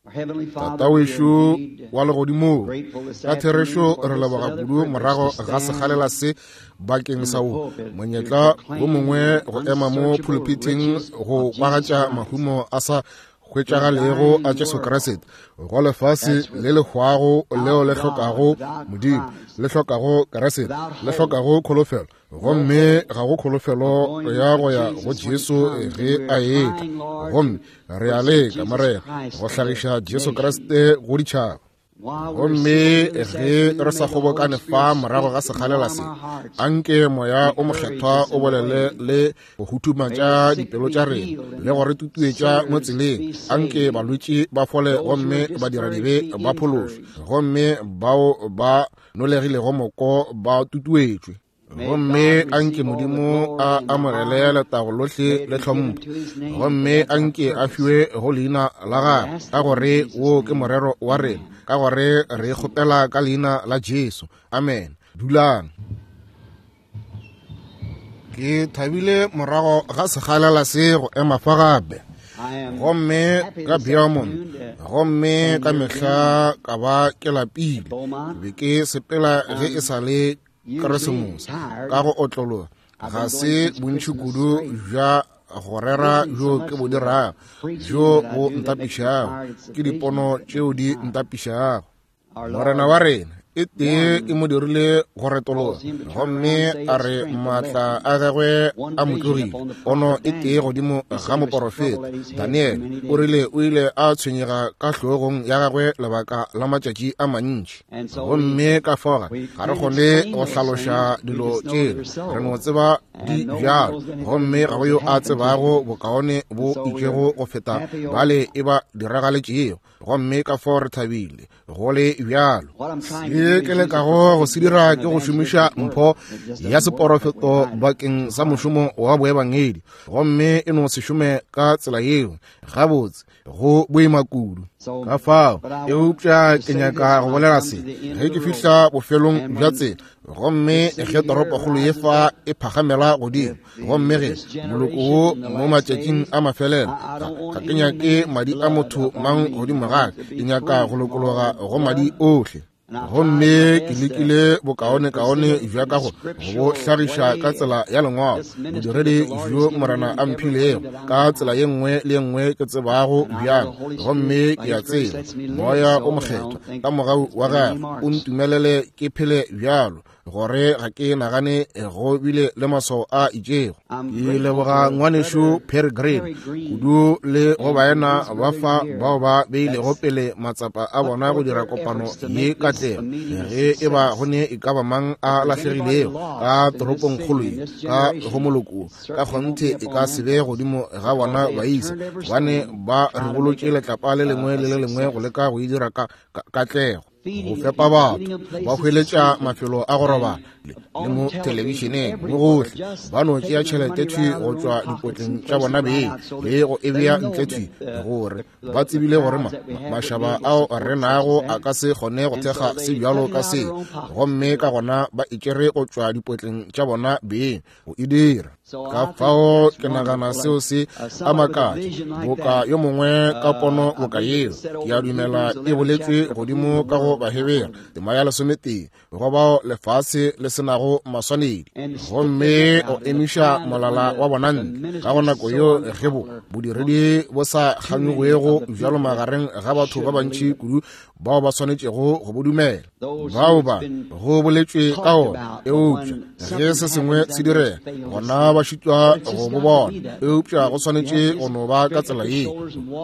Tatawešo wa legodimong, ka therešo re leboga kudu morago ga sekgalela se bakeng sa wo monyetla wo mongwe go ema mo phuluphithing go kwagatša mahumo a sa hwetšagalego a Jesu Kriste go lefase le le hwago leo le hlokago Modimo, le hlokago Kriste, le hlokago kholofelo. Gomme ga go kholofelo ya go ya go Jesu ge a etla. Gomme re a leka, Morena, go hlagiša Jesu Kriste go ditšhaba. Gomme ge re sa kgobokane fa morago ga sekgalela se, anke Moya o Mokgethwa o bolele le go huthumatša dipelo tša rena le go re tutuetša mo tseleng. Anke balwetši ba fole gomme badiradibe ba phološwe, gomme bao ba nolegilego moko ba tutuetšwe. Gomme anke Modimo a amogele letago lohle le tlhompho, gomme anke a fiwe go leina la gagwe, ka gore wo ke morero wa rena, ka gore re kgopela ka leina la Jesu. Amen. Dulang. Ke thabile morago ga sekgalela se go ema fa gape, gomme ka Beaumont, gomme ka mehla ka ba ke lapile, be ke sepela ge e sa le Keresemose ka go otlologa. Ga se bontši kudu bja go rera bjo ke bo dirago bjo bo ntapišago, ke dipono tšeo di ntapišago. Morena wa rena e tee e mo dirile go retologa, gomme a re maatla a gagwe a mo tlogile. Pono e tee godimo ga moporofeta Daniele, o rile o ile a tshwenyega ka hlogong ya gagwe lebaka la matšatši a mantši. Gomme ka fao ga re kgone go hlaloša dilo tšela, re no tseba di bjalo, gomme ga go yo a tsebago bokaone bo itšego go feta bale e ba diragaletšego. Gomme ka fao re thabile go le bjalo. Se ke lekago go se dira ke go šomiša mpho ya seporofeto bakeng sa mošomo wa boebangedi, gomme e no se šome ka tsela yeo gabotse, go boima kudu. Ka fao, eupša ke nyaka go bolela se ge ke fihla bofelong bja tsela, gomme ge toropokgolo ye fa e phagamela godimo, gomme ge moloko wo mo matšatšing a mafelelo, ga ke nyake madi a motho mang godimo ga ka, ke nyaka go lokologa go madi ohle. Gomme ke lekile bokaonekaone bja ka go bo hlagiša ka tsela ya lengwalo, bodiredi bjo Morena a mphilego, ka tsela ye nngwe le ye nngwe ke tsebago bjang. Gomme ke a tseba Moya o Mokgethwa ka mogau wa gagwe o ntumelele ke phele bjalo, gore ga ke nagane go bile le maswao a itšego. Ke leboga ngwanešu Perry Green kudu le go baena ba fa bao ba beilego pele matsapa a bona go dira kopano ye katlego. Ge e ba go ne e ka ba mang a lahlegilego ka toropongkgolo ye ka go moloko, ka kgonthe e ka se be godimo ga bona baisa, gobane ba ribolotše letlapa le lengwe le le lengwe go leka go e dira ka katlego, go fepa batho, ba hweletša mafelo a go robala le mo thelebišeneng mo gohle. Ba no tšea tšhelete thwi go tšwa dipotleng tša bona beng le go e bea ntle thwi, gore ba tsebile gore mašaba ao re nago a ka se kgone go thekga se bjalo ka se, gomme ka gona ba e tšere go tšwa dipotleng tša bona beng go e dira. Ka fao ke nagana seo se a makatša, boka yo mongwe ka pono boka yeo, ke a dumela e boletšwe godimo ka go Bahebere tema ya 11, go bao lefase le se nago maswanedi, gomme o emiša molala wa bona ntle ka go nako yeo ge bo bodiredi bo sa kganyogwego bjalo magareng ga batho ba bantši kudu bao ba swanetšego go bo dumela, bao ba go boletšwe ka ona. Eupša ge se sengwe se direga, gona ba šitwa go bo bona. Eupša go swanetše go no ba ka tsela ye,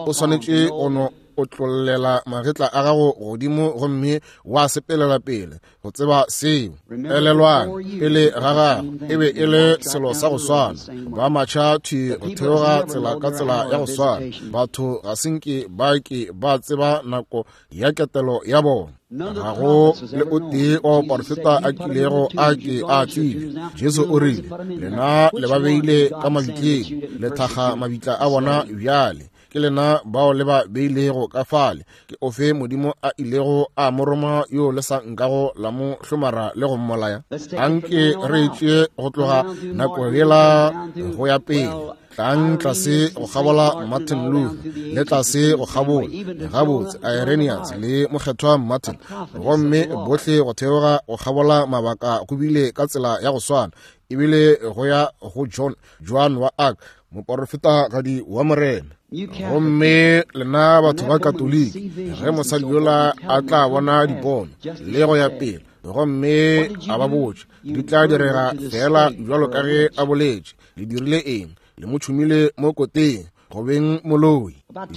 o swanetše go no otlollela magetla a gago godimo gomme wa sepelela pele go tseba seo. Elelwang, pele ga gago e be e le selo sa go swana, ba matšha thwi go theoga tsela ka tsela ya go swana. Batho ga se nke ba ke ba tseba nako ya ketelo ya bona. Ga go le o tee wa baporofeta a kilego a ke a tsebja. Jesu o rile, lena le ba beile ka mabitleng, le thakga mabitla a bona bjale. Ke lena bao le ba beilego ka fale. Ke ofe Modimo a ilego a mo roma yo le sa nkago la mo hlomara le go mmolaya? Anke re tšee go tloga nako yela go ya pele. Tlang tlase go kgabola Martin Luther, le tlase go kgabola gabotse Irenaeus le mokgethwa Martin, gomme bohle go theoga go kgabola mabaka go bile ka tsela ya go swana, ebile go ya go John, Joan wa Arc, moporofetagadi wa Morena. Gomme lena batho ba Katoliki, ge mosadi yola a tla bona dipono le go ya pele, gomme a ba botša di tla direga fela bjalo ka ge a boletše, le dirile eng? Le mo tšhumile mo koteng go beng moloi.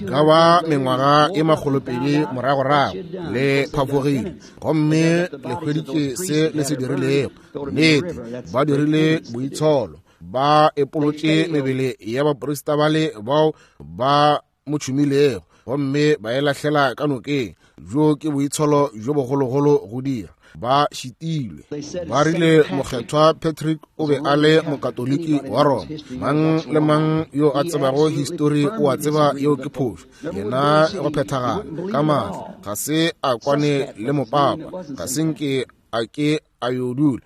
Ka ba mengwaga e 200 moragorago le phafogile, gomme le hweditše se le se dirilego. Nnete, ba dirile boitsholo, ba epolotše mebele ya baprista bale bao ba mo tšhumilego, gomme ba e lahlela ka nokeng. Jo ke boitsholo bjo bogologolo go dira. Ba šitilwe. Ba rile mokgethwa Patrick o be a le mokatoliki wa Roma. Mang le mang yo a tsebago histori o a tseba yeo ke phošo. Yena go phethagala ka maatla ga se a kwane le mopapa, ga se nke a ke a yo dula,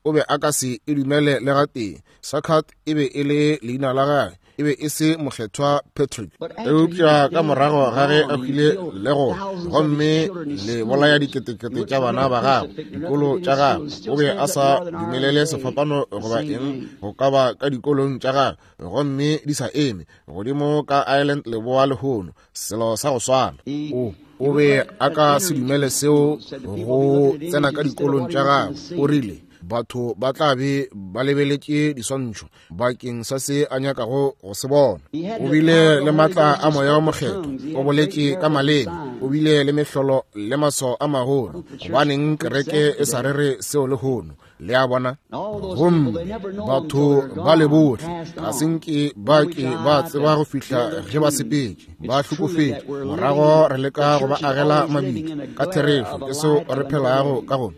o be a ka se e dumele le gatee. Sakat e be e le leina la gagwe, e be e se mokgethwa Patrick. Eupša ka morago ga ge a hwile le go gomme le bolaya diketekete tša bana ba gagwe, dikolo tša gagwe, o be a sa dumelele sefapano goba eng go ka ba ka dikolong tša gagwe, gomme di sa eme godimo ka Ireland leboa lehono, selo sa go swana. O be a ka se dumele seo go tsena ka dikolong tša gagwe. O rile batho ba tla be ba lebeletše diswantšho bakeng sa se a nyakago go se bona. O bile le matla a moya wa mokgethwa, o boletše ka maleme, o bile le mehlolo le maswao a magolo. Gobaneng kereke e sa rere seo lehono? Le a bona? Gomme batho ba le bohle ga se nke ba ke ba tseba go fihla ge ba sepetše, ba hlokofetše. Morago re leka go ba agela mabitla. Ka therešo ke seo re phelago ka go.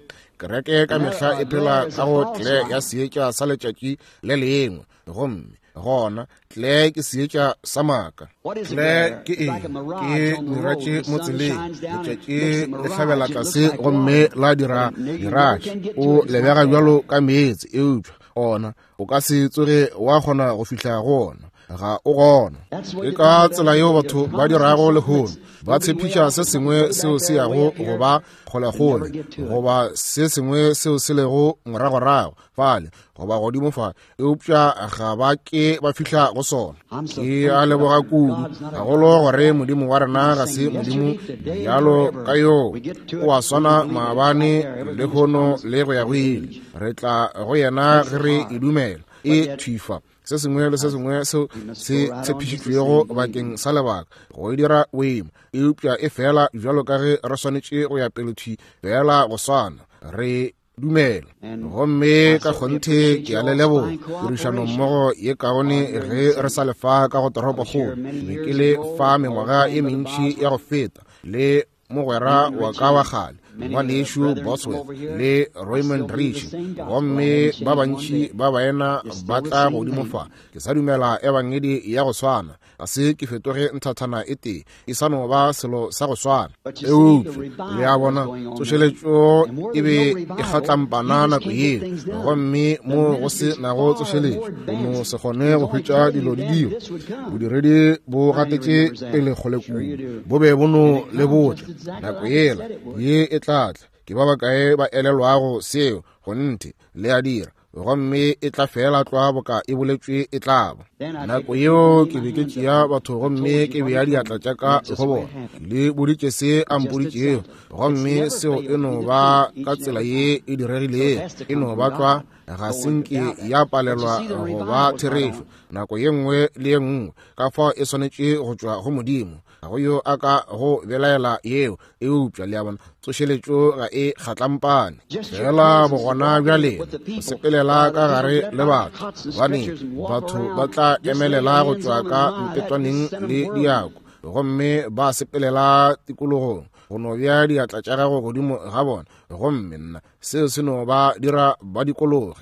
Kereke ka mehla e phela ka go tle ya seetša sa letšatši le lengwe, gomme gona tle ke seetša sa maaka. Tle ke eng? Ke miratše mo tseleng. Letšatši le hlabela tlase gomme la dira miratše. O lebega bjalo ka meetse, eupša ona o ka se tsoge wa kgona go fihla go ona. Ga o gona. Ke ka tsela yeo batho ba dirago lehono. Ba tshepiša se sengwe seo se yago go ba kgolekgole, goba se sengwe seo se lego moragorago fale, goba godimo fale, eupša ga ba ke ba fihla go sona. Ke a leboga kudu gagolo gore Modimo wa rena ga se Modimo bjalo ka yoo, o a swana maabane, lehono le go ya go ile. Re tla go yena ge re e dumela e thwifa se sengwe le se sengwe seo se tshepišitšwego bakeng sa lebaka go e dira boima, eupša e fela bjalo ka ge re swanetše go ya pele thwi fela go swana re dumela. Gomme ka kgonthe ke a le leboga tirišanommogo ye kaone ge re sa lefa ka go toropokgolo. Be ke le fa mengwaga e mentši ya go feta le mogwera wa ka wa kgale ngwanešu Bosworth le Raymond Rich, gomme ba bantši ba baena ba tla godimo fa. Ke sa dumela ebangedi ya go swana, ga se ke fetoge nthathana e tee, e sa no ba selo sa go swana. Eupša le a bona, tsošeletšo e be e kgatlampana nako yeo, gomme mo go se nago tsošeletšo o no se kgone go hwetša dilo di dira. Bodiredi bo gatetše pele kgole kudu, bo be bo no le botša nako yela ye e tla tla. Ke ba bakae ba elelwago seo? Gonthe le a dira. Gomme e tla fela tlwa boka e boletšwe e tla ba. Nako yeo ke be ke tšea batho gomme ke bea diatla tša ka go bona. Le boditše se a mpoditšego, gomme seo e no ba ka tsela ye e diregilego. E no ba tlwa, ga se nke ya palelwa go ba therešo nako ye nngwe le ye nngwe. Ka fao e swanetše go tšwa go Modimo. Ga go yo a ka go belaela yeo, eupša le a bona, tsošeletšo ga e kgatlampane. Fela bogona bja lena go sepelela ka gare le batho, gobane batho ba tla emelela go tšwa ka mpetwaneng le diako, gomme ba sepelela tikologong go no bea diatla tša gago godimo ga bona, gomme nna seo se no ba dira ba dikologe.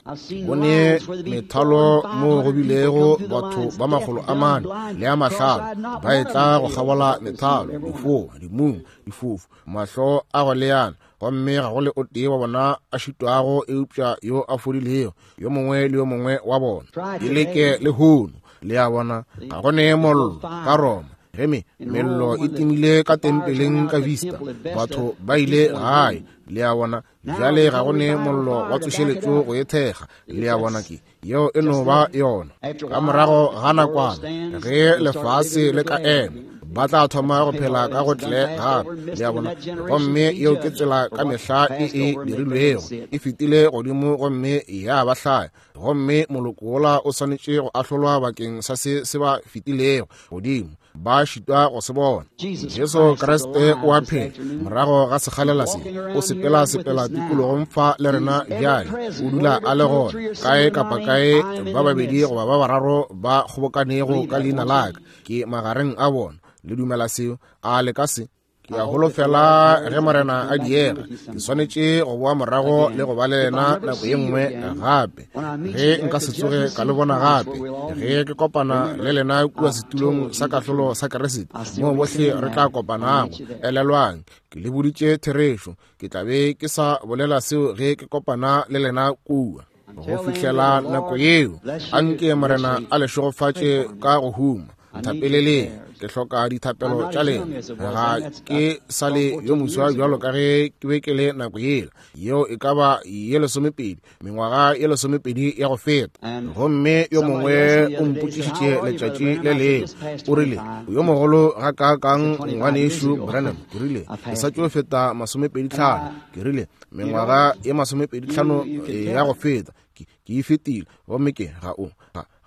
Bone methalo mo go bilego batho ba 400 le a 500 ba etla go kgabola methalo, difoa, dimung, difofu, mahlo a go leana, gomme ga go le o tee wa bona a šitwago eupša yo a fodilego, yo mongwe le yo mongwe wa bona. E leke lehono. Le a bona, ga go ne mollo ka Roma. Ge mello e timile ka tempeleng ka Vista, batho ba ile gae. Le a bona, bjale ga go ne mollo wa tsošeletšo go e thekga. Le a bona, ke yeo e no ba yona. Ka morago ga nakwana, ge lefase le ka ema, ba tla thoma go phela ka go tle gape. Le a bona, gomme yeo ke tsela ka mehla e e dirilwego, e fetile godimo gomme ya ba hlaya. Gomme moloko wola o swanetše go ahlolwa bakeng sa se se ba fetilego godimo, ba šitwa go se bona. Jesu Kriste o a phela morago ga sekgalela se, o sepela sepela tikologong fa le rena bjale, o dula a le gona kae kapa kae ba babedi goba ba bararo ba kgobokanego ka leina la ka, ke magareng a bona. Le dumela seo? A le ka se? Ke a holofela ge Morena a diega, ke swanetše go boa morago le go ba le yena nako ye nngwe gape. Ge nka se tsoge ka le bona gape, ge ke kopana le lena kua setulong sa kahlolo sa Kriste, moo bohle re tla kopanago. Elelwang, ke le boditše therešo, ke tla be ke sa bolela seo ge ke kopana le lena kua. Go fihlela nako yeo, anke Morena a le šegofatše ka go huma. Nthapeleleng, ke hloka dithapelo tša lena. Ga ke sa le yo moswa bjalo ka ge ke be ke le nako yela. Yeo e ka ba ye 12, mengwaga ye 12 ya go feta. Gomme yo mongwe o mpotšišitše letšatši le lengwe, o rile, yo mogolo ga kaakang ngwanešu Branham? Ke rile, ke sa tšo feta 25. Ke rile, mengwaga ye 25 ya go feta ke e fetile, gomme ke ga o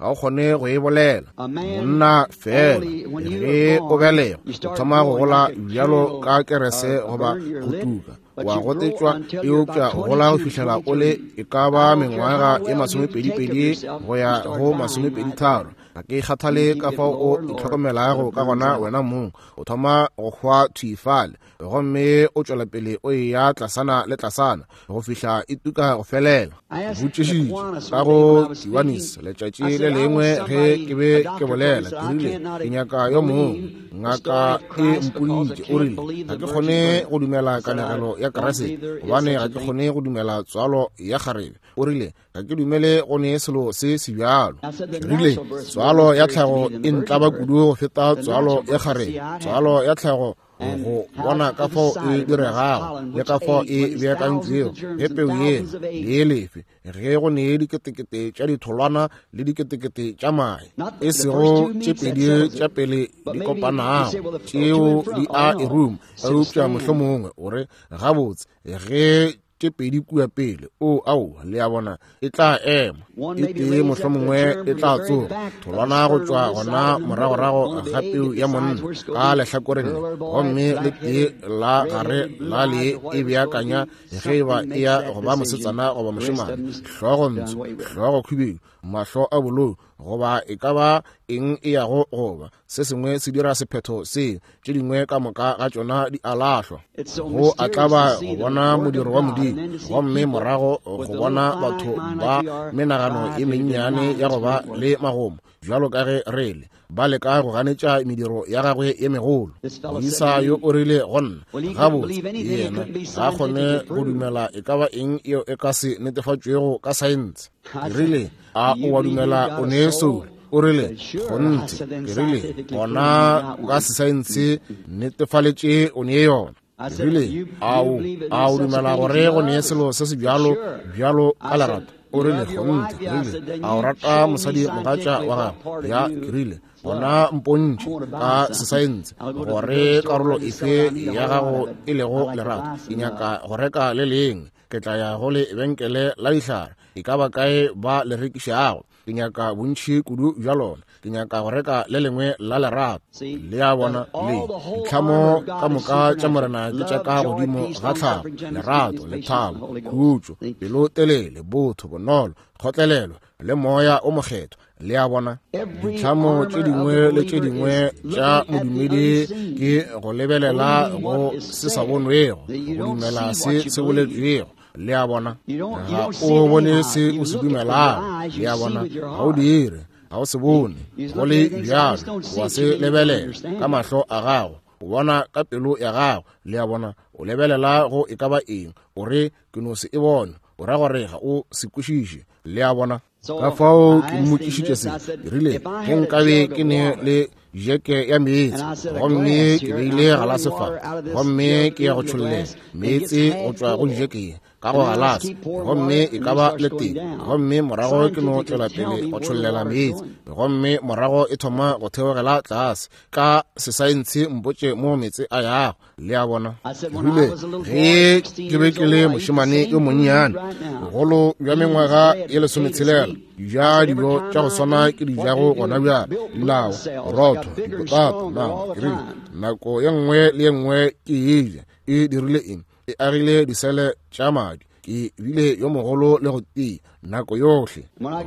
kgone go e bolela. Monna fela ge o belega, o thoma go gola bjalo ka kerese goba go tuka, wa gotetšwa, eupša gola go fihlela o le e ka ba mengwaga ye 22 go ya go 23. Ga ke kgathale ka fao o itlhokomelago ka gona wena mong, o thoma go hwa thwi fale, gomme o tšwela pele o eya tlasana le tlasana go fihla e tuka go felela. Botšišitše ka go Kiwanis letšatši le lengwe ge ke be ke bolela, ke rile, ke nyaka yo mongwe. Ngaka e mpoditše, o rile, ga ke kgone go dumela kanegelo ya Kriste, gobane ga ke kgone go dumela tswalo ya kgarebe. O rile, ga ke dumele go ne selo se se bjalo. Ke rile, tswalo ya tlhago e ntlaba kudu go feta tswalo ya kgarebe. Tswalo ya tlhago go bona ka fao e diregago le ka fao e beakantšwego, ge peu yela le lefe, ge go ne diketekete tša ditholwana le diketekete tša mae, e sego tše pedi tša pele di kopanago, tšeo di a e ruma. Eupša mohlomongwe o re, gabotse, ge tše pedi kua pele, o ao, le a bona, e tla ema e tee, mohlomongwe e tla tsoga tholwana go tšwa gona moragorago ga peu ya monna ka lehlakoreng le, gomme le tee la gare la le e beakanya ge e ba e ya go ba mosetsana goba mošemane, hlogo ntsho, hlogo khubedu, mahlo a bolou, goba e ka ba eng e yago goba se sengwe se dira sephetho seo, tše dingwe ka moka ga tšona di a lahlwa. Go a tlaba go bona modiro wa Modimo, gomme morago go bona batho ba menagano e mennyane ya go ba le magomo bjalo ka ge re le, ba leka go ganetša mediro ya gagwe ye megolo. Moisa yo o rile go nna, gabotse, yena ga a kgone go dumela e ka ba eng yeo e ka se netefatšwego ka saense. Ke rile, a o wa dumela o ne soul? O rile, kgonthe. Ke rile, gona ka sesaense netefaletše o ne yona. Ke rile, a o dumela gore go ne selo se se bjalo bjalo ka lerato? O rile, kgonthe. Ke rile, a o rata mosadi mogatša wa gago? Ya, ke rile, gona mpontšhe ka sesaense gore karolo efe ya gago e lego lerato. Ke nyaka go reka le lengwe, ke tla ya go lebenkele la dihlare, e ka ba kae ba le rekišago. Ke nyaka bontši kudu bja lona, ke nyaka go reka le lengwe la lerato. Le a bona, le ditlhamo ka moka tša Morena ke tša ka godimo ga tlhago, lerato, lethabo, khutšo, pelotelele, botho, bonolo, kgotlelelo le moya o mokgethwa. Le a bona, ditlhamo tše dingwe le tše dingwe tša modumedi ke go lebelela go se sa bonwego, go dumela se se boletšwego. Le a bona, ga o bone se o se dumelago. Le a bona, ga o dire, ga o se bone go le bjalo, wa se lebelela ka mahlo a gago, o bona ka pelo ya gago. Le a bona, o lebelela go e ka ba eng, o re, ke no se e bone. O ra gore ga o se kwešiše. Le a bona? Ka fao ke mmotšišitše se, ke rile, ge nkabe ke ne le jeke ya meetse, gomme ke beile galase fa, gomme ke ya go tšhollela meetse go tšwa go jeke ye ka go galase, gomme e ka ba le tee, gomme morago ke no tšwela pele go tšhollela meetse, gomme morago e thoma go theogela tlase. Ka sesaense mpotše mo meetse a yago. Le a bona? Rile ge ke be ke le mošemane yo monnyane, bogolo bja mengwaga ye 16, ja dijo tša go swana ke di jago gona bjale, dinawa, borotho, dipotata, nama. Ke rile nako ye nngwe le ye nngwe ke e ja, e dirile eng? E agile disele tša madi. Ke bile yo mogolo le go tia nako yohle.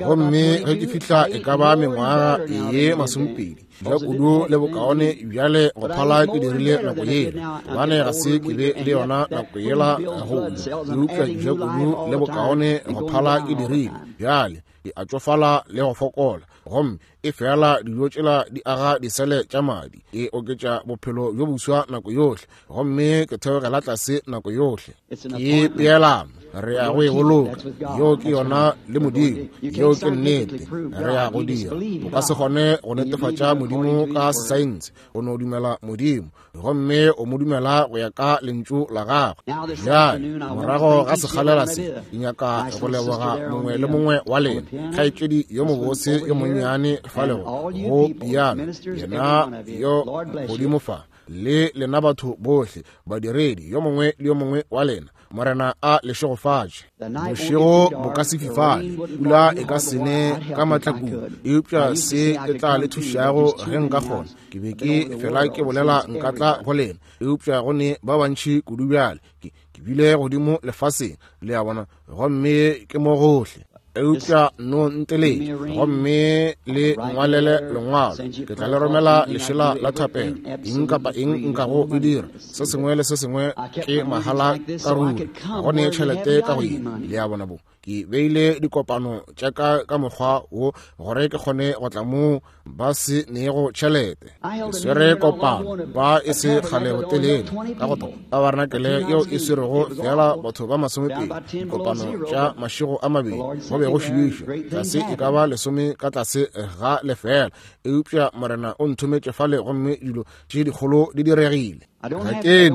Gomme ge ke fihla e ka ba mengwaga ye 20, ja kudu le bokaone bjale go phala ke dirile nako yela, gobane ga se ke be le yona nako yela go ja, eupša ja kudu le bokaone go phala ke dirile bjale. Ke a tšofala le go fokola, gomme e fela dijo tšela di aga disele tša madi, e oketša bophelo bjo boswa nako yohle, gomme ke theogela tlase nako yohle. Ke peelano, re ya go e boloka. Yeo ke yona le Modimo, yeo ke nnete, re ya go dira. O ka se kgone go netefatša Modimo ka sesaense, o no dumela Modimo, gomme o mo dumela go ya ka lentšu la gagwe. Bjale morago ga sekgalela se, ke nyaka go leboga mongwe le mongwe wa lena. Kgaetšedi yo mobose yo monnyane falego go piano, yena yo godimo fa, le lena batho bohle, badiredi, yo mongwe le yo mongwe wa lena, Morena a le šegofatše. Bošego bo ka se fifale, pula e ka se ne ka matlakong, eupša se ke tla le thušago ge nka kgona. Ke be ke fela ke bolela nka tla go lena, eupša go ne ba bantši kudu bjale. Ke bile godimo lefaseng, le a bona, gomme ke mo gohle. Eupša no nteletše gomme le ngwalele lengwalo, ke tla le romela lešela la thapelo. Eng kapa eng nkago e dira, se sengwe le se sengwe ke mahala ka ruri, ga go ne tšhelete ka go ye. Le a bona bo? Ke beile dikopano tša ka ka mokgwa wo gore ke kgone go tla moo ba se nego tšhelete. Ke swere kopano ba e se kgale botelele ka go tabarenakele yeo e swerego fela batho ba 20, dikopano tša mašego a mabedi, go be go šiišwa tlase e ka ba 10 ka tlase ga lefela, eupša Morena o nthometše fale gomme dilo tše dikgolo di diregile. Ga ke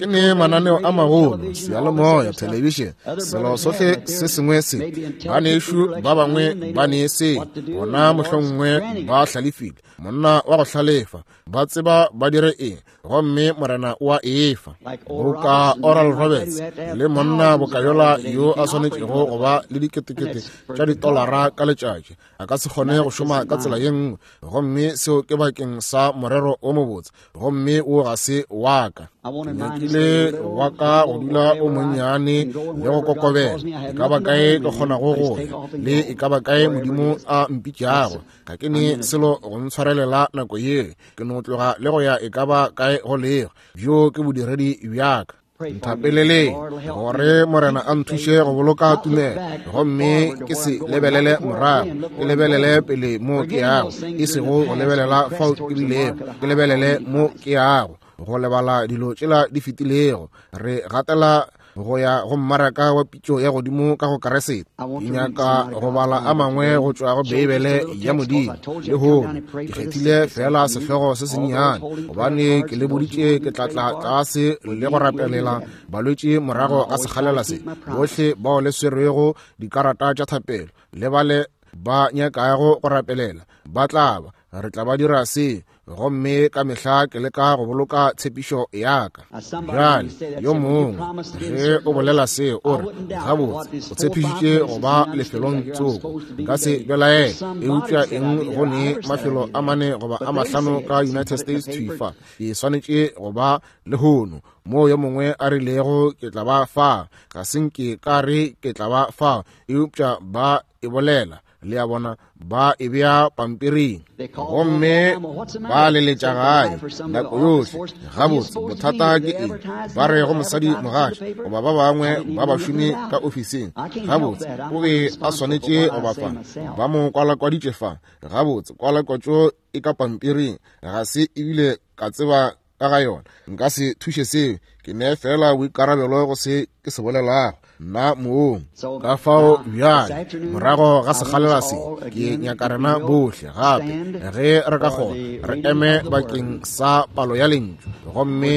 ne mananeo a magolo, seyalemoya, thelebišene, selo sohle se sengwe se. Banešu ba bangwe ba ne se, bona mohlomongwe ba hlalefile, monna wa go hlalefa, ba tseba ba dire eng, gomme Morena o a efa. Boka Oral Roberts le monna boka yola yo a swanetšego go ba le diketekete tša ditolara ka letšatši, a ka se kgone go šoma ka tsela ye nngwe, gomme seo ke bakeng sa morero o mobotse, gomme wo ga se wa ka. Ke nyakile wa ka go dula o monnyane le go kokobela, e ka ba kae ke kgonago go ya, le e ka ba kae Modimo a mpitšago. Ga ke ne selo go ntshwarelela nako ye, ke no tloga le go ya e ka ba kae go lego. Bjo ke bodiredi bja ka. Nthapeleleng gore Morena a nthuše go boloka tumelo, gomme ke se lebelele morago, ke lebelele pele mo ke yago, e sego go lebelela fao ke bilego, ke lebelele mo ke yago, go lebala dilo tšela di fetilego. Re gatela go ya go mmaraka wa pitšo ya godimo ka go Keresete. Ke nyaka go bala a mangwe go tšwa go Beibele ya Modimo lehono. Ke kgethile fela sehlogo se sennyane gobane ke le boditše ke tla tla tlase le go rapelela balwetši morago ga sekgalela se. Bohle bao le swerwego dikarata tša thapelo le bale ba nyakago go rapelela ba tla ba, re tla ba dira se. Gomme ka mehla ke leka go boloka tshepišo ya ka. Bjale yo mongwe ge o bolela se, o re, gabotse o tshepišitše go ba lefelong tsoko, nka se belaele. Eupša eng go ne mafelo a 4 goba a 5 ka United States thwi fa, ke swanetše go ba lehono moo yo mongwe a rilego ke tla ba fa. Ga se nke ka re ke tla ba fa, eupša ba e bolela. Le a bona, ba e bea pampiring gomme ba leletša gae nako yohle. Gabotse, bothata ke eng? Ba re go mosadi mogatša goba ba bangwe ba bašomi ka ofising, gabotse o be a swanetše go ba fa, ba mo kwalakwaditše fa. Gabotse, kwalakwatšo e ka pampiring, ga se ebile ka tseba ka ga yona. Nka se thuše seo, ke ne fela boikarabelo go se ke se bolelago. nna mong. Ka fao bjale, morago ga sekgalela se, ke nyaka rena bohle gape, ge re ka kgona, re eme bakeng sa palo ya lentšu, gomme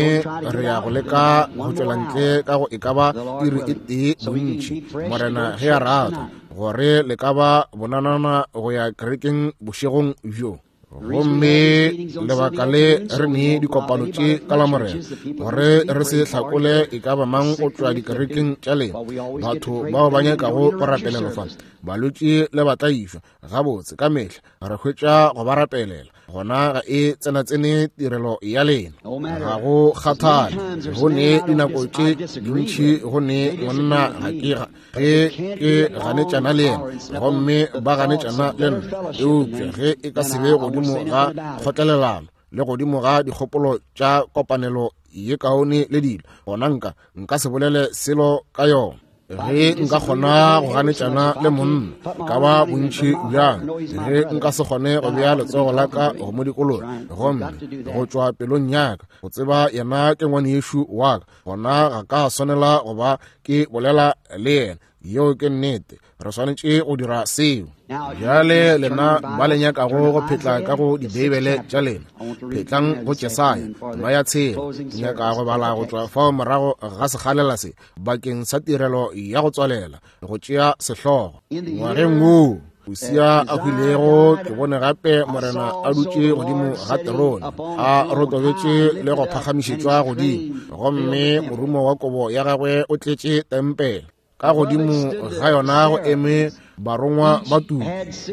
re ya go leka go tšwela ntle ka go e ka ba iri e tee bontši, Morena ge a rata, gore le ka ba bonanana go ya kerekeng bošegong bjo. Gomme lebaka le re ne dikopano tše ka Lamorena, gore re se hlakole e ka ba mang o tšwa dikerekeng tša lena, batho bao ba nyakago go rapelelwa fa, balwetši le batlaišwa, gabotse ka mehla re hwetša go ba rapelela. Gona ga e tsenatsene tirelo ya lena, ga go kgathale. Go ne dinako tše dintši go ne monna ga ke ge ke ganetšana le yena, gomme ba ganetšana le nna, eupša ge e ka se be godimo ga kgotlelelano le godimo ga dikgopolo tša kopanelo ye kaone le dilo, gona nka se bolele selo ka yona. Ge nka kgona go ganetšana le monna ka ba bontši bjang, ge nka se kgone go bea letsogo la ka go mo dikologa, gomme go tšwa pelong ya ka go tseba yena ke ngwanešu wa ka, gona ga ka swanela go ba ke bolela le yena. Yeo ke nnete, re swanetše go dira seo. Bjale lena ba le nyakago go phetla ka go dibeibele tša lena, phetlang go Jesaya tema ya 6. Ke nyaka go bala go tšwa fao morago ga sekgalela se bakeng sa tirelo ya go tswalela, go tšea sehlogo. Ngwageng woo Usia a hwilego, ke bone gape Morena a dutše godimo ga terone, a rotobetše le go phagamišetšwa godimo, gomme morumo wa kobo ya gagwe o tletše tempele. Ka godimo ga yona go eme barongwa ba tuku,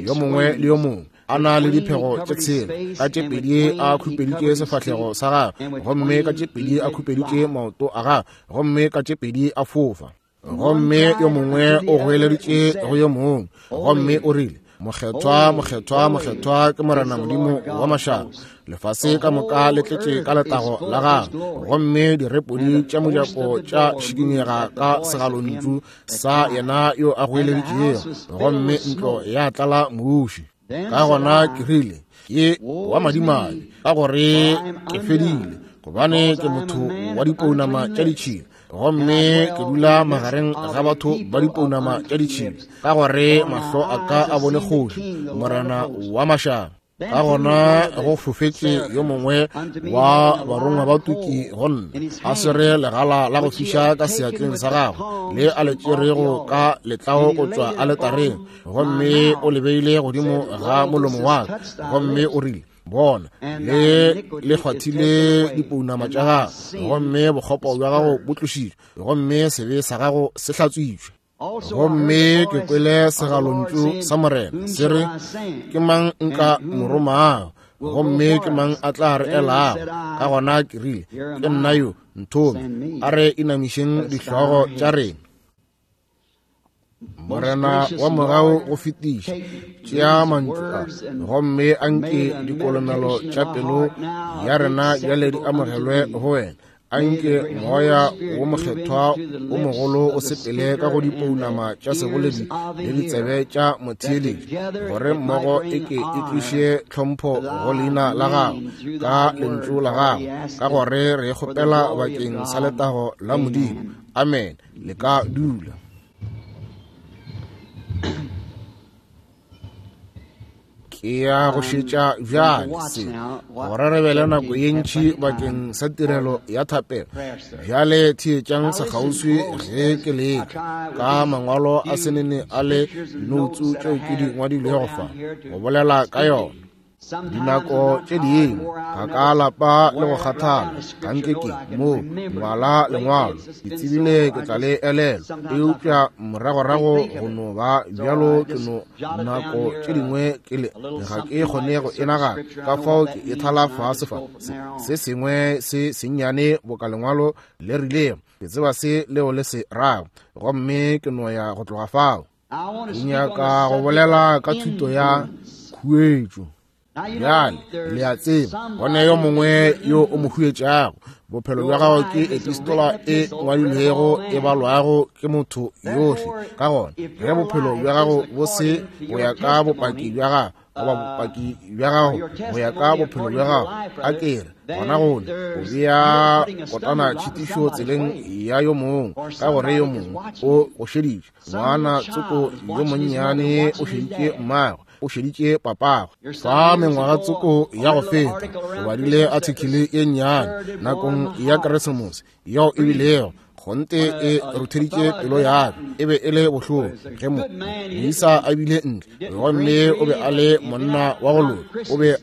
yo mongwe le yo mongwe a na le diphego tše 6, ka tše 2 a khupeditše sefahlego sa gagwe, gomme ka tše 2 a khupeditše maoto a gagwe, gomme ka tše 2 a fofa. Gomme yo mongwe o goeleditše go yo mongwe, gomme o rile, Mokgethwa, mokgethwa, mokgethwa ke Morena Modimo wa mašaba, lefase ka moka le tletše ka letago la gagwe. Gomme direpodi tša mojako tša šikinyega ka segalontšu sa yena yo a goeleditšego, gomme ntlo ya tlala muši. Ka gona ke rile, ke wa madimabe, ka gore ke fedile, gobane ke motho wa dipounama tša ditšhila, gomme ke dula magareng ga batho ba dipounama tša ditšhila, ka gore mahlo a ka a bone kgoši, Morena wa mašaba. Ka gona go fofetše yo mongwe wa barongwa ba tuki go nna, a swere legala la go fiša ka seatleng sa gagwe, le a le tšerego ka letlao go tšwa aletareng, gomme o le beile godimo ga molomo wa ka, gomme o rile, Bona, le le kgwathile dipounama tša gago, gomme bokgopo bja gago bo tlošitšwe, gomme sebe sa gago se hlatswitšwe. Gomme ke kwele segalontšu sa Morena se re, Ke mang nka mo romago, gomme ke mang a tla re elago? Ka gona ke rile, Ke nna yo, nthome. A re inamišeng dihlogo tša rena. Morena wa mogau go fetiša, tšea mantšu a, gomme a nke dikolomelo tša pelo ya rena bjale di amogelwe go wena. A nke moya wo mokgethwa wo mogolo o sepele ka go dipounama tša seboledi le ditsebe tša motheeletši, gore mmogo e ke e tliše tlhompho go leina la gago ka lentšu la gago, ka gore re kgopela bakeng sa letago la Modimo. Amen. Le ka dula. Ke ya go šetša bjale se, gore re be le nako ye ntši bakeng sa tirelo ya thapelo. Bjale theetšang sekgauswi ge ke leka ka mangwalo a senene a le noutsu tšeo ke di ngwadilego fa go bolela ka yona. Dinako tše dingwe ga ka lapa le go kgathala, ga nke ke mo ngwala lengwalo, ke tsebile ke tla le elelwa, eupša moragorago go no ba bjalo ke no nako tše dingwe ke le ga ke kgone go e nagana, ka fao ke e thala fase fa se sengwe se sennyane boka lengwalo le rilego, ke tseba se leo le se rago, gomme ke no ya go tloga fao. Ke nyaka go bolela ka thuto ya khuetšo. Bjale le a tseba, go ne yo mongwe yo o mo huetšago. Bophelo bja gago ke epistola e ngwadilwego e balwago ke motho yohle. Ka gona ge bophelo bja gago bo se go ya ka bopaki bja gago, goba bopaki bja gago go ya ka bophelo bja gago, a ke re, gona gone o bea kotana tšhitišo tseleng ya yo mongwe, ka gore yo mongwe o go šeditše. Ngwana tsoko yo monnyane o šeditše mmagwe, o šeditše papagwe. Fa mengwaga tsoko ya go feta, o badile athikile ye nnyane nakong ya Keresemose yeo e bilego kgonte e rutheditše pelo ya ka. E be e le bohloko ge moisa a bile ntle, gomme o be a le monna wa go loka, o be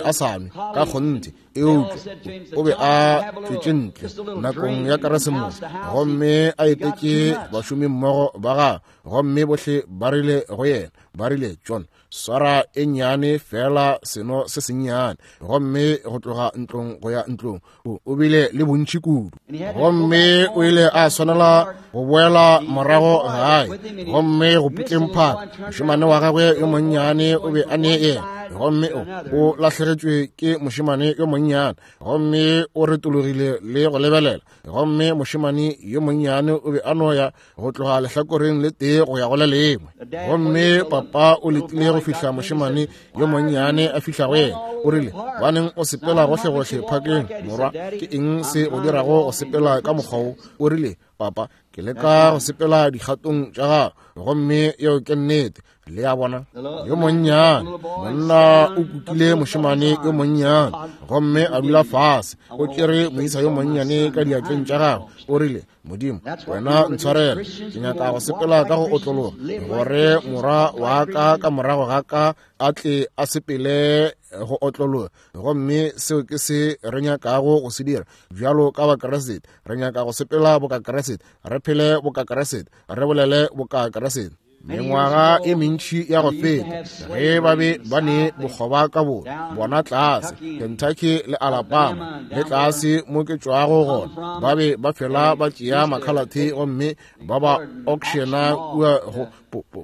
a sa nwe ka kgonthe, eupša o be a tšwetše ntle nakong ya Keresemose gomme a etetše bašomimmogo ba gagwe, gomme bohle ba rile go yena, ba rile, John, swara e nnyane fela seno se sennyane. Gomme go tloga ntlong go ya ntlong o bile le bontši kudu, gomme o ile a swanela go boela morago gae. Gomme go putleng phaka, mošemane wa gagwe yo monnyane o be a ne yena, gomme o lahlegetšwe ke mošemane yo monnyane, gomme o retologile le go lebelela, gomme mošemane yo monnyane o be a no ya go tloga lehlakoreng le tee go ya go le lengwe. Gomme papa o letile go fihla mošemane yo monnyane a fihla go yena. O rile, baneng o sepela gohlegohle phakeng, morwa, ke eng se o dirago go sepela ka mokgwa wo? O rile, papa, ke leka go sepela dikgatong tša gago. Gomme yeo ke nnete. Le a bona, yo monnyane monna o kukile mošemane yo monnyane gomme a dula fase, o tšere moisa yo monnyane ka diatleng tša gagwe. O rile, Modimo, wena ntshwarele, ke nyaka go sepela ka go otlologa, gore morwa wa ka ka morago ga ka a tle a sepele go otlologa. Gomme seo ke se re nyakago go se dira bjalo ka Bakriste. Re nyaka go sepela boka Kriste, re phele boka Kriste, re bolele boka Kriste. Mengwaga e mentši ya go feta, ge ba be ba ne bokgoba ka bona tlase Kentucky le Alabama le tlase mo ke tšwago gona, ba be ba fela ba tšea makhalathe gomme ba ba auctiona kua go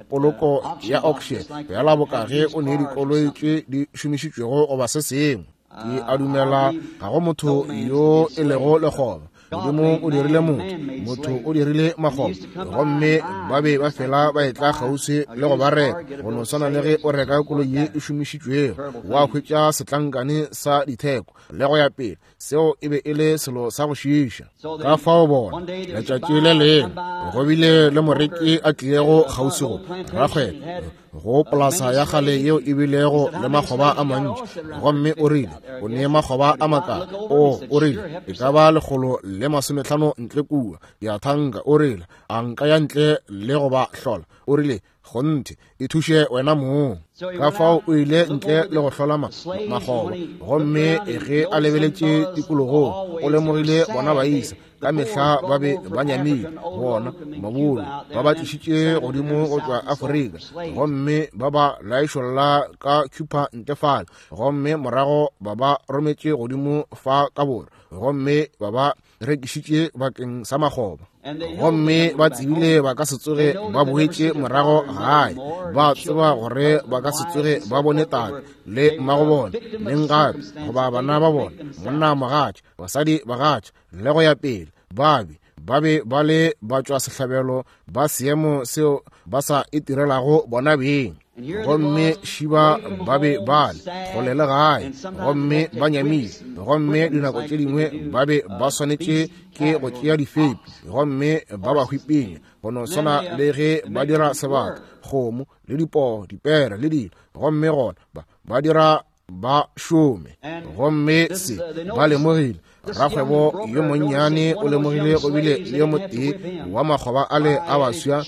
poloko ya auction, fela boka ge o ne dikoloi tše di šomišitšwego goba se sengwe. Ke a dumela ga go motho yo e lego lekgoba. Modimo o dirile motho, motho o dirile makgoba, gomme ba be ba fela ba etla kgauswi le go ba reka. Go no swana le ge o reka koloi ye e šomišitšwego, wa hwetša setlankane sa ditheko le go ya pele. Seo e be e le selo sa go šiiša. Ka fao bona, letšatši le lengwe go bile le moreki a tlilego kgauswi go rakgwebo go polasa ya kgale yeo e bilego le makgoba a mantši, gomme o rile o ne makgoba a makana. O rile e ka ba 150 ntle kua ya thanka. O rile a nka ya ntle le go ba hlola. O rile kgonthe e thuše wena mong. Ka fao o ile ntle le go hlola makgoba, gomme ge a lebeletše tikologong o lemogile bona baisa ka mehla ba be ba nyamile, bona mabolo ba ba tlišitše godimo go tšwa Afrika, gomme ba ba laišolla ka Cuba ntle fale, gomme morago ba ba rometše godimo fa ka borwa, gomme ba ba rekišitše bakeng sa makgoba. Gomme ba tsebile ba ka se tsoge ba boetše morago gae, ba tseba gore ba ka se tsoge ba bone tate le mmago bona neng gape, goba bana ba bona, monna mogatša, basadi bagatša, le go ya pele. Ba be ba le ba tšwa sehlabelo ba seemo seo ba sa itirelago bona beng. Gomme šiba ba be ba le kgole le gae, gomme ba nyamile, gomme dinako tše dingwe ba be ba swanetše ke go tšea difepi gomme ba ba hwipenya, go no swana le ge ba dira sebata, kgomo le dipoo, dipere le dilo, gomme gona ba dira ba šome. Gomme se ba lemogile, rakgwebo yo monnyane o lemogile go bile le yo motee wa makgoba ale a baswa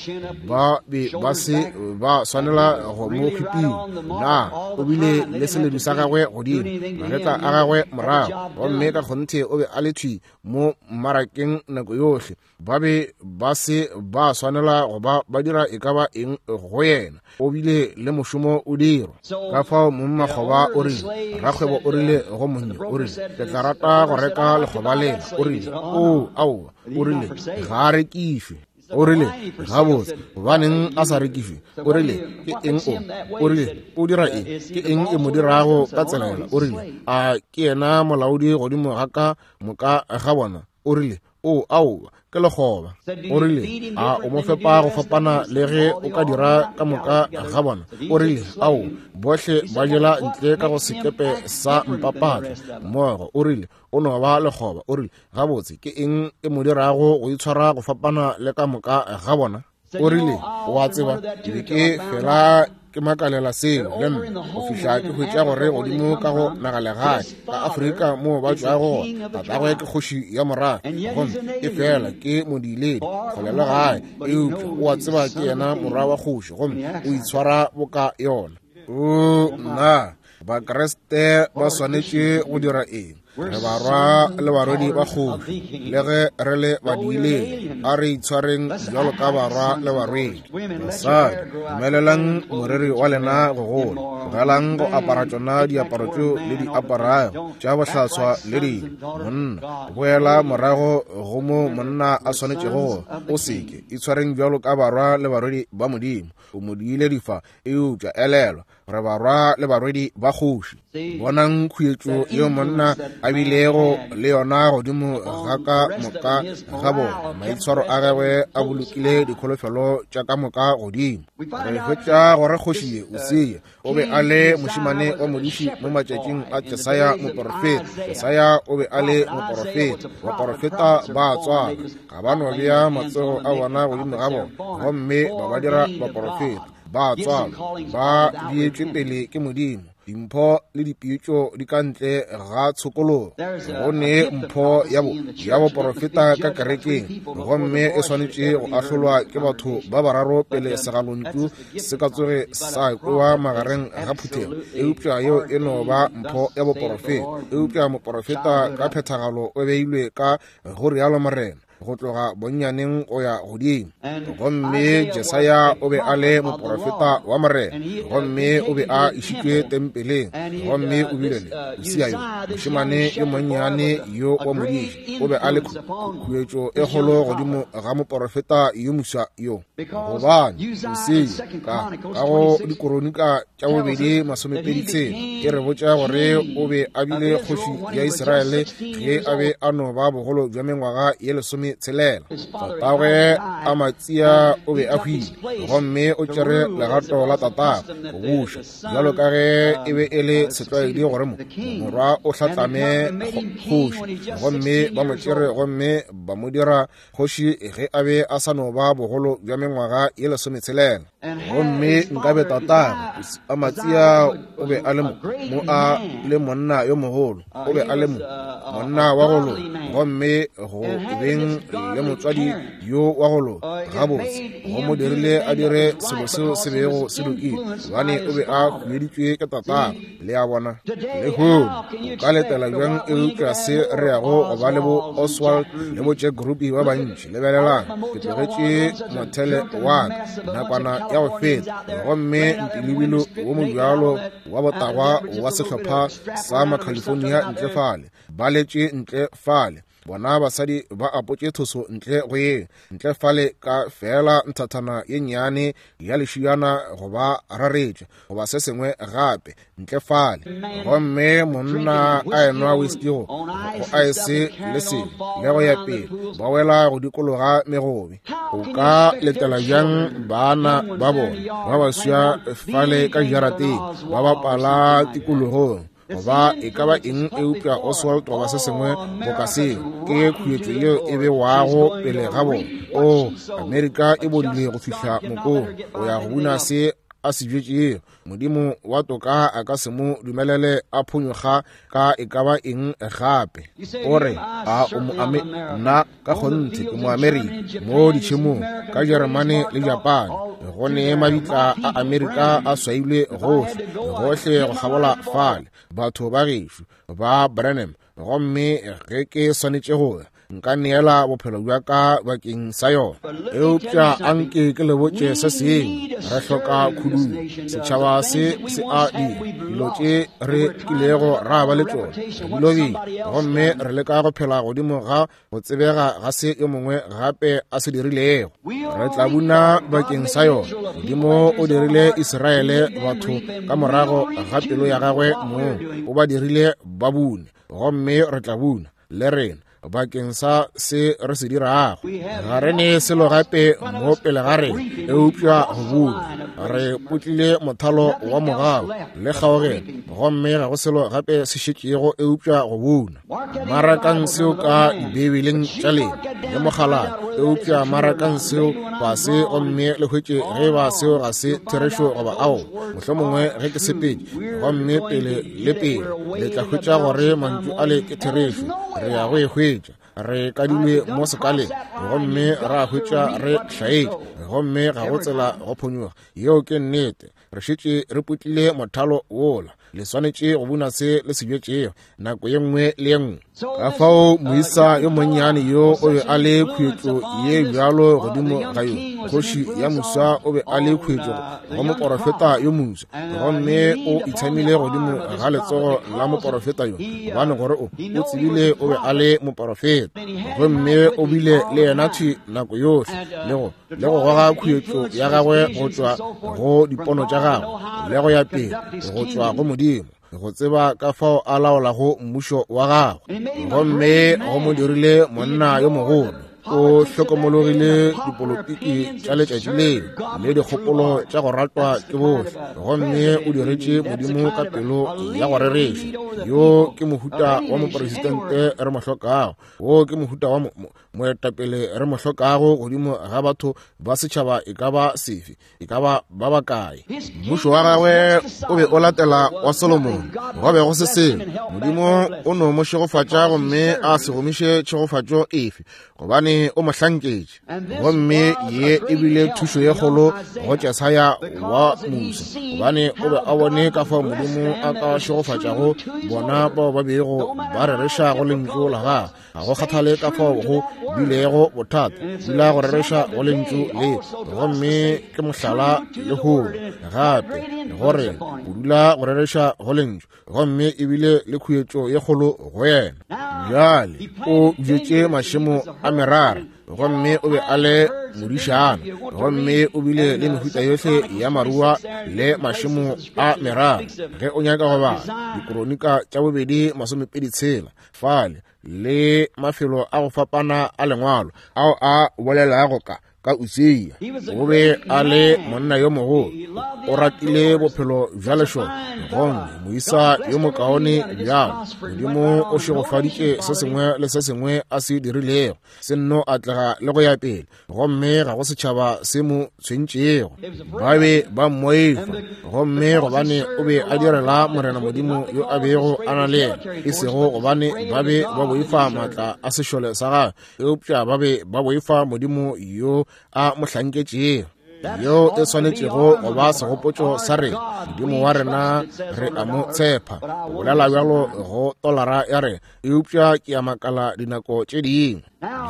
ba be ba se ba swanela go mo hwiping. Na o bile le seledu sa gagwe godimo, magetla a gagwe morago, gomme ka kgonthe o be a le thwi mo mmarakeng nako yohle. Ba be ba se ba swanela go ba ba dira e ka ba eng go yena. O bile le mošomo o dirwa. Ka fao mongmakgoba o rile, rakgwebo o rile go monnye, o rile, ke tla rata go reka lekgoba lela. O rile, o aowa. O rile, ga a rekišwe. O rile, gabotse, gobaneng a sa rekišwe? O rile, ke eng o? O rile, o dira eng? Ke eng e mo dirago ka tsela yela? O rile, a ke yena molaodi godimo ga ka moka ga bona? O rile, O, aowa, ke lekgoba. O rile, A o mo fepa go fapana le ge o ka dira ka moka ga bona? O rile, Ao, bohle ba jela ntle ka go sekepe sa mpapatla mmogo. O rile, O no ba lekgoba. O rile, Gabotse, ke eng e mo dirago go itshwara go fapana le ka moka ga bona? O rile, O a tseba, ke be ke fela ke makalela seo le nna go fihla ke hwetša gore godimo ka go nagalegae ka Afrika moo ba tšwago gona, tatagwe ke kgoši ya morafe, gomme e fela ke modiiledi kgole le gae, eupša o a tseba ke yena morwa wa kgoši gomme o itshwara boka yona. O nna, Bakriste ba swanetše go dira eng? Re barwa le barwedi ba kgoši, le ge re le badiiledi, a re itshwareng bjalo ka barwa le barwedi. Basadi, dumelelang moriri wa lena go gola, tlogelang go apara tšona diaparo tšeo le di aparago tša bohlaswa le dilo. Monna, boela morago go mo monna a swanetšego go, o seke. Itshwareng bjalo ka barwa le barwedi ba Modimo. O modiiledi fa, eupša elelwa, re barwa le barwedi ba kgoši. Bonang khuetšo yeo monna a bilego le yona godimo ga ka moka ga bona. Maitshwaro a gagwe a bolokile dikholofelo tša ka moka godimo. Re hwetša gore kgoši ye Usia o be a le mošemane wa modiši mo matšatšing a Jesaya moporofeta. Jesaya o be a le moporofeta. Baporofeta ba tswala, ga ba no bea matsogo a bona godimo ga bona gomme ba ba dira baporofeta. Ba tswalwa ba beetšwe pele ke Modimo. Dimpho le dipitšo di ka ntle ga tshokologo. Go ne mpho ya bo ya boporofeta ka kerekeng, gomme e swanetše go ahlolwa ke batho ba bararo pele segalontšu se ka tsoge sa kwewa magareng ga phuthego. Eupša yeo e no ba mpho ya boporofeta. Eupša moporofeta ka phethagalo o beilwe ka go rialo Morena, go tloga bonnyaneng go ya godimo. Gomme Jesaya o be a le moporofeta wa Morena, gomme o be a išitšwe tempeleng, gomme o bile le Usia yo mošemane yo monnyane yo wa modiši, o be a le khuetšo e kgolo godimo ga moporofeta yo moswa yo. Gobane Usia ka go Dikoronika tša bobedi 26 e re botša gore o be a bile kgoši ya Israele ge a be a no ba bogolo bja mengwaga ye 16. Tatagwe Amatsia o be a hwile, gomme o tšere legato la tatagwe go buša, bjalo ka ge e be e le setlwaedi gore morwa o hlatlame kgoši. Gomme ba mo tšere gomme ba mo dira kgoši ge a be a sa no ba bogolo bja mengwaga ye 16. Gomme nkabe tatagwe Amatsia o be a le mo a le monna yo mogolo, o be a le mo monna wa go loka, gomme go beng le motswadi yo wa go loka gabotse go mo dirile a dire selo seo se bego se lokile, gobane o be a hueditšwe ke tatagwe. Le a bona? Lehono o ka letela bjang eupša se re yago go ba le bo Oswald le bo Jack Ruby ba bantši. Lebelelang, ke tlogetše mothele wa ka nakwana ya go feta, gomme ntilebilo wo mobjalo wa botagwa wa sehlopha sa Macalifornia ntle fale, ba letše ntle fale. Bona basadi ba apotše thoso ntle go ye ntle fale ka feela nthathana ye nnyane ya lešiyana go ba raretša goba se sengwe gape ntle fale, gomme monna a enwa whisky go aese le selo le go ya pele, ba wela go dikologa megobe. O ka letela bjang bana ba bona ba baswa fale ka jarateng ba bapala tikologong goba e ka ba eng eupša Oswald goba se sengwe boka seo? Ke khuetšo yeo e bewago pele ga bona. O, Amerika e bodile go fihla mokong o ya go buna se a se bjetšego. Modimo wa toka a ka se mo dumelele a phonyokga ka e ka ba eng gape. O re, a o mo ame? Nna ka kgonthe ke mo Amerika, mo ditšhemong ka Jeremane le Japane, go ne mabitla a Amerika a swailwe gohle gohle go kgabola fale, batho ba gešo ba Branham. Gomme ge ke swanetše go ya, nka neela bophelo bja ka bakeng sa yona. Eupša anke ke le botše se sengwe, re hloka khudugo. Setšhaba se se a dira dilo tše re kilego ra ba le tšona, re di lobile, gomme re leka go phela godimo ga go tsebega ga se yo mongwe gape a se dirilego. Re tla buna bakeng sa yona. Modimo o dirile Israele batho ka morago ga pelo ya gagwe mong, o ba dirile ba bune, gomme re tla buna le rena. bakeng sa se re se dirago. Ga re ne selo gape mo pele ga rena eupša go buna. Re putlile mothalo wa mogau le kgaogelo, gomme ga go selo gape se šetšego eupša go buna. Marakang seo ka Dibeibeleng tša lena le mogalana, eupša marakang seo fase gomme le hwetše ge ba seo ga se therešo goba ao. Mohlomongwe ge ke sepetše gomme pele le pele le tla hwetša gore mantšu ale ke therešo. Re ya go e hwetša. Re kadilwe mo sekaleng gomme ra hwetša re hlaetše, gomme ga go tsela go phonyokga. Yeo ke nnete. Re šetše re putlile mothalo wola. Le swanetše go buna se le se bjetšego nako ye nngwe le ye nngwe. Ka fao moisa yo monnyane yo o be a le khuetšo ye bjalo godimo ga yo. Kgoši ya moswa o be a le khuetšo go moporofeta yo moswa, gomme o itshamile godimo ga letsogo la moporofeta yo, gobane gore o tsebile o be a le moporofeta. Gomme o bile le yena thwi nako yohle, le go le go goga khuetšo ya gagwe go tšwa go dipono tša gagwe le go ya pele go tšwa go Modimo, go tseba ka fao a laolago mmušo wa gagwe. Gomme go mo dirile monna yo mogolo. O hlokomologile dipolotiki tša letšatši leo le dikgopolo tša go ratwa ke bohle, gomme o diretše Modimo ka pelo ya go rereša. Yo ke mohuta wa moporesitente re mo hlokago. Wo ke mohuta wa moetapele re mo hlokago godimo ga batho ba setšhaba e ka ba sefe, e ka ba ba bakae. Mmušo wa gagwe o be o latela wa Solomone. Go be go se selo. Modimo o no mo šegofatša gomme a se gomiše tšhegofatšo efe, gobane o mo hlanketše. Gomme ye e bile thušo ye kgolo go Jesaya wa Musa, gobane o be a bone ka fao Modimo a ka šegofatšago bona bao ba bego ba rereša go lentšu la gagwe. Ga go kgathale ka fao go bilego bothata, dula go rereša go lentšu le. Gomme ke mohlala lehono gape gore o dula go rereša go lentšu, gomme ebile le khuetšo ye kgolo go yena. Bjale o bjetše mašemo a merara, gomme o be a le modišana, gomme o bile le mehuta yohle ya marua le mašemo a merara. Ge o nyaka go bala Dikronika tša bobedi 26 fale le mafelo a go fapana a lengwalo ao a bolelago ka ka Usia, o be a le monna yo mogolo, o ratile bophelo bja lešole, gomme moisa yo mokaone bjalo. Modimo o šegofaditše se sengwe le se sengwe a se dirilego, se nno atlega le go ya pele, gomme ga go setšhaba se mo tshwentšego. Ba be ba mmoifa, gomme gobane o be a direla Morena Modimo yo a bego a na le yena, e sego gobane ba be ba boifa maatla a sešole sa gagwe, eupša ba be ba boifa Modimo yo a mo hlanketšego. Yeo e swanetšego go ba segopotšo sa rena. Modimo wa rena re a mo tshepa. Go bolela bjalo go tolara ya rena, eupša ke a makala dinako tše dingwe.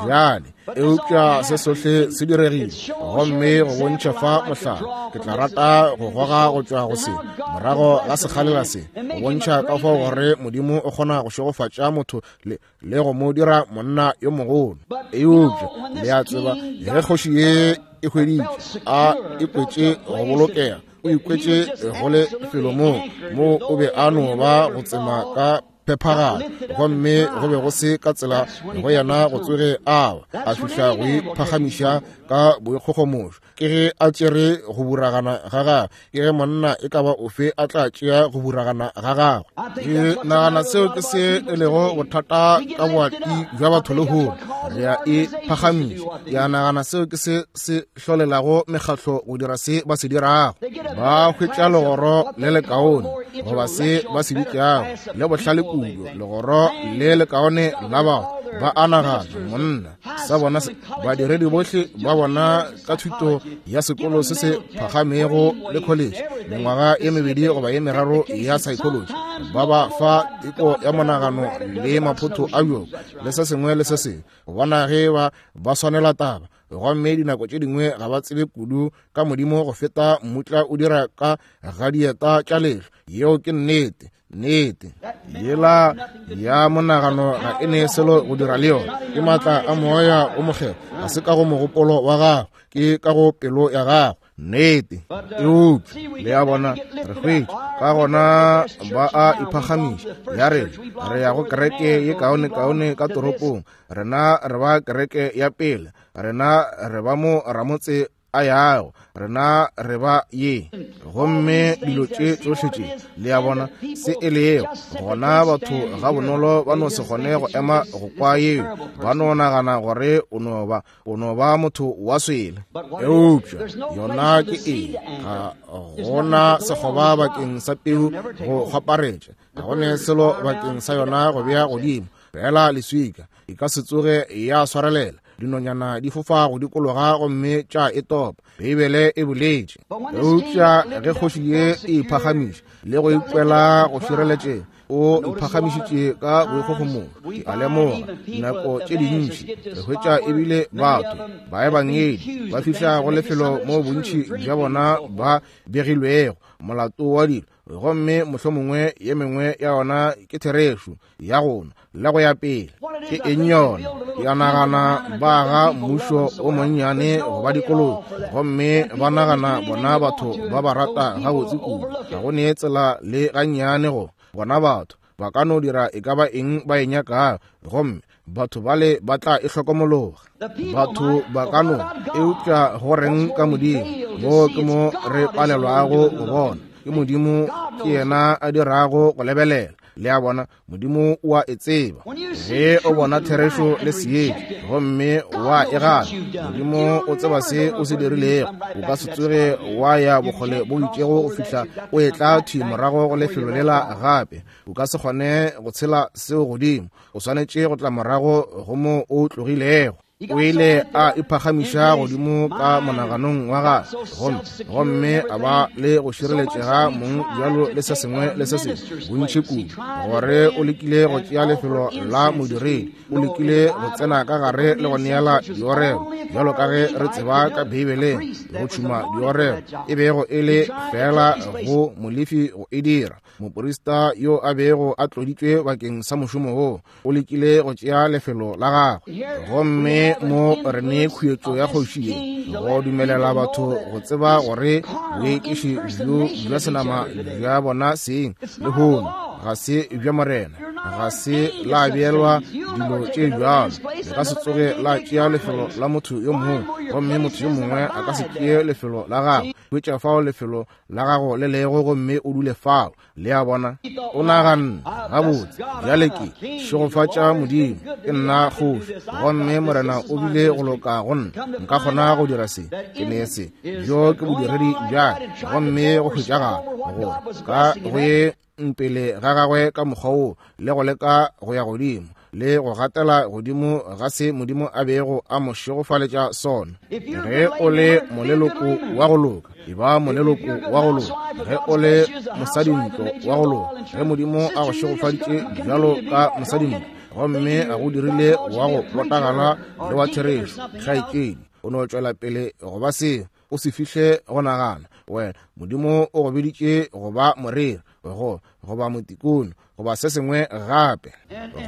Bjale, eupša se sohle se diregile, gomme go bontšha fa mohlala, ke tla rata go goga go tšwa go se morago ga sekgalela se, go bontšha ka fao gore Modimo o kgona go šegofatša motho le le go mo dira monna yo mogolo. Eupša le a tseba, ge kgoši ye e hweditše a ikwetše go bolokega, o ikwetše go le felo moo mo o be a no ba go tsema ka phephagalo, gomme go be go se ka tsela go yena go tsoge a wa a fihla go iphagamiša ka boikgogomošo. Ke ge a tšere go buragana ga gagwe, ke ge monna e ka ba ofe a tla tšea go buragana ga gagwe. Ke nagana seo ke se e lego bothata ka boati bja batho lehono. Re a e phagamiša. Ke a nagana seo ke se se hlolelago mekgatlo go dira se ba se dirago. Ba hwetša legoro le lekaone, goba se ba se bitšago le bohlale kudu, legoro le lekaone la batho. Ba a nagana, monna sa bona badiredi bohle ba bona ka thuto ya sekolo se se phagamego le college, mengwaga ye mebedi goba ye meraro ya psychology, ba ba fa teko ya monagano le maphotho a bjoko le se sengwe le se sengwe, go bona ge ba ba swanela taba. Gomme dinako tše dingwe ga ba tsebe kudu ka Modimo go feta mmutla o dira ka ga dieta tša lehlwa. Yeo ke nnete. Nnete yela ya monagano ga e ne selo go dira le yona. Ke maatla a Moya o Mokgethwa, ga se ka go mogopolo wa gago, ke ka go pelo ya gago. Nnete. Eupša, le a bona, re hwetša, ka gona ba a iphagamiša. Ya rena, re ya go kereke ye kaonekaone ka toropong. Rena re ba kereke ya pele. Rena re ba mo ramotse a yago. Rena re ba ye. Gomme dilo tše tsohle tše, le a bona, se e lego gona, batho ga bonolo ba no se kgone go ema go kwa yeo. Ba no nagana gore o no ba, o no ba motho wa swele. Eupša yona ke eng? Ga gona sekgoba bakeng sa peu go kgwaparetša, ga go ne selo bakeng sa yona go bea godimo, fela leswika. E ka se tsoge ya swarelela. Dinonyana di fofa go dikologa gomme tša e topa, Beibele e boletše. Eupša ge kgoši ye e iphagamiša le go ikwela go šireletšega, o iphagamišitše ka boikgogomošo. Ke a lemoga nako tše dintši re hwetša ebile batho baebangedi ba fihla go lefelo mo bontši bja bona ba begilwego molato wa dilo, gomme mohlomongwe ye mengwe ya ona ke therešo ya gona le go ya pele. Ke eng yona? Ke a nagana ba aga mmušo o monnyane go ba dikoloi, gomme ba nagana bona batho ba ba rata gabotse kudu. Ga go ne tsela le gannyane go bona batho ba ka no dira e ka ba eng ba e nyakago, gomme batho bale ba tla e hlokomologa. Batho ba ka no, eupša go reng ka Modimo? Mo ke mo re palelwago go bona. Ke Modimo ke yena a dirago go lebelela. Le a bona, Modimo o a e tseba. Ge o bona therešo le seetša gomme wa e gana, Modimo o tseba se o se dirilego. O ka se tsoge wa ya bokgole bo itšego go fihla o etla thwi morago go lefelo lela gape. O ka se kgone go tshela seo godimo. O swanetše go tla morago go mo o tlogilego. O ile a iphagamiša godimo ka monaganong wa gagwe, gomme, gomme a ba le go šireletšega mong bjalo le se sengwe le se sengwe bontši kudu, gore o lekile go tšea lefelo la modiredi. O lekile go tsena ka gare le go neela diorelo, bjalo ka ge re tseba ka Beibeleng, go tšhuma diorelo e bego e le feela go Molefi go e dira. Moprista yo a bego a tloditšwe bakeng sa mošomo wo o lekile go tšea lefelo la gagwe. Gomme mo re ne khuetšo ya kgoši ye go dumelela batho go tseba gore boekiši bjo bja senama bja bona seng lehono ga se bja Morena, ga se la beelwa dilo tše bjalo. Le ka se tsoge la tšea lefelo la motho yo mongwe, gomme motho yo mongwe a ka se tšee lefelo la gagwe. Hwetša fao lefelo la gago le lego gomme o dule fao. Le a bona? O naganne, gabotse, bjale ke šegofatša Modimo, ke nna kgoši, gomme Morena o bile go loka go nna. Nka kgona go dira se, ke ne se. Bjo ke bodiredi bja ka, gomme go hwetšagala gore ka go ye pele ga gagwe ka mokgwa wo, le go leka go ya godimo le go gatela godimo ga se Modimo a bego a mo šegofaletša sona. Ge o le moleloko wa go loka, e ba moleloko wa go loka. Ge o le mosadintlo wa go loka, ge Modimo a go šegofaditše bjalo ka mosadintlo gomme a go dirile wa go botagala le wa therešo, kgaetšedi, o no tšwela pele go ba seo. O se fihle go nagana wena Modimo o go biditše go ba moreri, go goba motikone, goba se sengwe gape,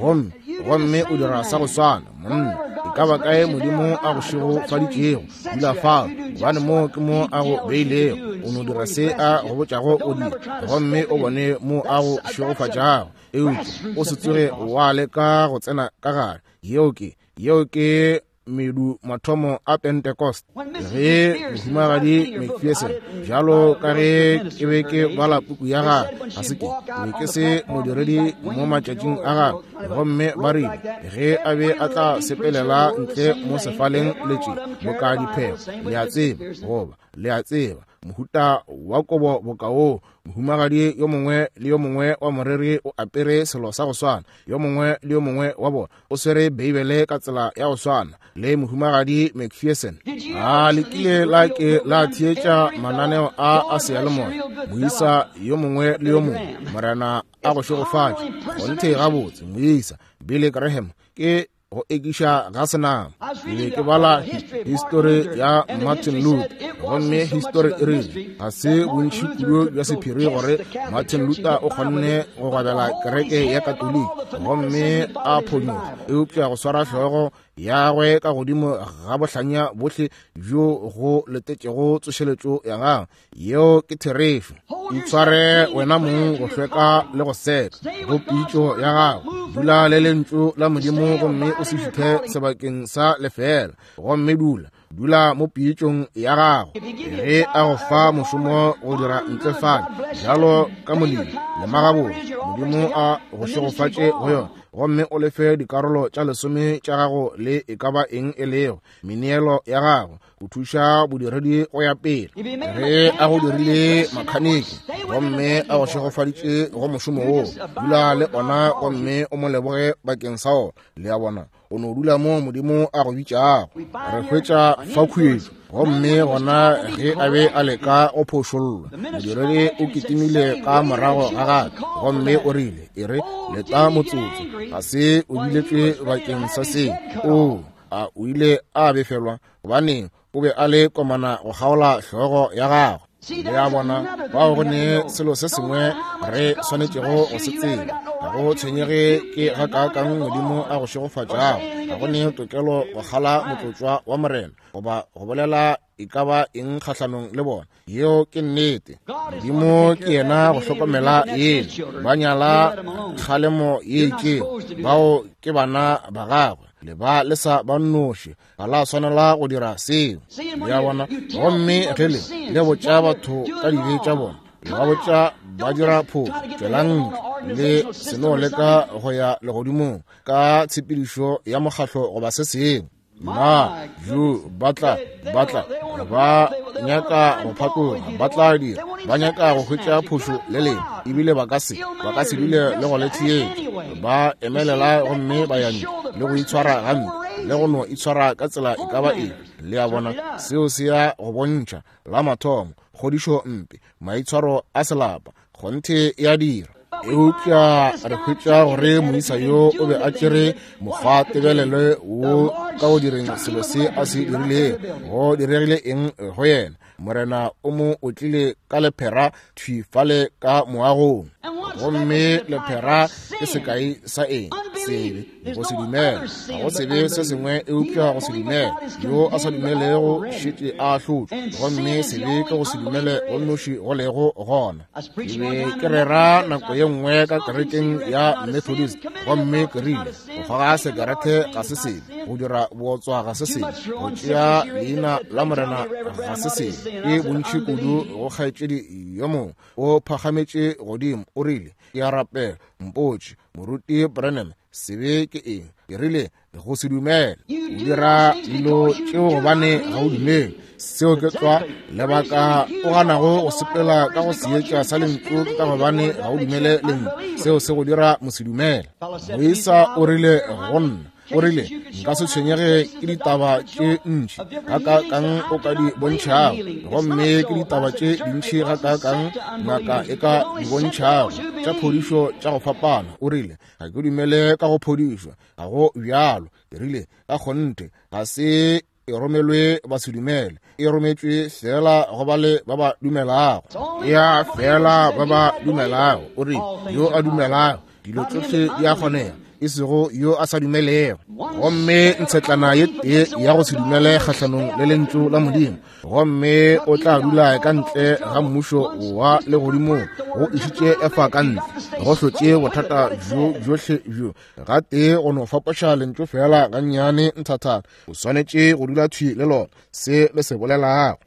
gomme, gomme o dira sa go swana. Monna, e ka ba kae Modimo a go šegofaditšego, dula fao, gobane mo ke mo a go beilego. O no dira se a go botšago o dira, gomme o bone mo a go šegofatšago. Eupša o se tsoge wa leka go tsena ka gare. Yeo ke, yeo ke medu mathomo a Pentecost. Ge Mohumagadi McPherson, bjalo ka ge ke be ke bala puku ya gagwe, ga se ke be ke se modiredi mo matšatšing a gagwe, gomme ba rile ge a be a tla sepelela ntle mo sefaleng letše boka diphego, le a tseba, goba le a tseba, mohuta wa kobo boka woo, mohumagadi yo mongwe le yo mongwe wa moreri o apere selo sa go swana, yo mongwe le yo mongwe wa bona o swere Beibele ka tsela ya go swana le Mohumagadi McPherson. A le kile la ke la theetša mananeo a a seyalemoya? Moisa yo mongwe le yo mongwe, Morena a go šegofatše. Kgonthe gabotse, moisa Billy Graham ke go ekiša ga senama. Ke be ke bala histori ya Martin Luther, Gomme histori e rile ga se bontši kudu bja sephiri gore Martin Luther o kgonne go gwabela kereke ya Katoliki gomme a phonyokga, eupša go swara hlogo yagwe ka godimo ga bohlanya bohle bjo go letetšego tsošeletšo ya gagwe. Yeo ke therešo. Itshware wena mong go hlweka le go seka go pitšo ya gago. Dula le lentšu la Modimo gomme o se šuthe sebakeng sa lefeela, gomme dula dula mo pitšong ya gago. Ge a go fa mošomo go dira ntle fale bjalo ka molemi, lema gabotse, Modimo a go šegofatše go yona, gomme o lefe dikarolo tša lesome tša gago le e ka ba eng e lego meneelo ya gago go thuša bodiredi go ya pele. Ge a go dirile makhaniki gomme a go šegofaditše go mošomo woo, dula le ona gomme o mo leboge bakeng sa ona. Le a bona, o no dula mo Modimo a go bitšago. Re hwetša fa khuetšo, gomme gona ge a be a leka go phošollwa, modiredi o kitimile ka morago ga gagwe gomme o rile, e re, leta motsotso, ga se o biletšwe bakeng sa se. Oo, a o ile a befelwa, gobaneng o be a le komana go kgaola hlogo ya gagwe. Le a bona, fao go ne selo se sengwe re swanetšego go se tseba. Ga go tshwenyege ke gakaakang Modimo a go šegofatšago, ga go ne tokelo go kgala motlotšwa wa Morena goba go bolela e ka ba eng kgahlanong le bona. Yeo ke nnete. Modimo ke yena go hlokomela yena. Ba nyala kgalemo ye itšego, bao ke bana ba gagwe. Le ba le sa ba nnoši, ga la swanela go dira seo. Le a bona? Gomme ge le le botša batho ka dibe tša bona, le ba botša ba dira phošo, tšwelang ntle le se no leka go ya legodimong ka tshepedišo ya mokgahlo goba se sengwe. Na jo ba tla, ba tla, ba nyaka go phatloga, ba tla dira, ba nyaka go hwetša phošo le lena, ebile ba ka se, ba ka se dule le go le theetša. Ba emelela gomme ba ya ntle le go itshwara gampe, le go no itshwara ka tsela e ka ba eng. Le a bona, seo se ya go bontšha la mathomo kgodišo mpe, maitshwaro a selapa, kgonthe ya dira. Eupša re hwetša gore moisa yo o be a tšere mokgwa tebelelo wo ka go direng selo se a se dirilego. Go diregile eng go yena? Morena o mo otlile ka lephera thwi fale ka moagong. Gomme lephera ke sekai sa eng? Sebe, go se dumele. Ga go sebe se sengwe eupša go se dumele. Yo a sa dumelego šetše a ahlotšwe. Gomme sebe ke go se dumele go nnoši go lego gona. Ke be ke rera nako ye nngwe ka kerekeng ya Methodist, gomme ke rile, go kgoga sekerete ga se sebe, go dira bootswa ga se sebe, go tšea leina la Morena ga se sebe. Ke bontši kudu go kgaetšedi yo mongwe o phagametše godimo, o rile, ke a rapela, mpotše, Moruti Branham, sebe ke eng? Ke rile, go se dumele. O dira dilo tšeo gobane ga o dumele. Seo ke tlwa lebaka o ganago go sepela ka go seetša sa lentšu, ke ka gobane ga o dumele lentšu. Seo se go dira mosedumele. Moisa o rile go nna, o rile, nka se tshwenyege ke ditaba tše ntši gakaakang o ka di bontšhago, gomme ke ditaba tše dintši gakaakang ngaka e ka di bontšhago tša phodišo tša go fapana. O rile, ga ke dumele ka go phodišwa, ga go bjalo. Ke rile, ka kgonthe ga se e romelwe basedumele, e rometšwe fela go bale ba ba dumelago. Ya fela ba ba dumelago. O rile, yo a dumelago dilo tšohle di a kgonega, e sego yo a sa dumelego. Gomme ntshetlana ye tee ya go se dumele kgahlanong le lentšu la Modimo, gomme o tla dula ka ntle ga mmušo wa legodimong. Go išitše Efa ka ntle, go hlotše bothata bjo bjohle bjo gatee go no fapoša lentšu fela gannyane nthathana. O swanetše go dula thwi le lona, se le se bolelago.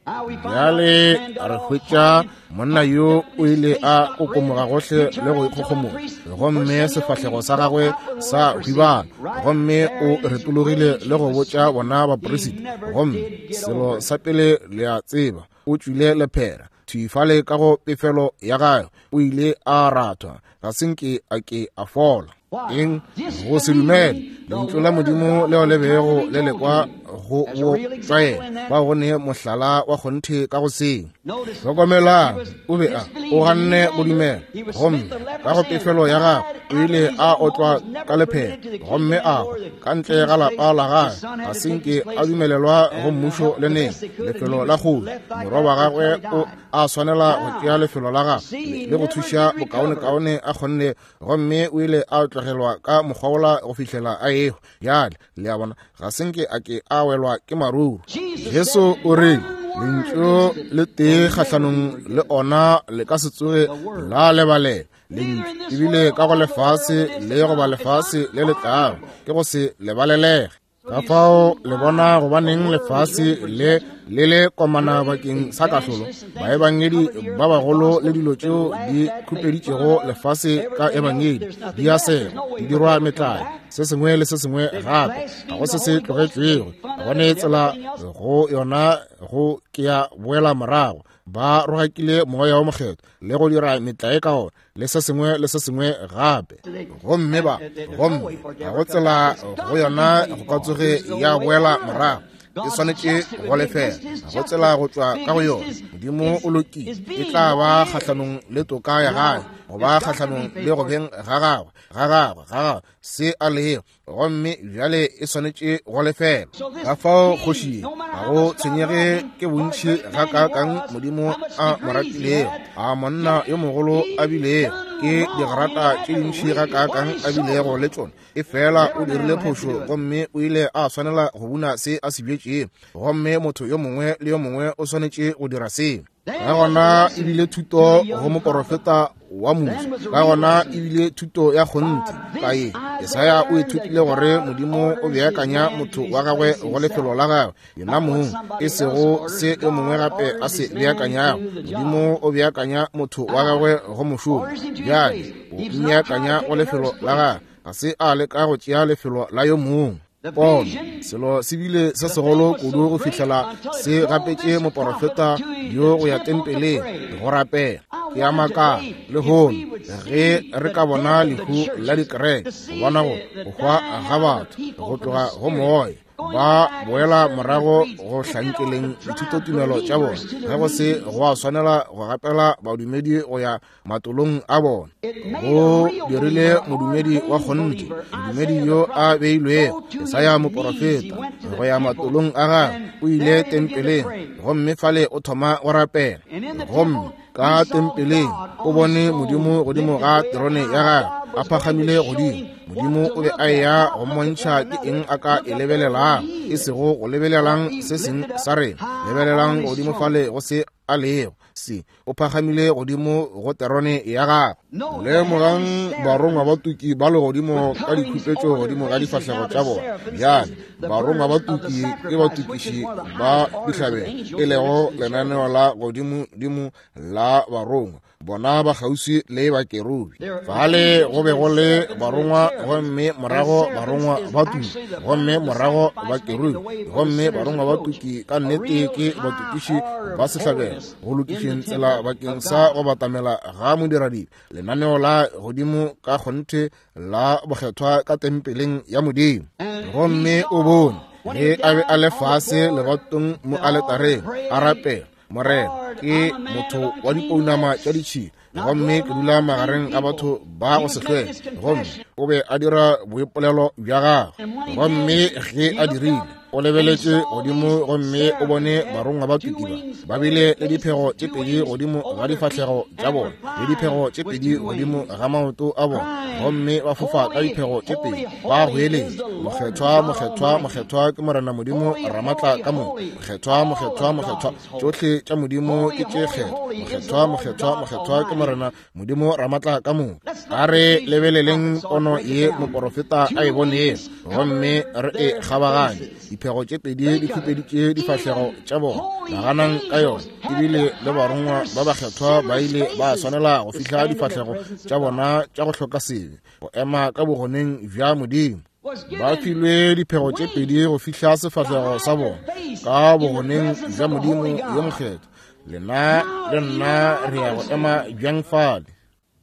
Bjale re hwetša monna yo o ile a kokomoga gohle le go ikgogomoga, gomme sefahlego sa gagwe sa hwibana, gomme o retologile le go botša bona baperisita, gomme selo sa pele le a tseba, o tšwile lephera thwi fale ka go pefelo ya gagwe. O ile a rathwa, ga se nke a ke a fola. Eng? Go se dumele lentšu la Modimo leo le bego le lekwa go bo tlwaela. Ba go ne mohlala wa kgonthe ka go seo. Hlokomelang, o be a o ganne go dumela, gomme ka go pefelo ya gagwe o ile a otlwa ka lephelo gomme a hwa ka ntle ga lapa la gagwe. Ga se nke a dumelelwa go mmušo le neng, lefelo la kgoši. Morwa wa gagwe o a swanela go tšea lefelo la gagwe le go thuša bokaonekaone a kgonne, gomme o ile a tlogelwa ka mokgwa wola go fihlela a ehwa. Bjale le a bona, ga se nke a ke a welwa ke maruru. Jesu o rile, Lentšu le tee kgahlanong le ona le ka se tsoge la lebalela. Lentšu ebile ka go lefase le goba lefase le le tlago ke go se lebalelege. Ka fao le bona gobaneng lefase le le le komana bakeng sa kahlolo, baebangedi ba bagolo le dilo tšeo di khupeditšego lefase ka ebangedi di a sega, di dirwa metlae, se sengwe le se sengwe gape, ga go se se tlogetšwego, ga go ne tsela go yona go ke ya boela morago. Ba rogakile Moya wo Mokgethwa le go dira metlae ka ona le se sengwe le se sengwe gape, gomme ba, gomme ga go tsela go yona go ka tsoge ya boela morago. E swanetše go lefela, ga go tsela go tšwa ka go yona. Modimo o lokile, e tla ba kgahlanong le toka ya gagwe, go ba kgahlanong le go beng ga gagwe, ga gagwe, ga gagwe, se a lego, gomme bjale e swanetše go lefela. Ka fao kgoši ye, ga go tshwenyege ke bontši gakaakang Modimo a mo ratilego, a monna yo mogolo a bilego, ke digrata tše dintši gakaakang a bilego le tšona, e fela o dirile phošo gomme o ile a swanela go buna se a se bjetšego, gomme motho yo mongwe le yo mongwe o swanetše go dira seo. Ka gona e bile thuto go moporofeta wa moswa, ka gona e bile thuto ya kgonthe ka ye. Jesaya o ithutile gore Modimo o beakanya motho wa gagwe go lefelo la gagwe yena mong, e sego se yo mongwe gape a se beakanyago. Modimo o beakanya motho wa gagwe go mošomo. Bjale o mmeakanya go lefelo la gagwe, ga se a leka go tšea lefelo la yo mongwe. Pono, selo se bile se segolo kudu go fihlela se gapetše moporofeta yo go ya tempeleng go rapela. Ke a makala lehono ge re ka bona lehu la dikereke, go bona go hwa ga batho go tloga go moya, ba boela morago go hlankeleng dithutotumelo tša bona, ge go se go a swanela go gapela badumedi go ya matolong a bona. Go dirile modumedi wa kgonthe, modumedi yo a beilwego, Jesaya moporofeta, go ya matolong a gagwe, o ile tempeleng, gomme fale o thoma go rapela. Gomme ka tempeleng o bone Modimo godimo ga terone ya gagwe, a phagamile godimo. Modimo o be a eya go mmontšha ke eng a ka e lebelelang, e sego go lebelelang se seng sa rena, lebelelang godimo fale go se a lego. Se o phagamile godimo go terone ya gagwe. Lemogang barongwa ba tuki ba legodimo ka dikhupetšo godimo ga difahlego tša bona. Bjale barongwa ba tuki ke batukiši ba dihlabelo, e lego lenaneo la godimodimo la barongwa. Bona ba kgauswi le bakerubi. Fale go be go le barongwa, gomme morago barongwa ba tuki, gomme morago bakerubi, gomme barongwa ba tuki ka nnete ke batukiši ba sehlabelo go lokišeng tsela bakeng sa go batamela ga modiradibe, lenaneo la godimo ka kgonthe la bokgethwa ka tempeleng ya Modimo. Gomme o bone ge a be a le fase lebatong mo aletareng a rapela, Morena, ke motho wa dipounama tša ditšhila, gomme ke dula magareng ga batho ba go se hlweke. Gomme o be a dira boipolelo bja gagwe, gomme ge a dirile, o lebeletše godimo gomme o bone barongwa ba tukiba ba bile le diphego tše pedi godimo ga difahlego tša bona, le diphego tše pedi godimo ga maoto a bona, gomme ba fofa ka diphego tše pedi, ba goeletša, Mokgethwa, mokgethwa, mokgethwa ke Morena Modimo Ramatla ka moka. Mokgethwa, mokgethwa, mokgethwa, tšohle tša Modimo ke tše kgethwa. Mokgethwa, mokgethwa, mokgethwa ke Morena Modimo Ramatla ka moka. A re lebeleleng pono ye moporofeta a e bonego, gomme re e kgabaganye. Diphego tše pedi di khupeditše difahlego tša bona. Naganang ka yona. Ebile le barongwa ba bakgethwa ba ile ba swanela go fihla difahlego tša bona tša go hloka sebe, go ema ka bogoneng bja Modimo. Ba filwe diphego tše pedi go fihla sefahlego sa bona ka bogoneng bja Modimo yo mokgethwa. Lena le nna re ya go ema bjang fale?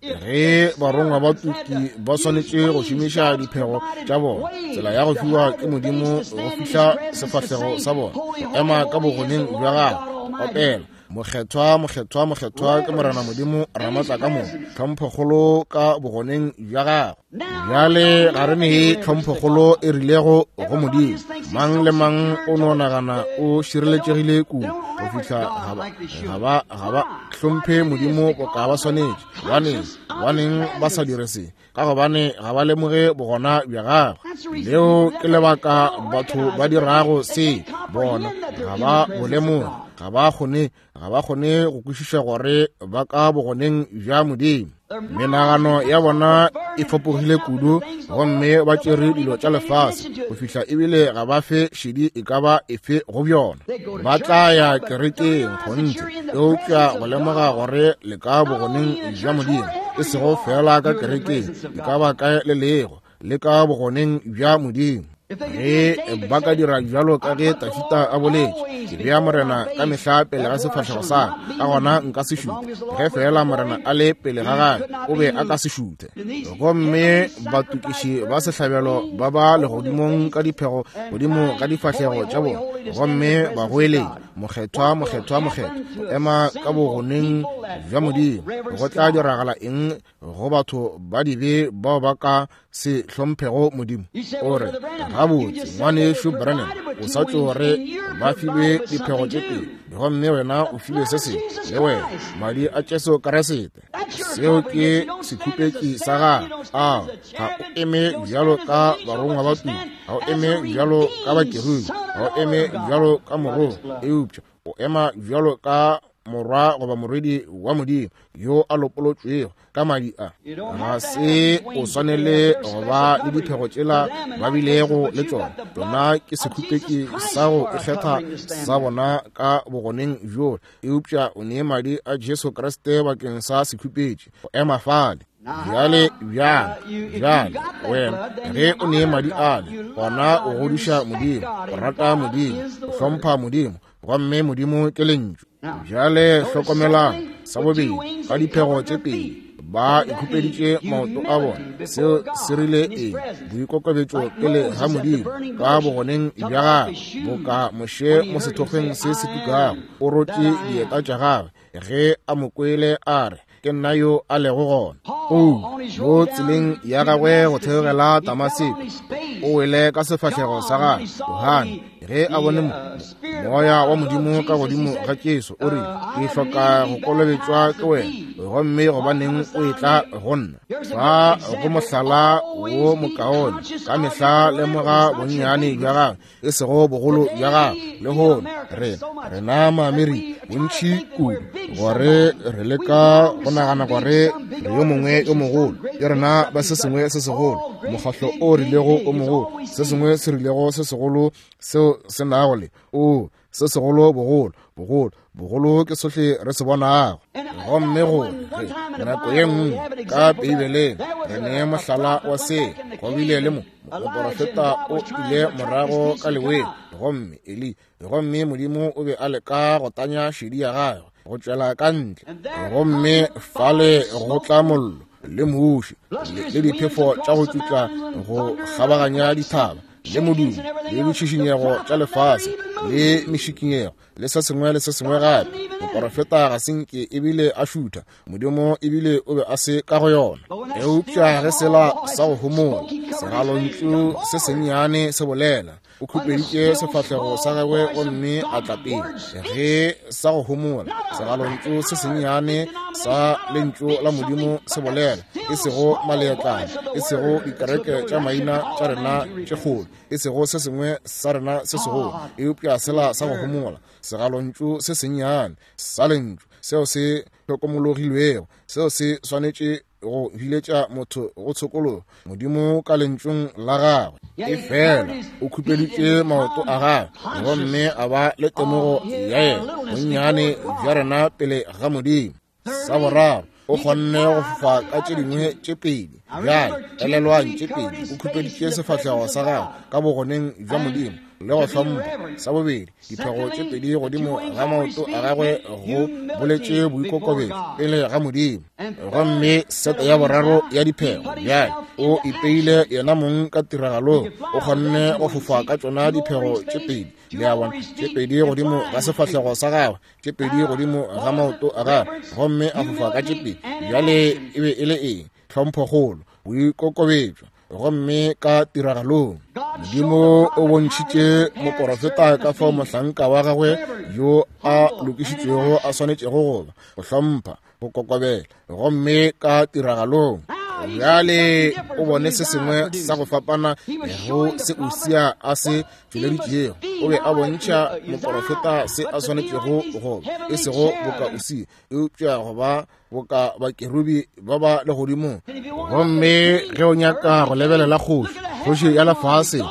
Ge barongwa ba tuki ba swanetše go šomiša diphego tša bona, tsela ya go fiwa ke Modimo go fihla sefahlego sa bona, go ema ka bogoneng bja gagwe, opela, Mokgethwa, mokgethwa, mokgethwa ke Morena Modimo Ramatla ka moka, tlhomphokgolo ka bogoneng bja gagwe. Bjale ga re nee tlhomphokgolo e rilego go Modimo. Mang le mang o no nagana o šireletšegile kudu go fihla ga ba hlomphe Modimo boka ba swanetše. Gobaneng? Gobaneng ba sa dire se? Ka gobane ga ba lemoge bogona bja gagwe. Leo ke lebaka batho ba dirago se. Bona ga ba bo lemoge, ga ba kgone, ga ba kgone go kwešiša gore ba ka bogoneng bja Modimo. Menagano ya bona e fapogile kudu, gomme ba tšere dilo tša lefase go fihla ebile ga ba fe šedi e ka ba efe go bjona. Ba tla ya kerekeng, kgonthe, eupša go lemoga gore le ka bogoneng bja Modimo, e sego feela ka kerekeng, e ka ba kae le lego, le ka bogoneng bja Modimo. Ge ba ka dira bjalo ka ge Tafita a boletše, ke bea Morena ka mehla pele ga sefahlego sa ka, ka gona nka se šuthe. Ge feela Morena a le pele ga gagwe, o be a ka se šuthe. Gomme batokiši ba sehlabelo ba ba legodimong ka diphego godimo ga difahlego tša bona, gomme ba goeletša, Mokgethwa, mokgethwa, mokgethwa, ema ka bogoneng bja Modimo. Go tla diragala eng go batho ba dibe bao ba ka se hlomphego Modimo? O re, gabotse, ngwanešu Branham, o sa tšo re ba filwe diphego tše pedi, gomme wena o filwe se sengwe, le wena, madi a Jesu Kriste. Seo ke sekhupetši sa gago. A ga o eme bjalo ka barongwa ba tumo, ga o eme bjalo ka bakerubi, ga o eme bjalo ka morongwa, eupša o ema bjalo ka morwa goba morwedi wa Modimo yo a lopolotšwego ka madi a. Ga se o swanele go ba le diphego tšela ba bilego le tšona. Tšona ke sekhupetši sa go ikgetha sa bona ka bogoneng bjo, eupša o nee madi a Jesu Kriste bakeng sa sekhupetši go ema fale. Bjale, bjang, bjale, wena, ge o nee madi ale, gona o godiša Modimo, o rata Modimo, o hlompha Modimo, gomme Modimo ke Lentšu. Bjale hlokomelang, sa bobedi, ka diphego tše pedi ba ikhupeditše maoto a bona. Seo se rile eng? Boikokobetšo pele ga Modimo, ka bogoneng bja gagwe, boka Moshe mo sethokgweng se se tukago, o rotše dieta tša gagwe ge a mo kwele a re, Ke nna yo a lego gona. Paulo, mo tseleng ya gagwe go theogela Damaseko, o wele ka sefahlego sa gagwe. Johane, ge a bone moya wa Modimo ka godimo ga Jesu, o rile, Ke hloka go kolobetšwa ke wena, gomme gobaneng o etla go nna? Fa go mohlala wo mokaone, ka mehla lemoga bonnyane bja gagwe, e sego bogolo bja gagwe. Lehono re rena Maamerika bontši kudu gore re leka go nagana gore re yo mongwe yo mogolo, ke rena ba se sengwe se segolo, mokgahlo o rilego o mogolo, se sengwe se rilego se segolo seo se nago le o se segolo bogolo, bogolo, bogolo ke sohle re se bonago. Gomme go re nako ye nngwe ka Beibeleng re ne mohlala wa se, go bile le moporofeta o ile morago ka leweng, gomme Eli, gomme Modimo o be a leka go tanya šedi ya gagwe go tšwela ka ntle, gomme fale go tla mollo le muši le diphefo tša go tšutla go kgabaganya dithaba, le modumo le ditšhišinyego tša lefase le mešikinyego le se sengwe le se sengwe gape. Moporofeta ga se nke ebile a šutha, Modimo ebile o be a se ka go yona. Eupša ge sela sa go homola segalontšu se sennyane se bolela, o khupeditše sefahlego sa gagwe gomme a tla pele. Ge sa go homola segalontšu se sennyane sa lentšu la Modimo se bolela, e sego maleatlana, e sego dikereke tša maina tša rena tše kgolo, e sego se sengwe sa rena se segolo, eupša sela sa go homola segalontšu se sennyane sa lentšu seo se hlokomologilwego, seo se swanetše go biletša motho go tshokologo Modimo ka lentšung la gagwe. Efela o khupeditše maoto a gagwe gomme a ba le temogo ya yena bonnyane bja rena pele ga Modimo. Sa boraro, o kgonne go fofa ka tše dingwe tše pedi. Bjale elelwang, tše pedi, o khupeditše sefahlego sa gagwe ka bogoneng bja Modimo. le go hlompha. Sa bobedi, diphego tše pedi godimo ga maoto a gagwe go boletše boikokobetšo pele ga Modimo. Gomme sete ya boraro ya diphego, bjale o ipeile yena mong ka tiragalong, o kgonne go fofa ka tšona diphego tše pedi, le a bona, tše pedi godimo ga sefahlego sa gagwe, tše pedi godimo ga maoto a gagwe, gomme a fofa ka tše pedi. Bjale e be e le eng? Tlhomphokgolo, boikokobetšo. Gomme ka tiragalong Modimo o bontšhitše moporofeta ka fao mohlanka wa gagwe yo a lokišitšwego a swanetšego go ba, go hlompha, go kokobela. Gomme ka tiragalong bjale o bone se sengwe sa go fapana go se Usia a se tšweleditšego. O be a bontšha moporofeta se a swanetšego go ba, e sego boka Usia, eupša go ba boka bakerubi ba ba legodimong. Gomme ge o nyaka go lebelela kgoši, kgoši ya lefase,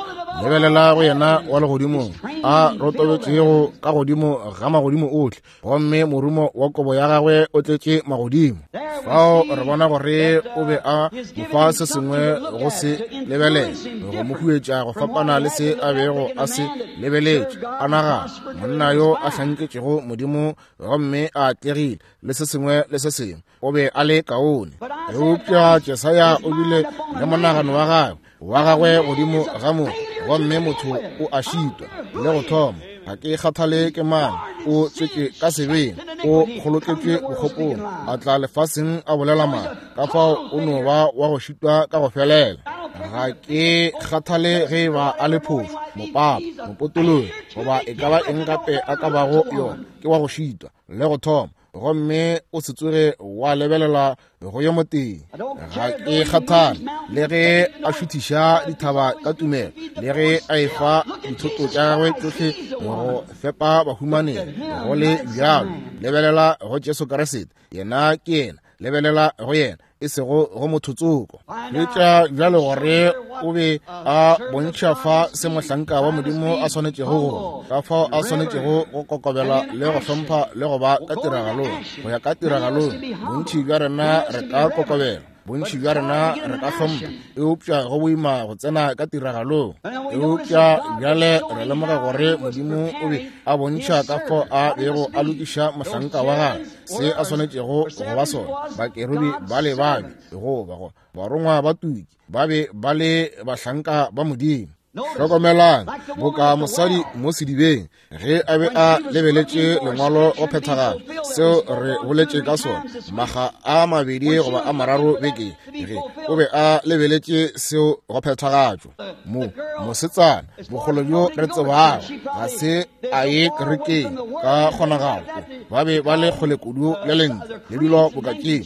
lebelela go yena wa legodimong a rotobetšego ka godimo ga magodimo ohle, gomme morumo wa kobo ya gagwe o tletše magodimo. Fao re bona gore o be a mo fa se sengwe go se lebelela, go mo huetša go fapana le se a bego a se lebeletše. A nagana, monna yo a hlanketšego Modimo gomme a atlegile le se sengwe le se sengwe, o be a le kaone. Eupša Jesaya o bile le monagano wa gagwe wa gagwe godimo ga mo, gomme motho o a šitwa le go thoma. Ga ke kgathale ke mang, o tswetšwe ka sebeng, o kgoloketšwe bokgopong, a tla lefaseng a bolela mang, ka fao o no ba wa go šitwa ka go felela. Ga ke kgathale ge e ba a le phošo, mopapa, mopotologi, goba e ka ba eng gape a ka bago yona, ke wa go šitwa le go thoma. Gomme o se tsoge wa lebelela go yo motee. Ga ke kgathale le ge a šuthiša dithaba ka tumelo, le ge a efa dithoto tša gagwe tšohle go fepa bahumanegi, go le bjalo lebelela go Jesu Kriste, yena ke yena. Lebelela go yena, e sego go motho tsoko. Hwetša bjale gore o be a bontšha fa se mohlanka wa Modimo a swanetšego go, ka fao a swanetšego go kokobela le go hlompha le go ba ka tiragalong. Go ya ka tiragalong, bontši bja rena re ka kokobela, bontši bja rena re ka hlompha, eupša go boima go tsena ka tiragalong. Eupša bjale re lemoga gore Modimo o be a bontšha ka fao a bego a lokiša mohlanka wa gagwe, se a swanetšego go ba sona. Bakerubi ba le babe goba go barongwa ba tuki ba be ba le bahlanka ba Modimo. Hlokomelang, boka mosadi mo sedibeng ge a be a lebeletše lengwalo go phethagala, seo re boletše ka sona maga a mabedi goba a mararo beke, ge o be a lebeletše seo go phethagatšwa. Mo mosetsana bogolo bjo re tsebago ga se a ye kerekeng ka kgonagalo, ba be ba le kgole kudu le lentšu le dilo boka tše,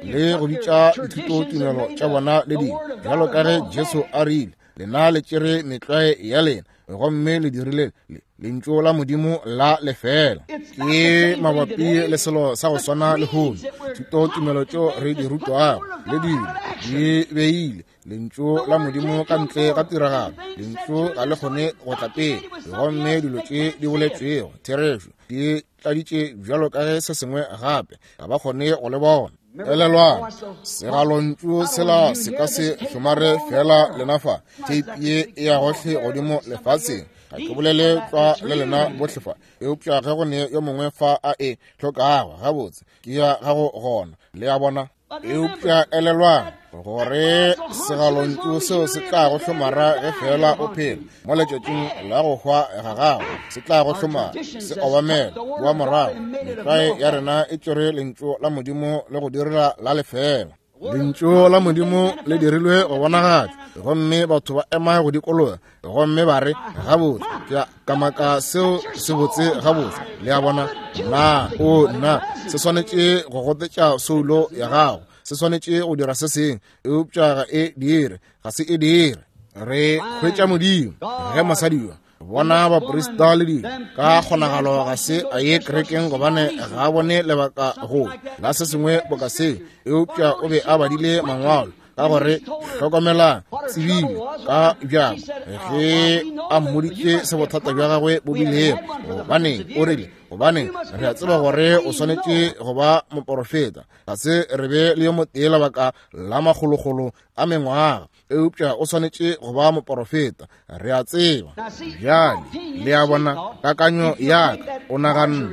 le go bitša dithutotumelo tša bona le dilo, bjalo ka ge Jesu a rile, lena le tšere metlwae ya lena gomme le dirile lentšu la Modimo la lefela. Ke mabapi le selo sa go swana lehono, thutotumelo tšeo re di rutwago le dilo di beile lentšu la Modimo ka ntle ga tiragalo. Lentšu ga le kgone go tla pele, gomme dilo tše di boletšwego therešo di tladitše bjalo ka ge se sengwe gape ga ba kgone go le bona. Elelwang, segalontšu sela se ka se hlomare fela lena fa, tape ye e ya gohle godimo lefaseng. Ga ke bolele tlwa le lena bohle fa, eupša ge go ne yo mongwe fa a e hlokago, gabotse ke ya gago gona, le a bona. Eupša elelwang gore segalontšu seo se tla go hlomara ge fela o phela mo letšatšing la go hwa ga gago, se tla go hlomara, se obamela wa morago. Metlwae ya rena e tšere lentšu la Modimo le go direla la lefela. Lentšu la Modimo le dirilwe go bonagatšwa, gomme batho ba ema go dikologa gomme ba re, gabotse, ke a kamaka seo se botse gabotse. Le a bona? Na o nna se swanetše go gotetša soulo ya gago, se swanetše go dira se sengwe, eupša ga e dire, ga se e dire. Re hwetša Modimo ge mosadi yo bona baprista le dilo ka kgonagalo ga se a ye kerekeng gobane ga a bone lebaka go la se sengwe boka se, eupša o be a badile mangwalo. Ka gore hlokomelang, tsebile ka bjako ge a mmoditše se bothata bja gagwe bo bilego. Gobaneng o rile, gobaneng re a tseba gore o swanetše go ba moporofeta. Ga se re be le yo motee lebaka la makgolokgolo a mengwaga. Eupša o swanetše go ba moporofeta, re a tseba. Bjale, le a bona, kakanyo ya ka, o naganne,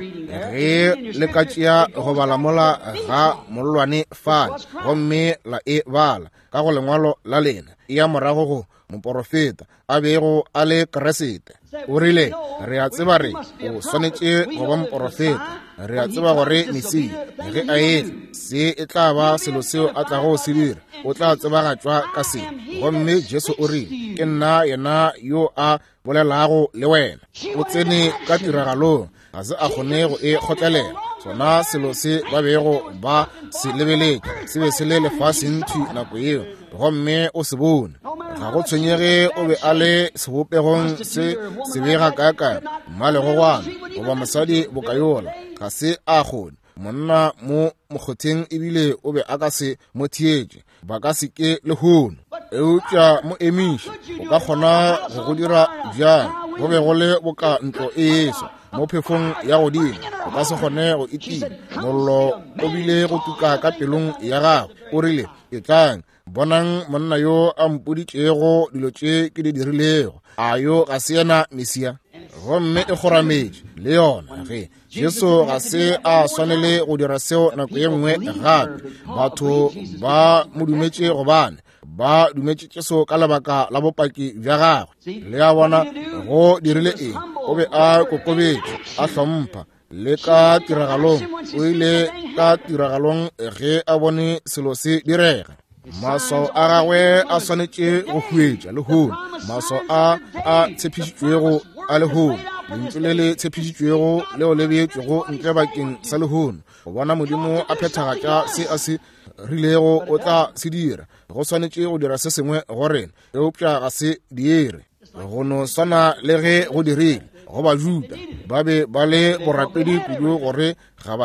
ge le ka tšea go bala mola ga mollwane fale, gomme la e bala ka go lengwalo la lena, e ya morago go moporofeta a bego a le Kriste. O rile, re a tseba re o swanetše go ba moporofeta. Re a tseba gore Mesia ge a etla, se e tla ba selo seo a tlago se dira. O tla tsebagatšwa ka se. Gomme Jesu o rile, ke nna yena yo a bolelago le wena. O tsene ka tiragalong, ga se a kgone go e kgotlelela. Sona selo se ba bego ba se lebeletše se be se le lefaseng thwi nako yeo, gomme o se bone. Ga go tshwenyege o be a le sebopegong se sebega kaakang, mmalegogwana goba mosadi bokayola, ga se a kgone. Monna mo mokgotheng ebile o be a ka se mo theetše, ba ka se ke lehono. Eupša mo emiše, o ka kgona go go dira bjang? Go be go le boka ntlo e eswa mo phefong ya godimo, o ka se kgone go itima. Mollo o bile go tuka ka pelong ya gagwe. O rile, etlang, bonang monna yo a mpoditšego dilo tše ke di dirilego. A yo ga se yena Mesia? Gomme e kgorametše le yona. Ge Jesu ga se a swanele go dira seo nako ye nngwe gape. Batho ba mo dumetše gobane ba dumetše Jesu ka lebaka la bopaki bja gagwe. Le a bona, go dirile eng? O be a kokobetše, a hlompha. Le ka tiragalong, o ile ka tiragalong ge a bone selo se direga. Maswao a gagwe a swanetše go huetša lehono, maswao a a tshepišitšwego a lehono, lentšu le le tshepišitšwego leo le beetšwego ntle bakeng sa lehono, go bona Modimo a phethagatša se a se rilego o tla se dira. Go swanetše go dira se sengwe go rena, eupša ga se dire. Go no swana le ge go dirile go Bajuda, ba be ba le borapedi kudu gore ga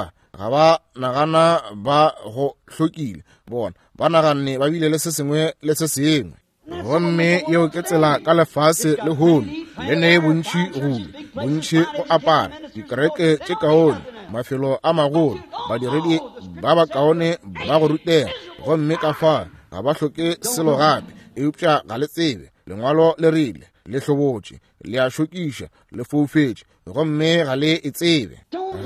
ba nagana ba go hlokile. Bona ba naganne ba bile le se sengwe le se sengwe. Gomme yeo ke tsela ka lefase lehono, le ne bontši go bontši go apara, dikereke tše kaone, mafelo a magolo, badiredi ba bakaone ba go rutega, gomme ka fa ga ba hloke selo gape. Eupša ga le tsebe, lengwalo le rile, le hlobotše, le a šokiša, le foufetše, gomme ga le e tsebe,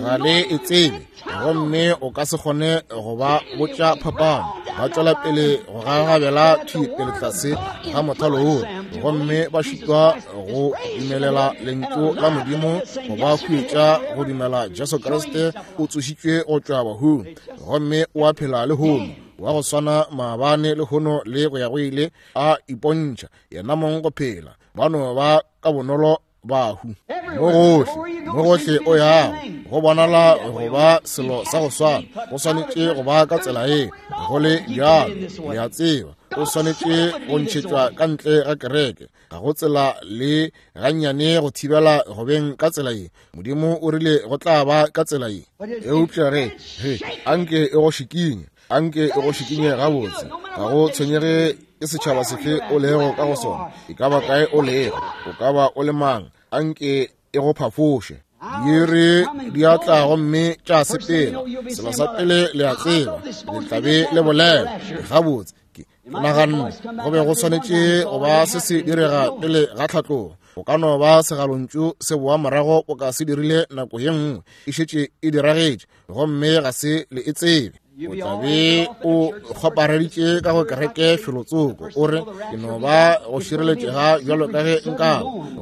ga le e tsebe. Gomme o ka se kgone go ba botša phapano. Ba tšwela pele go gagabela thwi pele tlase ga mothalo wo, gomme ba šitwa go dumelela lentšu la Modimo go ba huetša go dumela Jesu Kriste o tsošitšwe go tšwa bahung, gomme o a phela lehono, wa go swana maabane, lehono le go ya go ile, a ipontšha yena mong go phela. Ba no ba ka bonolo bahu mo gohle, mo gohle o yago, go bonala go ba selo sa go swana. Go swanetše go ba ka tsela ye, go le bjalo, le a tseba, o swanetše go ntšhetšwa ka ntle ga kereke. Ga go tsela le gannyane go thibela go beng ka tsela ye. Modimo o rile go tla ba ka tsela ye. Eupša ge, ge, anke e go šikinye, anke e go šikinye gabotse. Ga go tshwenyege ke setšhaba sefe o lego ka go sona, e ka ba kae o lego, o ka ba o le mang, anke e go phafoše. Diiri di a tla gomme tša sepela. Selo sa pele le a tseba, le tla be le bolela gabotse. Ke naganne go be go swanetše go ba se se direga pele ga tlhatlogo. Go ka no ba segalontšu se boa morago o ka se dirile nako ye nngwe, e šetše e diragetše, gomme ga se le e tsebe. O tla be o kgopareditše ka go kereke felotsoko, o re, ke no ba go šireletšega bjalo ka ge nka.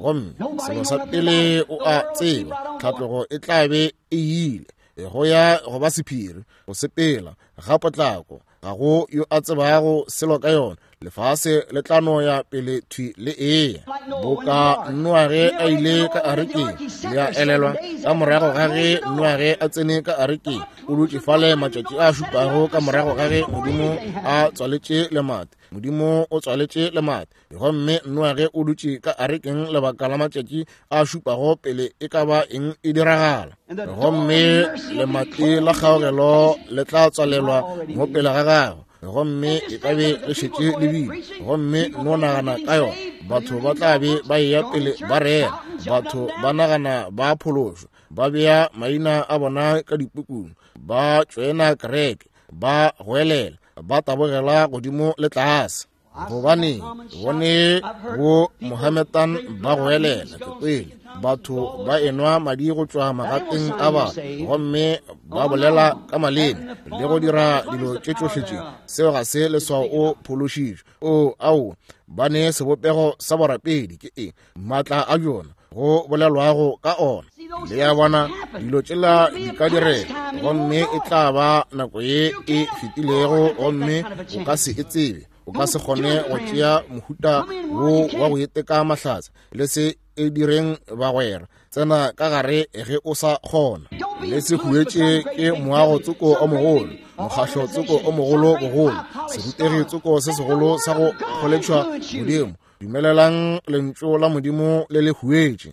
Gomme selo sa pele o a tseba, tlhatlogo e tla be e ile go ya go ba sephiri, go sepela ga potlako, ga go yo a tsebago selo ka yona. Lefase le tla no ya pele thwi le eya boka Noage a ile ka arekeng. Le a elelwa, ka morago ga ge Noage a tsene ka arekeng, o dutše fale matšatši a šupago ka morago ga ge Modimo a tswaletše lemati. Modimo o tswaletše lemati, gomme Noage o dutše ka arekeng lebaka la matšatši a šupago pele e ka ba eng e diragala. Gomme lemati la kgaogelo le tla tswalelwa mo pele ga gagwe, gomme e ka be le šetše le bile. Gomme no nagana ka yona, batho ba tla be ba eya pele ba rera, batho ba nagana ba phološwa, ba bea maina a bona ka dipukung, ba tšoena kereke, ba goelela, ba tabogela godimo le tlase. Gobane bone bo Mohammedan ba goelela, ke kwele batho ba enwa madi go tšwa magateng a batho, gomme ba bolela ka maleme le go dira dilo tše tšohle tše. Seo ga se leswao o phološitšwe. O, ao, ba ne sebopego sa borapedi, ke eng maatla a bjona go bolelwago ka ona. Le ya bona, dilo tšela di ka direga, gomme e tla ba nako ye e fetilego, gomme o ka se e tsebe. O ka se kgone go tšea mohuta wo wa go iteka mahlatse. Le se e direng, bagwera. Tsena ka gare ge o sa kgona. Le se huetše ke moago tsoko o mogolo, mokgahlo tsoko o mogolo bogolo, serutegi tsoko se segolo sa go kgoletšwa godimo. Dumelelang lentšu la Modimo le le huetše.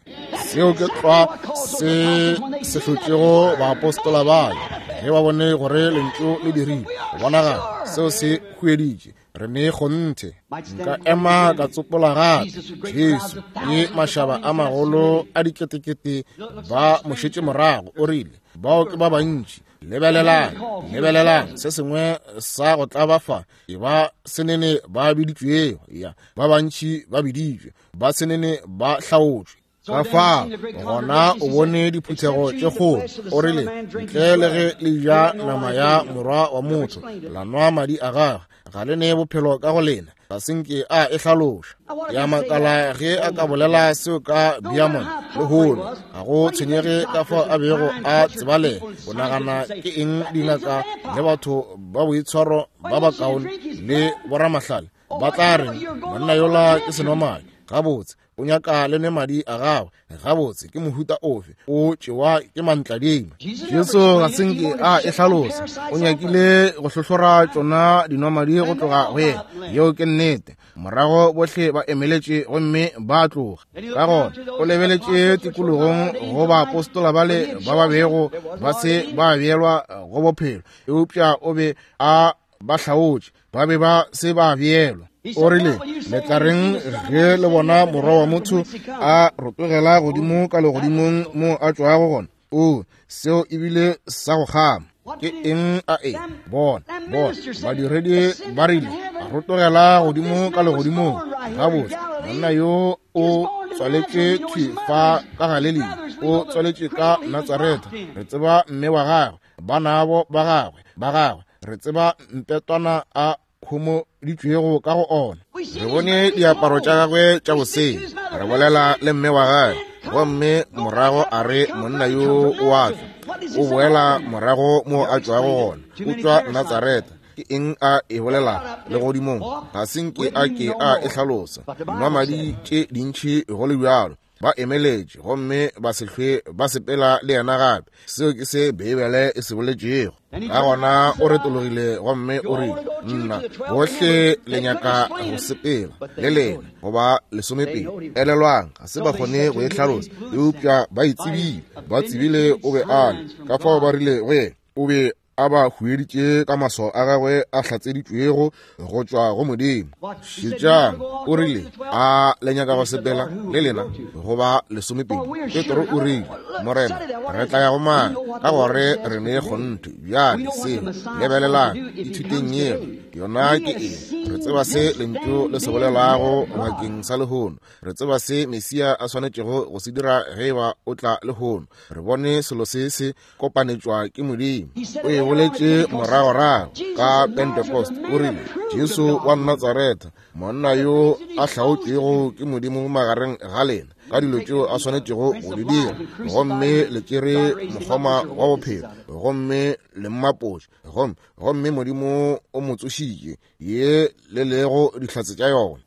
Seo ke tlwa se se hlotšego baapostola bale ge ba bone gore lentšu le dirile. Go bonagala seo se hueditše. Re ne kgonthe. Nka ema ka tsopola gape Jesu le mašaba a magolo a diketekete ba mo šetše morago. O rile, bao ke ba bantši. Lebelelang, lebelelang se sengwe sa go tlaba fa. E ba senene ba biditšwego, ya ba bantši ba biditšwe, ba senene ba hlaotšwe. Ka fa gona o bone diphuthego tše kgolo. O rile, ntle le ge le ja nama ya morwa wa motho, la nwa madi a gagwe, ga le ne bophelo ka go lena. Ga se nke a e hlaloša. Ya makala ge a ka bolela seo ka Beaumont lehono. Ga go tshwenyege ka fao a bego a tsebalega. O nagana ke eng dingaka le batho ba boitshwaro ba bakaone le boramahlale ba tla re monna yola ke senomadi? Gabotse, o nyaka le nwe madi a gagwe. Gabotse, ke mohuta ofe o tšewa ke mantladima? Jesu ga se nke a e hlalosa. O nyakile go hlohlora tšona dinwamadi go tloga go yena. Yeo ke nnete. Morago bohle ba emeletše gomme ba tloga. Ka gona o lebeletše tikologong go baapostola bale ba ba bego ba se ba beelwa go bophelo, eupša o be a ba hlaotše, ba be ba se ba beelwa. O rile, le tla reng ge le bona morwa wa motho a rotogela godimo ka legodimong mo a tšwago gona? O, seo ebile sa go kgama. Ke eng a e bona? Bona badiredi ba rile, a rotogela godimo ka legodimong. Gabotse, monna yo o tswaletše thwi fa ka Galelia, o tswaletše ka Natsaretha. Re tseba mme wa gagwe, banabo ba gagwe, ba gagwe. Re tseba mpetwana a homoditšwego ka go ona. Re bone diaparo tša gagwe tša boseng. Re bolela le mme wa gagwe, gomme morago a re monna yo o a tšwa, o boela morago mo a tšwago gona, o tšwa Natsaretha. Ke eng a e bolela legodimong? Ga se nke a ke a e hlalosa. Dinwamadi tše dintši go le bjalo ba emeletše gomme ba se hlwe ba sepela le yena gape. Seo ke se Beibele e se boletšego. Ka gona o retologile gomme o rile, nna bohle le nyaka go sepela le lena goba lesomepedi. Elelwang, ga se ba kgone go e hlalosa, eupša ba e tsebile. Ba tsebile o be a le. Ka fao ba rile go yena, o be a ba hueditše ka maswao a gagwe a hlatseditšwego go tšwa go Modimo. Šetšang, o rile, a le nyaka go sepela le lena goba lesomepedi? Petro o rile, Morena, re tla ya go mang? Ka gore re ne kgonthe. Bjale seo, lebelelang, ithuteng yeo. Yona ke eng? Re tseba se lentšu le se bolelago bakeng sa lehono. Re tseba se Mesia a swanetšego go se dira ge eba o tla lehono. Re bone selo se se kopanetšwa ke Modimo. O e boletše moragorago ka Pentecost, o rile, Jesu wa Natsaretha, monna yo a hlaotšwego ke Modimo magareng ga lena, ka dilo tšeo a swanetšego go di dira, gomme le tšere mokgoma wa bophelo, gomme le mmapotše, gomme, gomme Modimo o mo tsošitše, ye le lego dihlatse tša yona.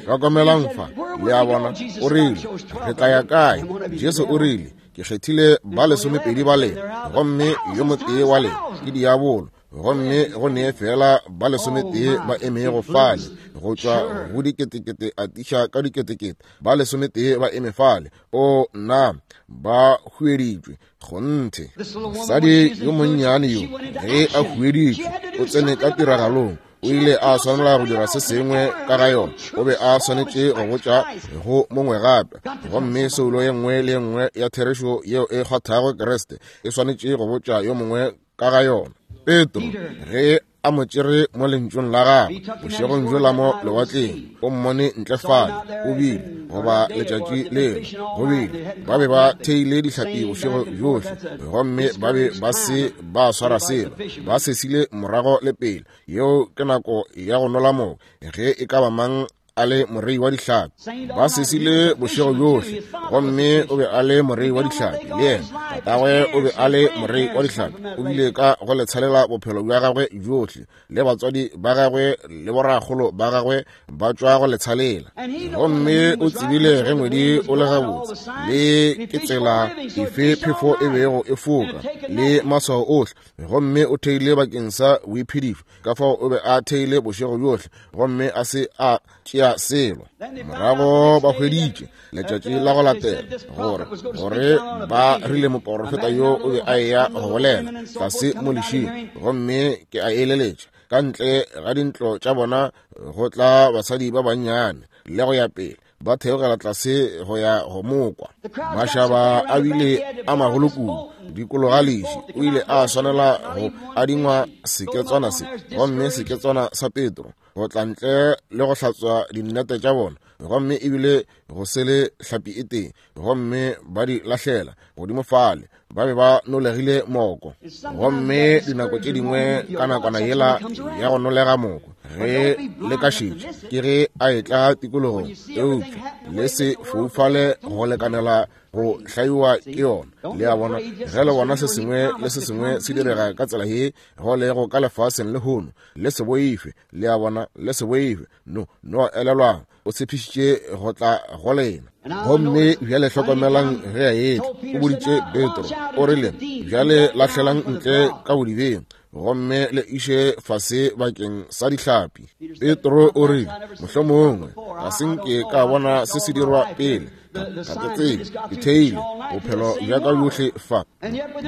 Hlokomelang fa, le a bona, o rile, re tla ya kae? Jesu o rile, ke kgethile ba lesomepedi ba lena, gomme yo motee wa lena ke diabolo. Gomme go ne fela ba lesometee ba emego fale, go tšwa go diketekete a tiša ka diketekete, ba lesometee ba eme fale. O nna, ba hueditšwe kgonthe. Mosadi yo monnyane yo, ge a hueditšwe, o tsene ka tiragalong. O ile a swanela go dira se sengwe ka ga yona. O be a swanetše go botša go mongwe gape. Gomme soulo ye nngwe le ye nngwe ya therešo yeo e kgwathago Kriste e swanetše go botša yo mongwe ka ga yona. Petro, ge a mo tšere mo lentšung la gagwe bošegong bjola mo lewatleng, o mmone ntle fale, o bile, goba letšatši leo, go bile, ba be ba theile dihlapi bošego bjohle, gomme ba be ba se ba swara selo, ba sesile morago le pele. Yeo ke nako ya go nola moko, ge e ka ba mang a le morei wa dihlapi. Ba sesile bošego bjohle, gomme o be a le morei wa dihlapi le yena. Tatagwe o be a le morei wa dihlapi, o bile ka go le tshelela bophelo bja gagwe bjohle, le batswadi ba gagwe le borakgolo ba gagwe ba tšwa go le tshalela. Gomme o tsebile ge ngwedi o le gabotse, le ke tsela efe phefo e bego e foka, le maswao ohle. Gomme o theile bakeng sa boiphedišo, ka fao o be a theile bošego bjohle gomme a se a tšea selo. Morago ba hweditše letšatši la go latela gore gore ba rile moporofeta yo o be a eya go bolela tlase mo lešing, gomme ke a eleletša ka ntle ga dintlo tša bona go tla basadi ba bannyane le go ya pele, ba theogela tlase go ya go mokwa. Mašaba a bile a magolo kudu dikologa leši, o ile a swanela go adingwa seketswana se, gomme seketswana sa Petro go tla ntle le go hlatswa dinnete tša bona, gomme ebile go se le hlapi e tee, gomme ba di lahlela godimo fale. Ba be ba nolegile moko, gomme dinako tše dingwe ka nakwana yela ya go nolega moko, ge le ka šetša ke ge a etla tikologong, eupša le se foufale go lekanela go hlaiwa ke yona. Le a bona, ge le bona se sengwe le se sengwe se direga ka tsela ye go lego ka lefaseng lehono, le se boife. Le a bona, le se boife. No, no elelwang, o tshepišitše go tla go lena. Gomme bjale hlokomelang ge a etla, o boditše Petro, o rile, bjale lahlelang ntle ka bodibeng, gomme le iše fase bakeng sa dihlapi. Petro o rile, mohlomongwe ga se nke ka bona se se dirwa pele, ga ke tsebe, ke theile bophelo bja ka bjohle fa.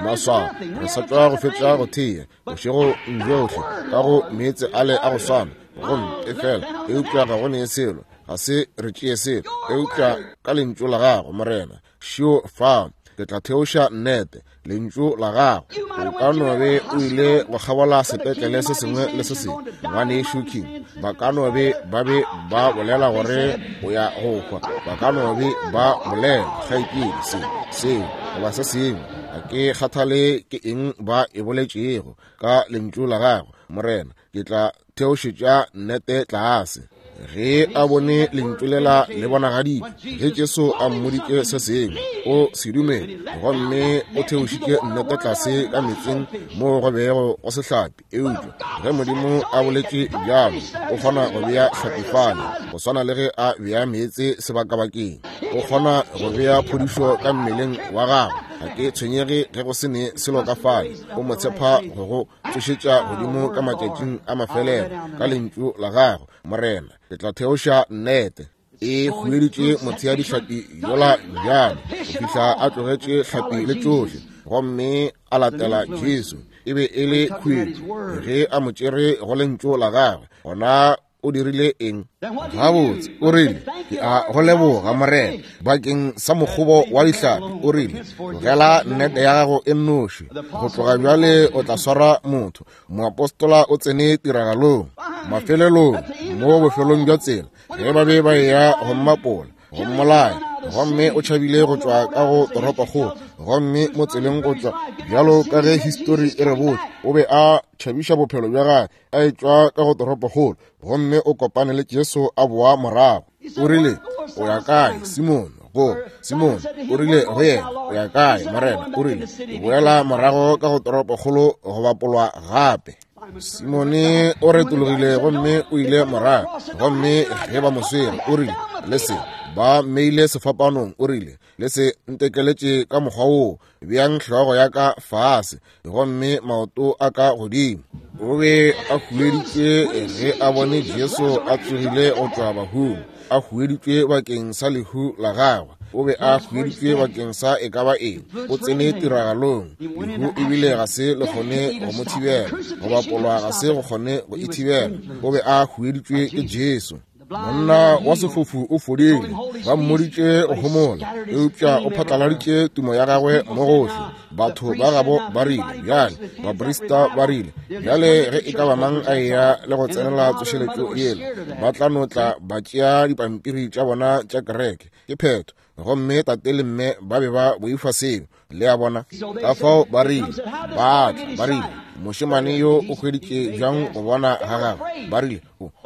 Maswao, re sa tšwa go fetša go thea bošego bjohle ka go meetse ale a go swana, gomme efela eupša ga go ne selo, ga se re tšee selo, eupša ka lentšu la gago, Morena, šio fa, ke tla theoša nnete, lentšu la gago. O ka no be o ile go kgabola sepetlele se sengwe le se sengwe, ngwanešu King, ba ka no be ba be ba bolela gore o ya go hwa, ba ka no be ba bolela kgaetšedi se, seo, goba se sengwe, ga ke kgathale ke eng ba e boletšego, ka lentšu la gago, Morena, ke tla theošetša nnete tlase. Ge a bone lentšu lela le bonagaditšwe, ge Jesu a mmoditše se sengwe, o se dumele, gomme o theošitše nnete tlase ka metseng moo go bego go se hlapi. Eupša ge Modimo a boletše bjalo, o kgona go bea hlapi fale, go swana le ge a bea meetse sebakabakeng. O kgona go bea phodišo ka mmeleng wa gago. Ga ke tshwenyege ge go se ne selo ka fale, o mo tshepa go go tsošetša godimo ka matšatšing a mafelelo ka lentšu la gago, Morena, ke tla theoša nnete. E hueditše motheadihlapi yola bjalo go fihla a tlogetše hlapi le tšohle, gomme a latela Jesu. E be e le khuetšo ge a mo tšere go lentšu la gagwe. Gona o dirile eng? Gabotse, o rile, ke a go leboga, Morena, bakeng sa mokgobo wa dihlapi. O rile, tlogela nnete ya gago e nnoši, go tloga bjale o tla swara motho. Moapostola o tsene tiragalong mafelelong, mo bofelong bja tsela, ge ba be ba eya go mmapola, go mmolaya, gomme o tšhabile go tšwa ka go toropokgolo, gomme mo tseleng go tšwa, bjalo ka ge histori e re botša, o be a tšhabiša bophelo bja gagwe a etšwa ka go toropokgolo, gomme o kopane le Jesu a boa morago. O rile, o ya kae, Simone? Go Simone, o rile go yena, o ya kae, Morena? O rile, ke boela morago ka go toropokgolo go bapolwa gape. Simone o retologile gomme o ile morago, gomme ge ba mo swere, o rile, le se ba mmeile sefapanong, o rile, le se ntekeletše ka mokgwa woo, beang hlogo ya ka fase gomme maoto a ka godimo. O be a hueditšwe ge a bone Jesu a tsogile go tšwa bahung, a hueditšwe bakeng sa lehu la gagwe. O be a hueditšwe bakeng sa e ka ba eng. O tsene tiragalong. Lehu ebile ga se le kgone go mo thibela, go bapolwa ga se go kgone go e thibela. O be a hueditšwe ke Jesu. Monna wa sefofu o fodile, ba mmoditše go homola, eupša o phatlaladitše tumo ya gagwe mo gohle. Batho ba gabo ba rile, bjale, baprista ba rile, bjale ge e ka ba mang a eya le go tsenela tsošeletšo yela, ba tla no tla ba tšea dipampiri tša bona tša kereke. Ke phetho. Gomme tate le mme ba be ba boifa seo, le a bona. Ka fao ba rile, ba tla, ba rile, mošemane yo o hweditše bjang go bona ga gagwe? Ba rile,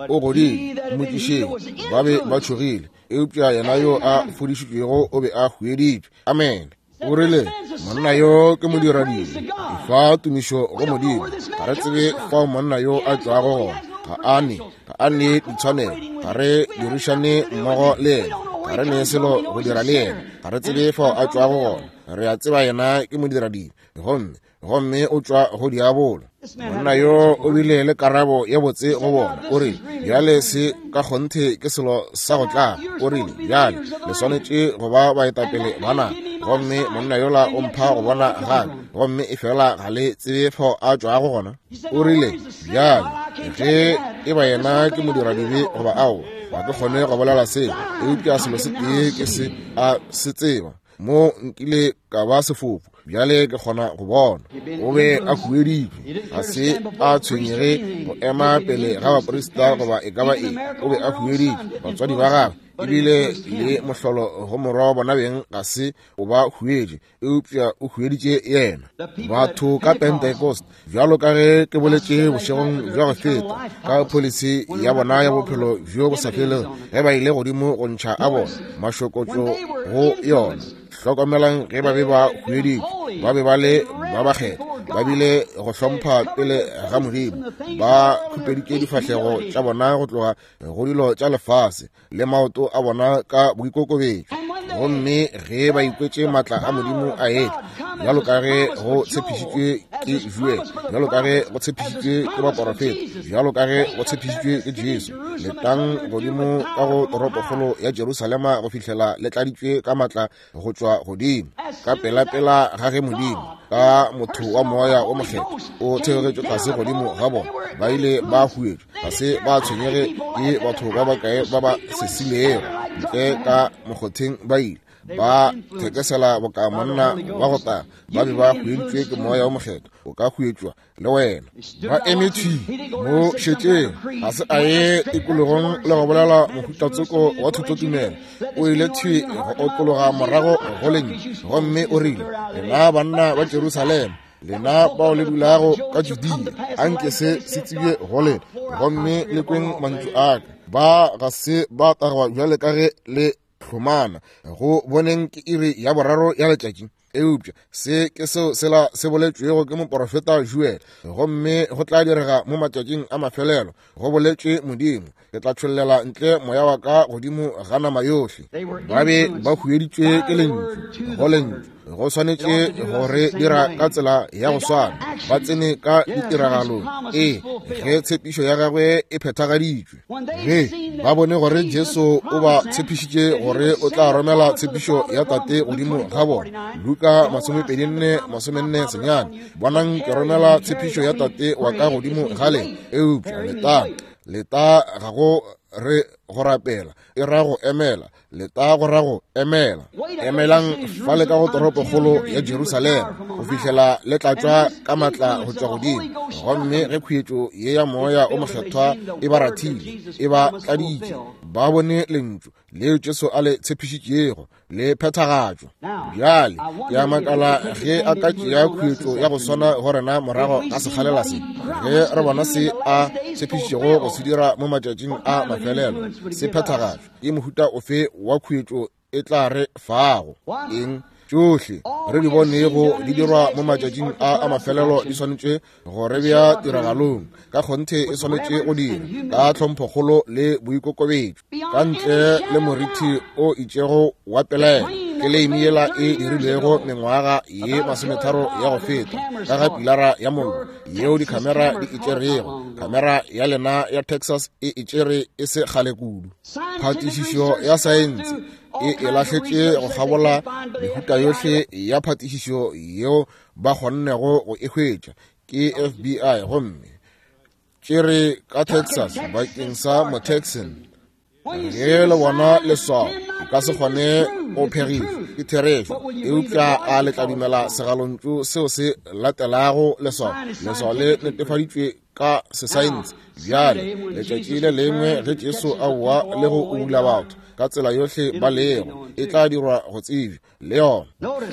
o godile, mmotšišeng. Ba be ba tšhogile, eupša yena yo a fodišitšwego o be a hweditšwe. Amene. O rile, monna yo ke modiradibe, efa tumišo go Modimo. Ga re tsebe fao monna yo a tšwago gona. Ga a ne, ga a ne ditshwanelo. Ga re dirišane mmogo le yena. Ga re ne selo go dira le yena. Ga re tsebe fao a tšwago gona. Re a tseba yena ke modiradibe, gomme, gomme o tšwa go diabolo. Monna yo o bile le karabo ye botse go bona. O rile, bjale se ka kgonthe ke selo sa go tla. O rile, bjale le swanetše go ba baetapele ba naga, gomme monna yola o mpha go bona gape, gomme efela ga le tsebe fao a tšwago gona. O rile, bjale ge e ba yena ke modiradibe goba aowa, ga ke kgone go bolela seo, eupša selo se tee ke se a se tseba, mo nkile ka ba sefofu, bjale ke kgona go bona. O be a hueditšwe, ga se a tshwenyege go ema pele ga baprista goba e ka ba eng. O be a hueditšwe, batswadi ba gagwe, ebile le mohlolo go morwa wa bona beng ga se o ba huetše, eupša o hueditše yena. Batho ka Pentecost, bjalo ka ge ke boletše bošegong bja go feta ka pholisi ya bona ya bophelo bjo bo sa felego, ge ba ile godimo go ntšha a bona mašokotšo go yona. Hlokomelang, ge ba be ba hueditšwe, ba be ba le ba bakgethwa, ba bile go hlompha pele ga Modimo, ba khupeditše difahlego tša bona go tloga go dilo tša lefase le maoto a bona ka boikokobetšo. Gomme ge ba ikwetše matla a Modimo a etla, bjalo ka ge go tshepišitšwe ke Joel, bjalo ka ge go tshepišitšwe ke baporofeta, bjalo ka ge go tshepišitšwe ke Jesu, letang godimo ka go toropokgolo ya Jerusalema go fihlela le tladitšwe ka matla go tšwa godimo. Ka pelapela ga ge Modimo ka motho wa moya o mokgethwa o theogetšwe tlase godimo ga bona, ba ile ba huetšwa, ga se ba tshwenyege ke batho ba bakae ba ba sesilego ntle ka mokgotheng, ba ile ba thekesela boka monna wa go tla. Ba be ba hueditšwe ke moya o mokgethwa. O ka huetšwa le wena. Ba eme thwi mo šetšeng, ga se a ye tikologong le go bolela mohutatsoko wa thutotumelo. O ile thwi go otlologa morago go lentšu, gomme o rile, lena banna ba Jerusalema, lena bao le dulago ka Judea, anke se se tsebje go lena, gomme le kweng mantšu a ka. Ba ga se ba tagwa bjale ka ge le hlomana go boneng ke iri ya boraro ya letšatši. Eupša se ke seo sela se boletšwego ke moporofeta Joel, gomme go tla direga mo matšatšing a mafelelo, go boletšwe Modimo, ke tla tšhollela ntle moya wa ka godimo ga nama yohle. Ba be ba hueditšwe ke lentšu, go lentšu. Go swanetše go re dira ka tsela ya go swana, ba tsene ka ditiragalong. Ee, ge tshepišo ya gagwe e phethagaditšwe, Ge ba bone gore Jesu o ba tshepišitše gore o tla romela tshepišo ya Tate godimo ga bona, Luka 24:49, bonang ke romela tshepišo ya Tate wa ka godimo ga lena, eupša leta, leta ga go re go rapela, e ra go emela, leta go ra go emela. Emelang fale ka go toropokgolo ya Jerusalema go fihlela le tlatšwa ka matla go tšwa godimo. Gomme ge khuetšo ye ya moya o mokgethwa e ba rathile, e ba tladitše, ba bone lentšu leo Jesu a le tshepišitšego le phethagatšwa. Bjale ke a makala ge a ka tšea khuetšo ya go swana go rena morago ga sekgalela se, ge re bona se a tshepišitšego go se dira mo matšatšing a mafelelo se phethagatšwa. Ke mohuta ofe wa khuetšo e tla re fago? Eng? Tšohle re di bonego di dirwa mo matšatšing a a mafelelo di swanetše go re bea tiragalong. Ka kgonthe e swanetše go dira ka tlhomphokgolo le boikokobetšo, ka ntle le morithi o itšego wa pelaelo. Tleleimi yela e dirilwego mengwaga ye 30 ya go feta ka ga pilara ya mollo yeo dikhamera di e tšerego, khamera ya lena ya Texas e e tšere e se kgale kudu. Phatišišo ya saense e e lahletše go kgabola mehuta yohle ya phatišišo yeo ba kgonnego go e hwetša ke FBI, gomme tšere ka Texas bakeng sa Motexan. Ge le bona leswao, o ka se kgone go phegiša, ke therešo. Eupša a le tla dumela segalontšu seo se latelago leswao? Leswao le netefaditšwe ka sesaense. Bjale, letšatši le lengwe ge Jesu a boa le go ubula batho ka tsela yohle ba lego, e tla dirwa go tsebja le yona.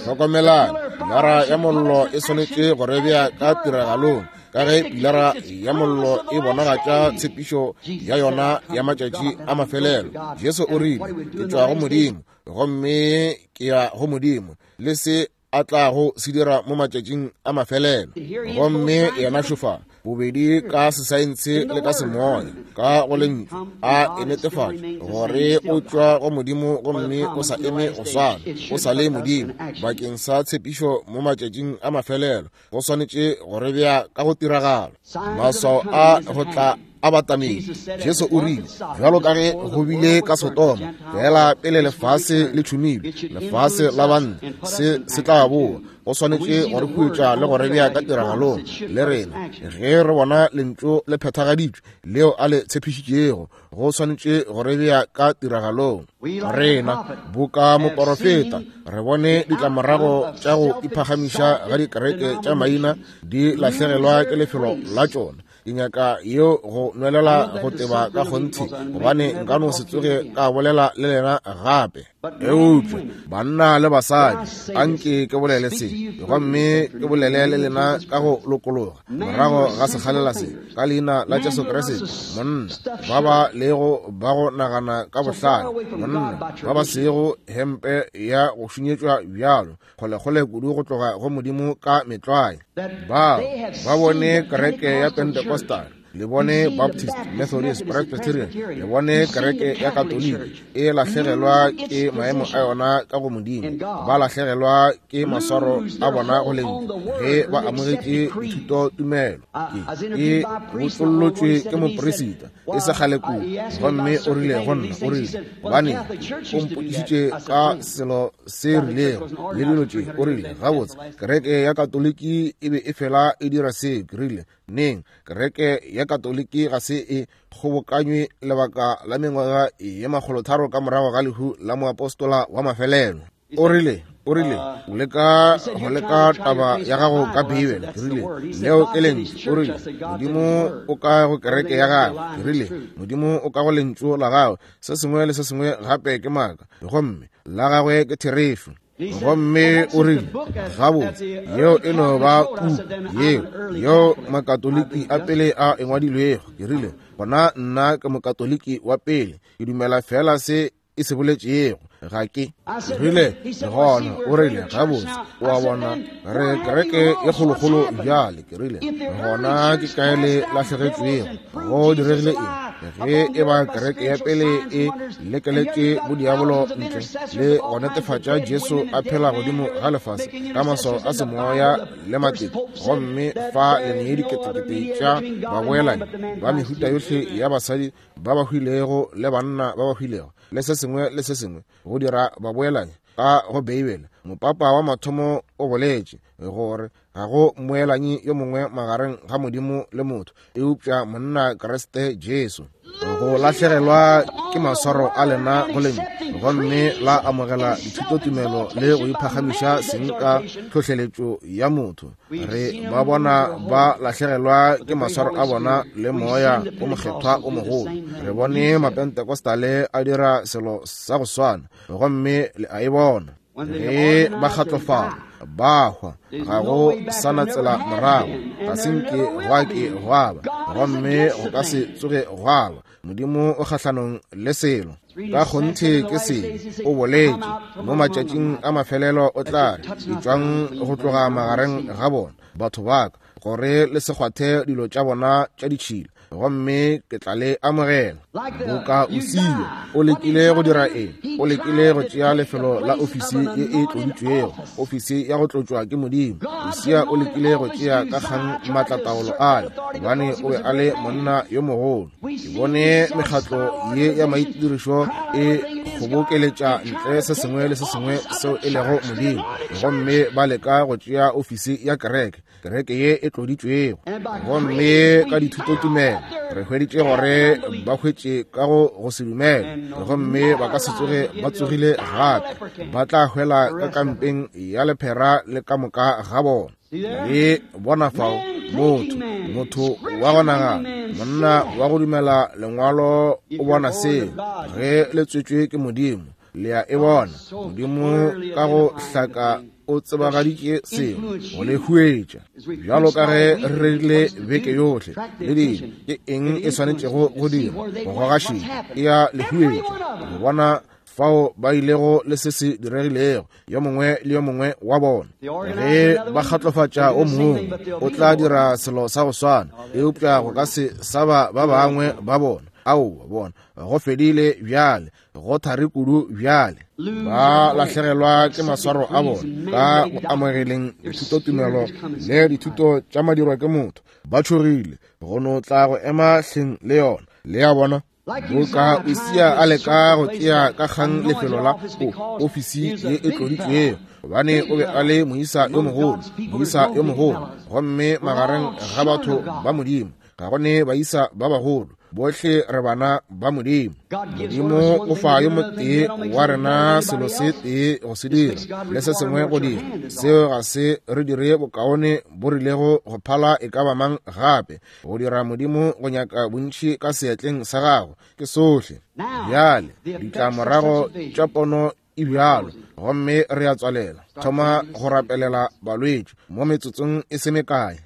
Hlokomelang, pilara ya mollo e swanetše go re bea ka tiragalong, ka ge pilara ya mollo e bonagatša tshepišo ya yona ya matšatši a mafelelo. Jesu o rile, Ke tšwa go Modimo, gomme ke ya go Modimo, le se a tlago se dira mo matšatšing a mafelelo. Gomme yena šofa, bobedi ka sesaense le ka semoya, ka go lentšu, a e netefatša gore o tšwa go Modimo gomme o sa eme go swana, o sa le Modimo bakeng sa tshepišo mo matšatšing a mafelelo. Go swanetše go re bea ka go tiragalo. Maswao a go tla a batamedi. Jesu o rile, bjalo ka ge go bile ka Sodoma, fela pele lefase le tšhumilwe, lefase la banna, se se tla boa. Go swanetše go re huetša le go re bea ka tiragalong le rena ge re bona lentšu le phethagaditšwe leo a le tshepišitšego. Go swanetše go re bea ka tiragalong rena boka moporofeta re bone ditlamorago tša go iphagamiša ga dikereke tša maina di lahlegelwa ke lefelo la tšona. Ke nyaka yeo go nwelela go teba ka kgonthe, gobane nka no se tsoge ka bolela le lena gape. Eupša banna le basadi, anke ke bolele se, gomme ke bolele le lena ka go lokologa morago ga sekgalela se, ka leina la Jesu Kriste. Monna ba ba lego ba go nagana ka bohlale, monna ba ba sego hempe ya go šunyetšwa bjalo, kgolekgole kudu go tloga go Modimo ka metlwae. Bao ba bone kereke ya Pentecostal, le bone Baptist, Methodist, Presbyterian, le bone kereke ya Katoliki e lahlegelwa ke maemo a yona ka go Modimo, ba lahlegelwa ke maswaro a bona go lentšu ge ba amogetše dithuto tumelo. Ke botsollotšwe ke moperisita e se kgale kudu, gomme o rile go nna, o rile, gobane o mpotšišitše ka selo se rilego le dilo tše, o rile, gabotse, kereke ya Katoliki e be e fela e dira se. Ke rile, neng? Kereke ya Katoliki ga se e kgobokanywe lebaka la mengwaga ye 300 ka morago ga lehu la moapostola wa mafelelo. O rile, o rile, o leka go leka taba ya gago ka Beibele. Ke rile, leo ke lentšu. O rile, Modimo o ka go kereke ya gagwe. Ke rile, Modimo o ka go lentšu la gagwe. Se sengwe le se sengwe gape ke maaka, gomme la gagwe ke therešo. Gomme o rile, gabotse, yeo e no ba puku yeo, yeo Makatoliki a pele a e ngwadilwego. Ke rile, gona nna ke Mokatoliki wa pele, ke dumela fela se e se boletšego. Ga ke rile, gona o rile, gabotse, o a bona, re kereke ye kgolokgolo bjale. Ke rile, gona ke kae le lahlegetšwego? Go diregile eng? Ge e ba kereke ya pele e lekeletše bodiabolo ntle le go netefatša Jesu a phela godimo ga lefase ka maswao a semoya le matete, gomme fa le nee diketekete tša baboelani ba mehuta yohle ya basadi ba ba hwilego le banna ba ba hwilego le se sengwe le se sengwe go dira baboelani ka go Beibele, mopapa wa mathomo o boletše gore ga go mmoelanyi yo mongwe magareng ga Modimo le motho eupša monna Kriste Jesu. Go lahlegelwa ke maswaro a lena go lentšu gomme la amogela dithutotumelo le go iphagamiša seng ka tlhohleletšo ya motho. Re ba bona ba lahlegelwa ke maswaro a bona le moya o mokgethwa o mogolo. Re bone Mapentekostale a dira selo sa go swana, gomme le a e bona. Ge ba kgatlofala, ba hwa, ga go sa na tsela morago, ga se nke gwa ke gwa ba, gomme go ka se tsoge gwa ba. Modimo o kgahlanong le selo. Ka kgonthe ke se o boletše mo matšatšing a mafelelo o tla re, etšwang go tloga magareng ga bona, batho ba ka, gore le se kgwathe dilo tša bona tša ditšhila, gomme ke tla le amogela. Boka Usia o lekile go dira eng? O lekile go tšea lefelo la ofisi ye e tloditšwego, ofisi ya go tlotšwa ke Modimo. Usia o lekile go tšea ka kgang maatlataolo ale, gobane o be a le monna yo mogolo. Ke bone mekgatlo ye ya maitirišo e kgobokeletša ntle se sengwe le se sengwe seo e lego Modimo, gomme ba leka go tšea ofisi ya kereke, kereke ye e tloditšwego. Gomme ka dithutotumelo re hweditše gore ba hwetše ka go se dumele, gomme ba ka se tsoge ba tsogile gape. Ba tla hwela ka kampeng ya lephera le ka moka ga bona. Le bona fao motho, motho wa go nagana, monna wa go dumela lengwalo o bona seo ge le tswetšwe ke Modimo. Le a e bona, Modimo ka go hlaka o tsebagaditše seo go le huetša. Bjalo ka ge re rerile beke yohle le dilo, ke eng e swanetšego go dira? Go goga šedi, e a le huetša go bona fao ba ilego le se se diregilego, yo mongwe le yo mongwe wa bona. Ge ba kgatlofatša o mongwe, o tla dira selo sa go swana, eupša go ka se sa ba ba bangwe ba bona. Aowa, bona, go fedile bjale, go thari kudu bjale. Ba lahlegelwa ke maswaro a bona ka go amogeleng dithutotumelo le dithuto tša madirwa ke motho. Ba tšhogile go no tla go ema hleng le yona. Le a bona? Boka Usia a leka go tšea ka kgang lefelo la ofisi ye e tloditšwego, gobane o be a le moisa yo mogolo, moisa yo mogolo, gomme magareng ga batho ba Modimo ga go ne baisa ba bagolo, bohle re bana ba Modimo. Modimo o fa yo motee wa rena selo se tee go se dira le se sengwe go dira, seo ga se re dire bokaone bo rilego go phala e ka ba mang gape. Go dira Modimo go nyaka bontši ka seatleng sa gago ke sohle. Bjale ditlamorago tša pono e bjalo, gomme re a tswalela, thoma go rapelela balwetši mo metsotsong e se mekae.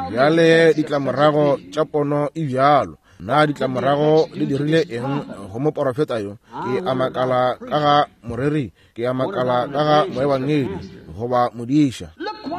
Bjale ditlamorago tša pono e bjalo. Na ditlamorago di dirile eng go moporofeta yo? Ke a makala ka ga moreri, ke a makala ka ga moebangedi goba modiša.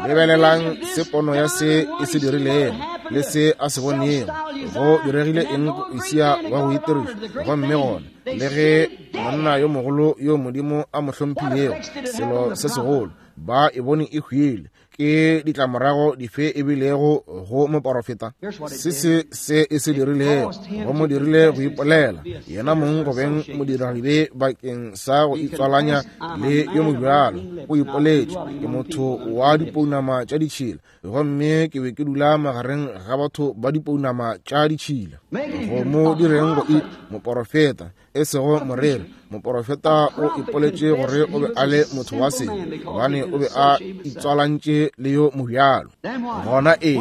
Lebelelang se pono ya se e se dirilego le se a se bonego. Go diregile eng go Usia wa go itiriša? Gomme gona le ge monna yo mogolo yo Modimo a mo hlomphilego, selo se segolo, ba e bone e hwile. Ke ditlamorago dife e bilego go moporofeta? Se se se e se dirilego go mo dirile go ipolela yena mong go beng modiradibe bakeng sa go itswalanya le yo mobjalo. O ipoletše, ke motho wa dipounama tša ditšhila, gomme ke be ke dula magareng ga batho ba dipounama tša ditšhila. Go mo direng go moporofeta, e sego moreri. Moporofeta o ipoletše gore o be a le motho wa sebe, gobane o be a itswalantše le yo mobjalo. Gona eng